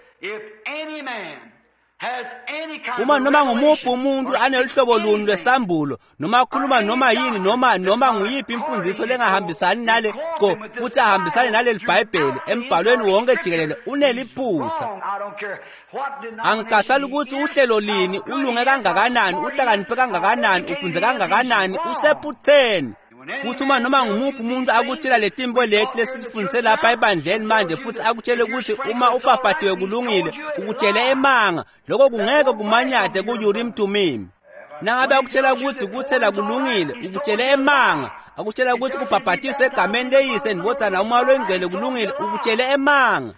Uma noma ngumuphi umuntu aneluhlobo luni lwesambulo noma akhuluma noma yini noma noma nguyiphi imfundiso lengahambisani nale co futhi ahambisane naleli Bhayibheli embhalweni wonke jikelele uneliphutha. Angikhathali ukuthi uhlelo lini, ulunge kangakanani, uhlakaniphe kangakanani, ufunze kangakanani, usephutheni. Futhi uma noma ngumuphi umuntu akutshela letimbo leti lesifundise lapha ebandleni manje futhi akutshele ukuthi uma ufafatiwe kulungile, ukutshele emanga, lokho kungeke kumanyade ku-Urim Thummim. Nangabe akutshela ukuthi kuthela kulungile, ukutshele emanga. Akutshela ukuthi kubhabhatise egameni leyise ndvodzana umoya longcwele kulungile, ukutshele emanga.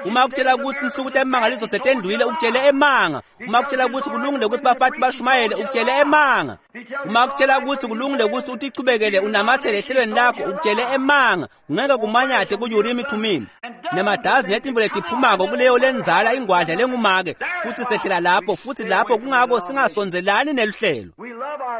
Uma akutshela ukuthi insuku temangaliso setendlulile, ukutshele emanga. Uma akutshela ukuthi kulungile ukuthi bafati bashumayele, ukutshele emanga. Uma akutshela ukuthi kulungile ukuthi utichubekele unamathele ehlelweni lakho, ukutshele emanga. Kungeke kumanyade ku-Urim Thummim. Nemadazi netimbo letiphumako kuleyo lenzala ingwadla lengumake futhi sehlela lapho futhi lapho kungako singasondelani neluhlelo.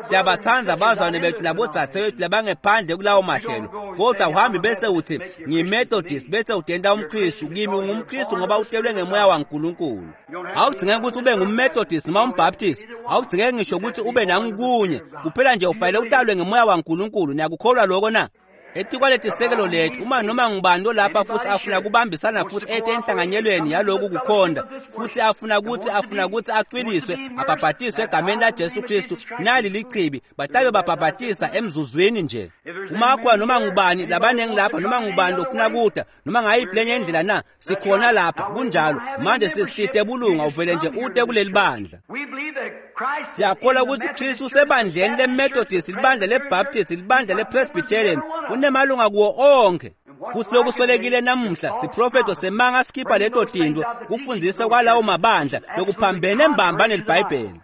Siyabathanda abazalwane bethu nabodzadewethu labangephandle kulawo mahlelo, kodwa uhambe bese uthi ngiyiMethodist bese udenda umKristu. Kimi ungumKristu ngoba utelwe ngemoya waNkulunkulu. Awudingeki ukuthi ube ngumMethodist noma umBaptist, awudingeki ngisho ukuthi ube nangukunye, kuphela nje ufanele utalwe ngemoya waNkulunkulu. Niyakukholwa lokho na? Etikwaletisekelo lethu, uma noma ngubani olapha futhi afuna kubambisana futhi ete enhlanganyelweni yaloku kukhonda futhi afuna ukuthi afuna ukuthi acwiliswe abhabhatiswe egameni laJesu Kristu, nali lichibi batabe babhabhatisa emzuzwini nje. Uma kukhona noma ngubani labanengi lapha noma ngubani lofuna kuda noma ngayiphi lenye indlela na, sikhona lapha kunjalo. Manje sisite bulunga uvele nje ute kuleli bandla. Siyakholwa ukuthi Kristu usebandleni leMethodist, libandla leBaptist, libandla lePresbyterian, unemalunga kuwo onke. Futhi lokuswelekile namuhla siprofeto semanga sikhipha leto tinto kufundisa kwalawo mabandla lokuphambene mbamba neliBhayibheli.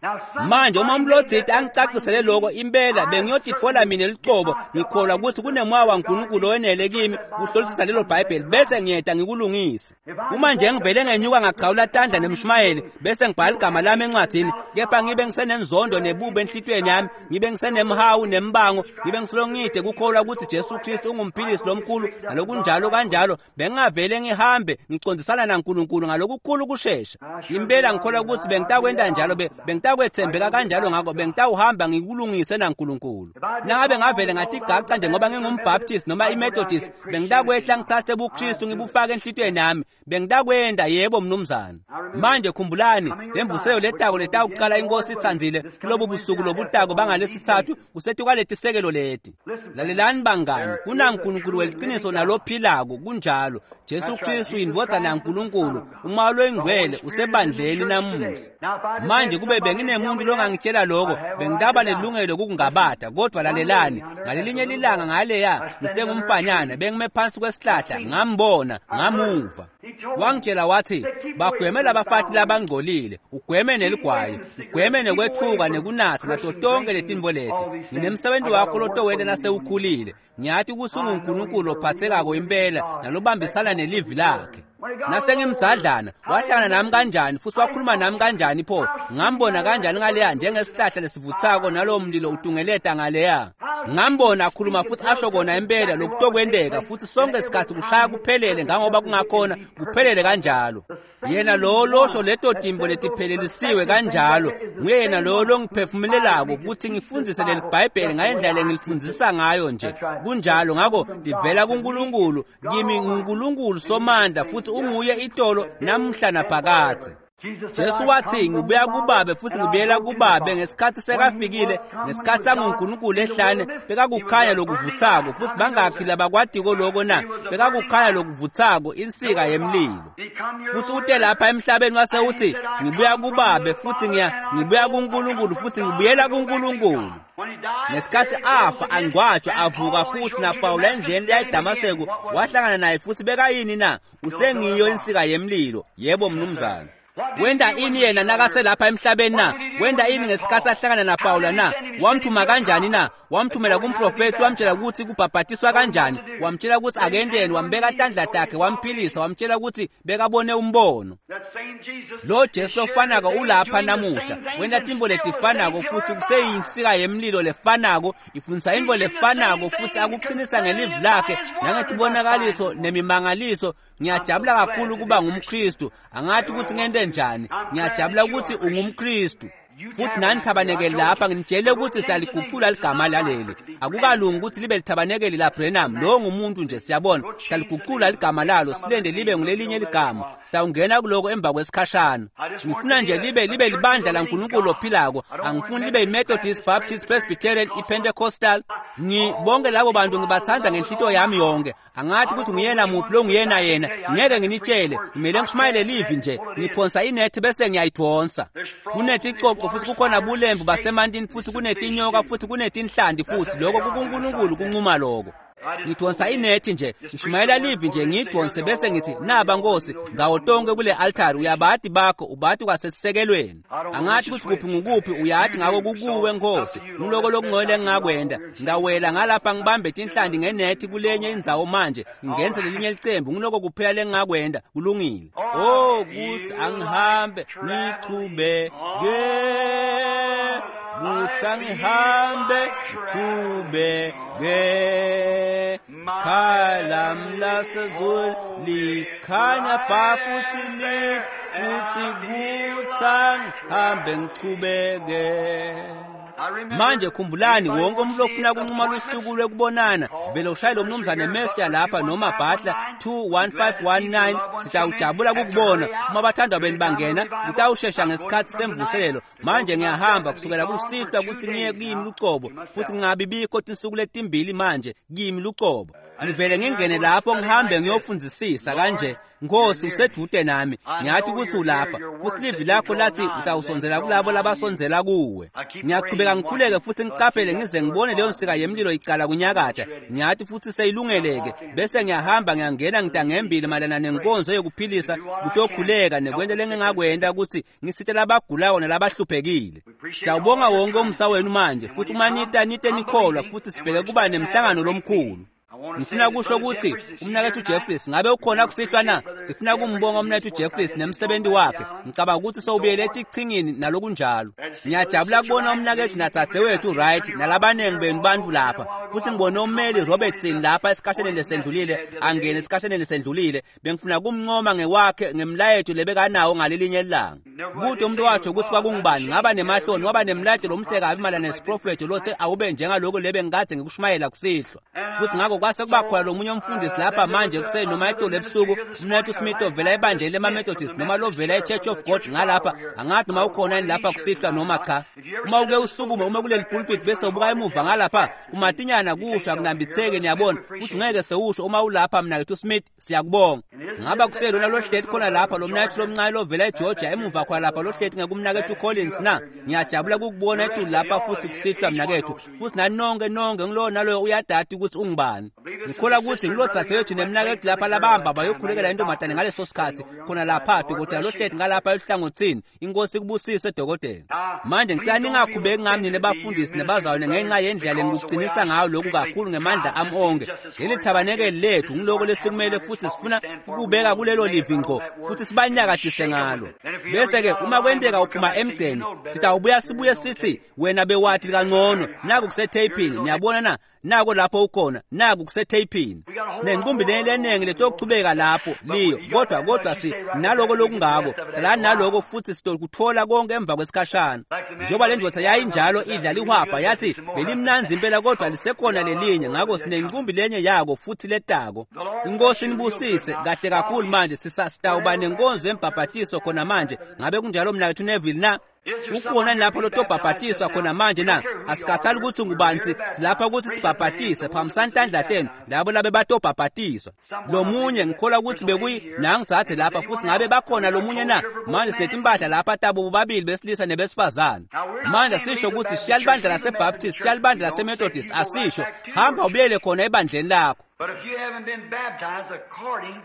Manje uma umlodziti angicacisele lokho impela bengiyotitfola mina licobo, ngikholwa ukuthi kunemoya waNkulunkulu owenele kimi kuhlolisisa lelo Bhayibheli bese ngiyeda ngikulungise. Uma nje ngivele ngenyuka ngachawula tandla nemshumayeli bese ngibhala igama lami encwadini, kepha ngibe ngisenenzondo nebubi enhlitiyweni yami, ngibe ngisenemhawu nembango, ngibe ngisolongide kukholwa ukuthi Jesu Kristu ungumphilisi lomkhulu nalokunjalo kanjalo, bengingavele ngihambe ngicondzisana naNkulunkulu ngalokukhulu kushesha. Impela ngikholwa ukuthi bengitakwenta njalo, bengitakwethembeka kanjalo, ngakho bengitawuhamba ngikulungise naNkulunkulu. Nangabe ngavele ngathi gaca nje ngoba ngingumBaptist noma iMethodist, bengitakwehla ngithathe buKristu ngibufake enhlitiyweni yami, bengitakwenda. Yebo mnumzane. Manje khumbulani lemvuselelo letako letawuqala inkosi itsandzile kulobu busuku lobutako bangalesithathu kusetukwaletisekelo leti. Lalelani bangani, kunaNkulunkulu weliciniso nalophilako kunjalo. Jesu Kristu indvodzana yaNkulunkulu, umoya longcwele usebandleni namuhla. Manje kube benginemuntu longangitshela lokho, bengitaba nelungelo lokungabada, kodwa lalelani, ngalelinye lilanga ngaleya ngisengumfanyana bengime phansi kwesihlahla, ngambona, ngamuva. Wangitshela wathi, bagweme labafati labangcolile, ugweme neligwayi, ugweme nekwetfuka nekunatsa nato tonke letinto leti. Nginemsebenzi wakho lotowenta nasewukhulile. Ngiyati ukuthi unguNkulunkulu ophathekako impela nalobambisana nelivi lakhe. Nasengimdzadlana wahlangana nami kanjani futhi wakhuluma nami kanjani pho? Ngambona kanjani ngaleya njengesihlahla lesivuthako nalowo mlilo utungeleta ngaleya? Ngambona akhuluma futhi asho kona impela lokutokwenteka, futhi sonke isikhathi kushaya kuphelele ngangoba kungakhona kuphelele kanjalo. Yena lo losho leto timbo letiphelelisiwe kanjalo, nguye yena lo longiphefumulelako ukuthi ngifundise leli Bhayibheli ngalendlela engilifundzisa ngayo nje. Kunjalo, ngakho livela kuNkulunkulu kimi, nguNkulunkulu somandla futhi unguye itolo namhla naphakadze. Jesu wathi, ngibuya kubabe futhi ngibuyela kubabe. Ngesikhathi sekafikile, ngesikhathi sanguNkulunkulu ehlane, bekakukhanya lokuvuthako futhi bangakhi labakwadiko lokho na? Bekakukhanya lokuvuthako, insika yemlilo. Futhi ute lapha emhlabeni wase uthi, ngibuya kubabe futhi ngiya ngibuya kuNkulunkulu futhi ngibuyela kuNkulunkulu. Ngesikhathi afa angcwatshwa avuka futhi naPawula endleleni leya eDamaseko wahlangana naye futhi bekayini na? Usengiyo insika yemlilo. Yebo mnumzane. Wenta ini yena nakaselapha emhlabeni na? Wenta ini ngesikhathi ahlangana naPawula na? Wamthuma kanjani na? Wamthumela kumprofethi, wamtshela ukuthi kubhabhatiswa kanjani, wamtshela ukuthi akendeni, wambeka tandla takhe, wamphilisa, wamtshela ukuthi bekabone umbono. Lo Jesu lofanako ulapha namuhla, wenta tintfo letifanako futhi kuseyinsika yemlilo lefanako, ifundisa intfo lefanako futhi akuqinisa ngelivi lakhe nangetibonakaliso nemimangaliso. Ngiyajabula kakhulu kuba ngumKristu. Angathi ukuthi ngente njani. Ngiyajabula ukuthi ungumKristu. Futhi nani thabanekeli lapha nginitshele ukuthi silaliguqula ligama laleli. Akukalungi ukuthi libe lithabanekeli la Branham. Lo ngumuntu nje, siyabona. Silaliguqula ligama lalo, silende libe ngulelinye ligama. Sitawungena kuloko emva kwesikhashana. Ngifuna nje libe libe libandla laNkulunkulu ophilako. Angifuni libe iMethodist, Baptist, Presbyterian, iPentecostal. Ngibonke labo bantu ngibathanda ngenhlito yami yonke. Angathi ukuthi nguyena muphi lo nguyena yena. Ngeke nginitshele. Ngimele ngishumayele livi nje. Ngiphonsa inethi bese ngiyayidonsa. Kuneticoco futhi kukhona bulembu basemantini futhi kunetinyoka futhi kunetinhlanti futhi lokho kukuNkulunkulu kunquma lokho. Ngidonsa inethi nje, ngishumayela livi nje, ngidonse bese ngithi naba Nkosi ndzawo tonke kule altari, uyabati bakho ubati kwasesisekelweni. Angathi ukuthi kuphi ngukuphi, uyathi ngako kukuwe Nkosi. Ngiloko lokungcwele engingakwenda. Ngawela ngalapha ngibambe tinhlanti ngenethi kulenye indzawo manje ngenze lelinye licembu, ngiloko kuphela lengingakwenda. Kulungile. Oh, kuthi angihambe ngichubeke, kuthi angihambe ngichubeke. Khalam lasezulu likhanya bha futhi lihle futhi kuthi angihambe ngichubeke. Manje khumbulani, wonke umuntu ofuna kunquma lusuku lwekubonana, vele ushaye lo mnumzane Mercia lapha noma Butler two one five one nine. Sitawujabula kukubona. Uma bathandwa beni bangena, kutawushesha ngesikhathi semvuselelo. Manje ngiyahamba kusukela kusihlwa ukuthi ngiye kimi lucobo, futhi ngingabi bikho tinsuku letimbili manje kimi lucobo. Ngivele ngingene lapho ngihambe ngiyofundisisa kanje. Nkosi usedude nami, ngiyathi ukuthi ulapha futhi livi lakho lathi utawusondzela kulabo labasondzela kuwe. Ngiyaqhubeka ngikhuleke futhi ngiqaphele ngize ngibone leyo nsika yemlilo icala kunyakata. Ngiyathi futhi seyilungeleke, bese ngiyahamba ngiyangena ngitangembili mayelana nenkonzo yokuphilisa, kutokhuleka nekwenta lengingakwenta ukuthi ngisite labagulayo nalabahluphekile. Siyawubonga wonke umsa wenu manje futhi uma nita nite nikholwa futhi sibheke kuba nemhlangano lomkhulu. Ngifuna kusho ukuthi umnakethu Jeffries ngabe ukhona kusihlwa na? Sifuna kumbonga umnakethu Jeffries nemsebenzi wakhe. Ngicabanga ukuthi sowubuyele etichingini nalokunjalo. Ngiyajabula kubona umnakethu nadzadzewethu Wright nalabanengi benu bantu lapha. Futhi ngibone ummeli Robertson lapha esikhashaneni lesendlulile, angene esikhashaneni lesendlulile. Bengifuna kumncoma ngewakhe ngemlayeto lebekanawo ngalelinye ilanga. Kude umuntu watsho ukuthi kwakungubani, ngaba nemahloni, waba nemlayeto lomhle kabi mayelana nesiprofethi lothe awube njengaloko lebe ngikade ngikushumayela kusihlwa. Futhi ngakho kwase kuba khona lo munye umfundisi lapha manje kuseni noma itolo ebusuku, umnakethu Smith ovela ebandleni lemaMethodist noma lovela eChurch of God ngalapha. Angathi noma ukhona yini lapha kusihlwa noma cha. Uma uke usukume uma kuleli pulpit bese ubuka emuva ngalapha, kumatinyana kusho akunambitheki, niyabona, futhi ngeke sewusho uma ulapha mnakethu Smith, siyakubonga. Ngaba kuselona lohleti khona lapha lo mnakethu lomncane lovela eGeorgia emuva khona lapha lohleti ngekumnakethu Collins na. Ngiyajabula ukukubona etulu lapha futhi kusihlwa mnakethu. Futhi nani nonke nonke ngilowo naloyo uyadati ukuthi ungubani. Ngikholwa ukuthi ngilodadewethu nemnakethu lapha labahamba bayokhulekela intombazane ngaleso sikhathi khona lapha dokotela lohleti ngalapha eluhlangothini. Inkosi ikubusise dokotela. Manje ngicela ningakhubeki ngami nina bafundisi nabazalwane ngenxa yendlela engikuqinisa ngayo lokhu kakhulu ngemandla ami onke. Leli thabanekeli lethu ngiloko lesikumele futhi sifuna ukubeka kulelo livi ngqo futhi sibanyakadise ngalo. Bese ke uma kwenteka uphuma emgceni, sitawubuya sibuye sithi wena bewathi kangcono naku kusetapini. Niyabona na? Nako lapho ukhona, naku kusetapini. Sinenqumbi leningi letokuchubeka lapho liyo, kodwa kodwa si naloko lokungako. Hlalani naloko futhi sitokuthola konke emva kwesikhashana. Njengoba le ndoda yayinjalo idla lihwabha yathi belimnanzi impela kodwa lisekhona lelinye, ngakho sinenqumbi lenye yako futhi letako. Inkosi inibusise kahle kakhulu. Manje sisasitawuba nenkonzo yembhabhatiso khona manje. Ngabe kunjalo mnakethu Neville na? Ukhona lapho lotobhabhatiswa khona manje na? Asikhathali ukuthi ngubani, silapha ukuthi sibhabhatise. Phambisani tandla tenu labo labe batobhabhatiswa. Lo munye ngikholwa ukuthi bekuyi nangithathe lapha futhi ngabe bakhona lo munye na? Manje sinetimpahla lapha tabo bobabili besilisa nebesifazane. Manje sisho ukuthi shiya libandla laseBaptist, shiya libandla laseMethodist, asisho. Hamba ubuyele khona ebandleni lakho. But if you haven't been baptized according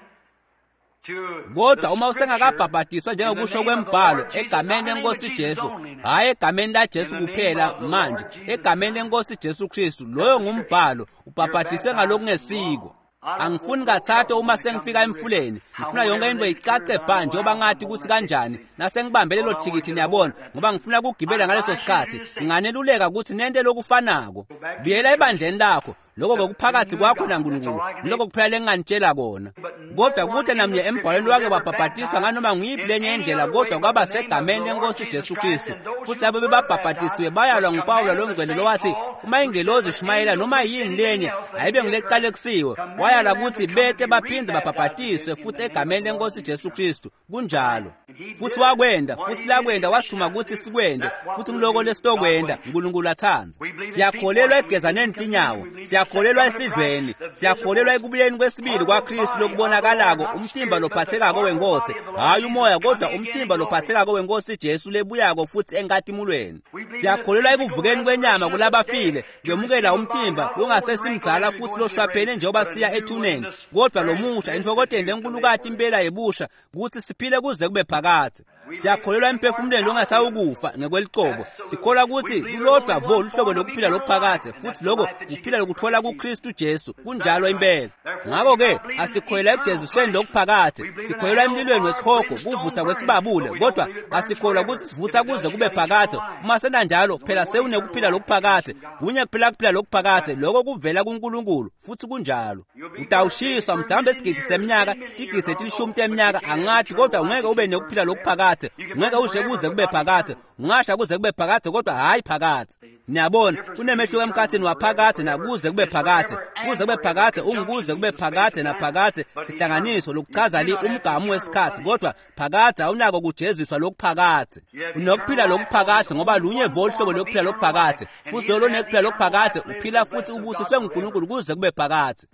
Kodwa uma usengakabhabhadiswa njengokusho kwembhalo egameni lenkosi Jesu, hhayi egameni laJesu kuphela manje, egameni lenkosi Jesu Kristu, loyo ngumbhalo, ubhabhadiswe ngalokungesiko. Angifuni kathathu uma sengifika emfuleni, ngifuna yonke into icace bha njengoba ngathi ukuthi kanjani nasengibambe lelo thikithi, niyabona, ngoba ngifuna ukugibela ngaleso sikhathi. Nginganeluleka ukuthi nente lokufanako. Buyela ebandleni lakho, lokho kokuphakathi kwakho naNkulunkulu, lokho kuphela lenginganitshela kona. Kodwa kude namnye embhalweni wake wabhabhadiswa nganoma nguyiphi lenye indlela kodwa kwaba segameni lenkosi Jesu Kristu. Futhi labo bebabhabhadisiwe bayalwa nguPawula longcwele lowathi uma ingelozi ishumayela noma yini lenye ayibe ngileqalekisiwe. Wayala ukuthi bete baphinde babhabhadiswe futhi egameni lenkosi Jesu Kristu. Kunjalo. Futhi wakwenda, futhi lakwenda wasithuma ukuthi sikwende, futhi ngiloko lesitokwenda uNkulunkulu athanda. Siyakholelwa egezaneni tinyawo, siyakholelwa esidlweni, siyakholelwa ekubuyeni kwesibili kwaKristu lokubonakalako, umtimba lophathekako wenkosi, hhayi umoya kodwa umtimba lophathekako wenkosi Jesu lebuyako futhi enkatimulweni. Siyakholelwa ekuvukeni kwenyama kulabafile, kwemukela umtimba longasesimdzala futhi loshwaphene njengoba siya ethuneni, kodwa lomusha intfokoteni lenkulukati impela yebusha ukuthi siphile kuze kube phakadze. Siyakholelwa emphefumulweni longasawukufa ngekwelicebo. Sikholwa ukuthi lulodwa vo luhlobo lokuphila lokuphakadze, futhi lokho kuphila lokuthola kuKristu Jesu. Kunjalo impela. Ngakho-ke asikholelwa ekujezisweni lokuphakadze, sikholelwa emlilweni wesihogo, kuvutha kwesibabule, kodwa asikholwa ukuthi sivutha kuze kube phakadze. Uma senanjalo phela sewunekuphila lokuphakadze, kunye kuphela kuphila lokuphakadze, lokho kuvela kuNkulunkulu, futhi kunjalo. Utawushiswa mhlawumbe isigidi seminyaka, tigidi letilishumi teminyaka, angathi, kodwa ungeke ube nekuphila lokuphakadze, ungeke ushe kuze kube phakadze, ungasha kuze kube phakadze kodwa hhayi phakadze. Niyabona, kunemehluko emkhathini waphakadze nakuze kube phakadze. Kuze kube phakadze ungukuze kube phakadze naphakadze sihlanganiso lokuchaza li umgamu wesikhathi, kodwa phakadze awunako kujeziswa lokuphakadze. Unokuphila lokuphakadze ngoba lunye vo luhlobo lokuphila lokuphakadze, futhi lolo nekuphila lokuphakadze uphila futhi ubusiswe nguNkulunkulu kuze kube phakadze.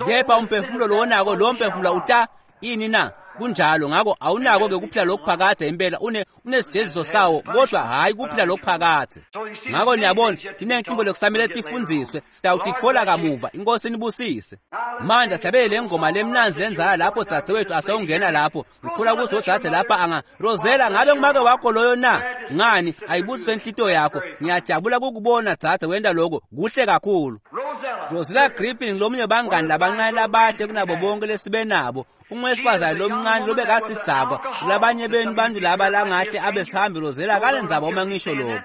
Kepha umphefumulo lowonako, lowo mphefumulo uta ini na? Kunjalo. Ngakho awunako ke kuphila lokuphakadze impela, une unesijeziso sawo, kodwa hhayi kuphila lokuphakadze. Ngakho niyabona, tinenkingo lokusamele tifundziswe, sitawutitfola kamuva. Inkosi inibusise. Manje sihlabele le ngoma lemnandzi lenzala lapho dzadzewethu asewungena lapho. Ngikhula kuthi odzadze lapha anga Rosella, ngabe ngumake wakho loyo na? Ngani ayibusiswe inhlitiyo yakho. Ngiyajabula kukubona dzadze wenta lokho, kuhle kakhulu. Rosella Griffin lomunye bangani labancane labahle kunabo bonke lesibe nabo. Ungwesifazane lomncane lobekasidzakwa, labanye benu bantu laba langahle abe sihambi. Rosella akalendzaba uma ngisho lokho.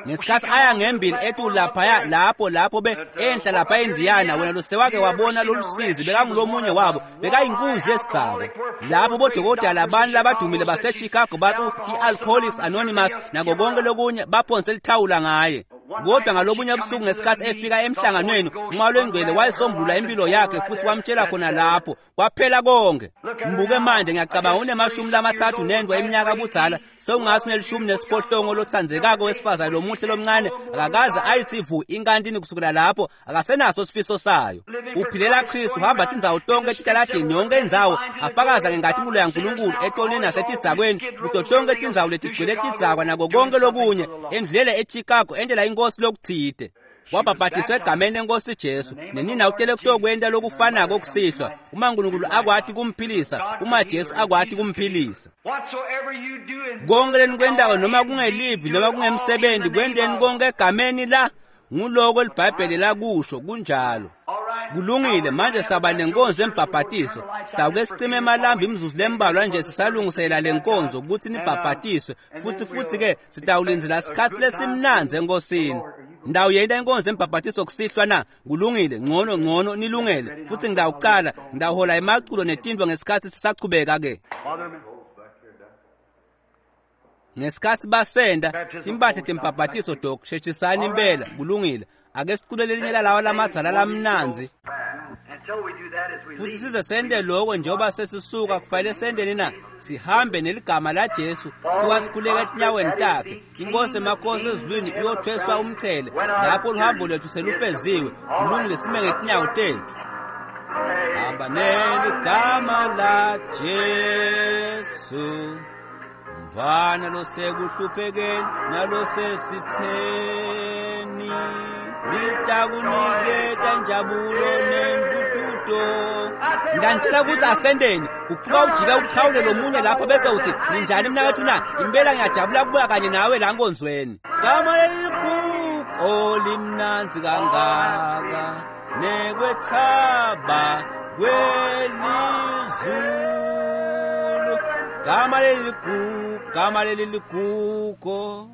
Ngesikhathi aya ngembili etulu laphaya lapho lapho be enhla lapha eNdiyana, wena losewake wabona lolusizi, bekangulomunye wabo, bekayinkunzi yesidzakwa. Lapho bodokotela labantu labadumile baseChicago bathi i-Alcoholics Anonymous nako konke lokunye baphonse lithawula ngaye. Kodwa ngalobunye busuku ngesikhathi efika emhlanganweni, uMoya loNgcwele wayisombulula impilo yakhe futhi wamtshela khona lapho, kwaphela konke. Mbuke manje, ngiyacabanga unemashumi lamathathu nendwa eminyaka budzala, sewungase unelishumi nesiphohlongo lotsandzekako wesifazane lomuhle lomncane, akakaze ayithi vu inkantini kusukela lapho, akasenaso sifiso sayo. Uphilela Kristu, uhamba tindzawo tonke etitaladini, yonke indzawo, afakaza ngenkatimula yaNkulunkulu etonini nasetidzakweni, kuto tonke tindzawo letigcwele tidzakwa nako konke lokunye, endlulele eChicago endlela inkosi lokuthide. Wabhabhadiswa egameni lenkosi Jesu, nenina utele kutokwenta lokufanako kusihlwa, uma uNkulunkulu akwati kumphilisa, uma Jesu akwati kumphilisa. Konke lenikwentako noma kungelivi noma kungemsebenzi, kwenteni konke egameni la nguloko liBhayibheli lakusho. Kunjalo. Kulungile. Manje sitaba nenkonzo embhabhatiso. Sitawuke sicime emalambi imizuzu lembalwa nje sisalungisela le nkonzo ukuthi nibhabhatiswe, futhi futhi ke sitawulindzela sikhathi lesimnandzi enkosini. Ndawuyenta inkonzo embhabhatiso kusihlwa na? Kulungile, ngcono ngcono nilungele. Futhi ngidawucala, ngidawuhola emaculo netintfo ngesikhathi sisachubeka ke. Ngesikhathi basenda timpahla tembhabhatiso, dok, sheshisani impela. Kulungile. Ake sicule lelinye lalawa lamadzala lamnandzi. Futhi size sente lokho njengoba sesisuka, kufanele senteni na? Sihambe neligama laJesu, siwasikhuleka etinyaweni takhe. Inkosi emakhosi ezulwini iyothweswa umchele lapho luhambo lwethu selufeziwe. Kulungile, sime ngetinyawo tethu. Hamba neligama la Jesu, mvana losekuhluphekeni nalosesitheni, litakuniketa injabulo nentuthuko. to Ngiyanitshela ukuthi asendeni uqhuba ujike uqhawule lo munye lapho bese uthi ninjani mnakethu na impela ngiyajabula kubuya kanye nawe la nkonzweni gama leligugu limnandzi kangaka nekwethaba kwelizulu gama leligugu gama leligugu.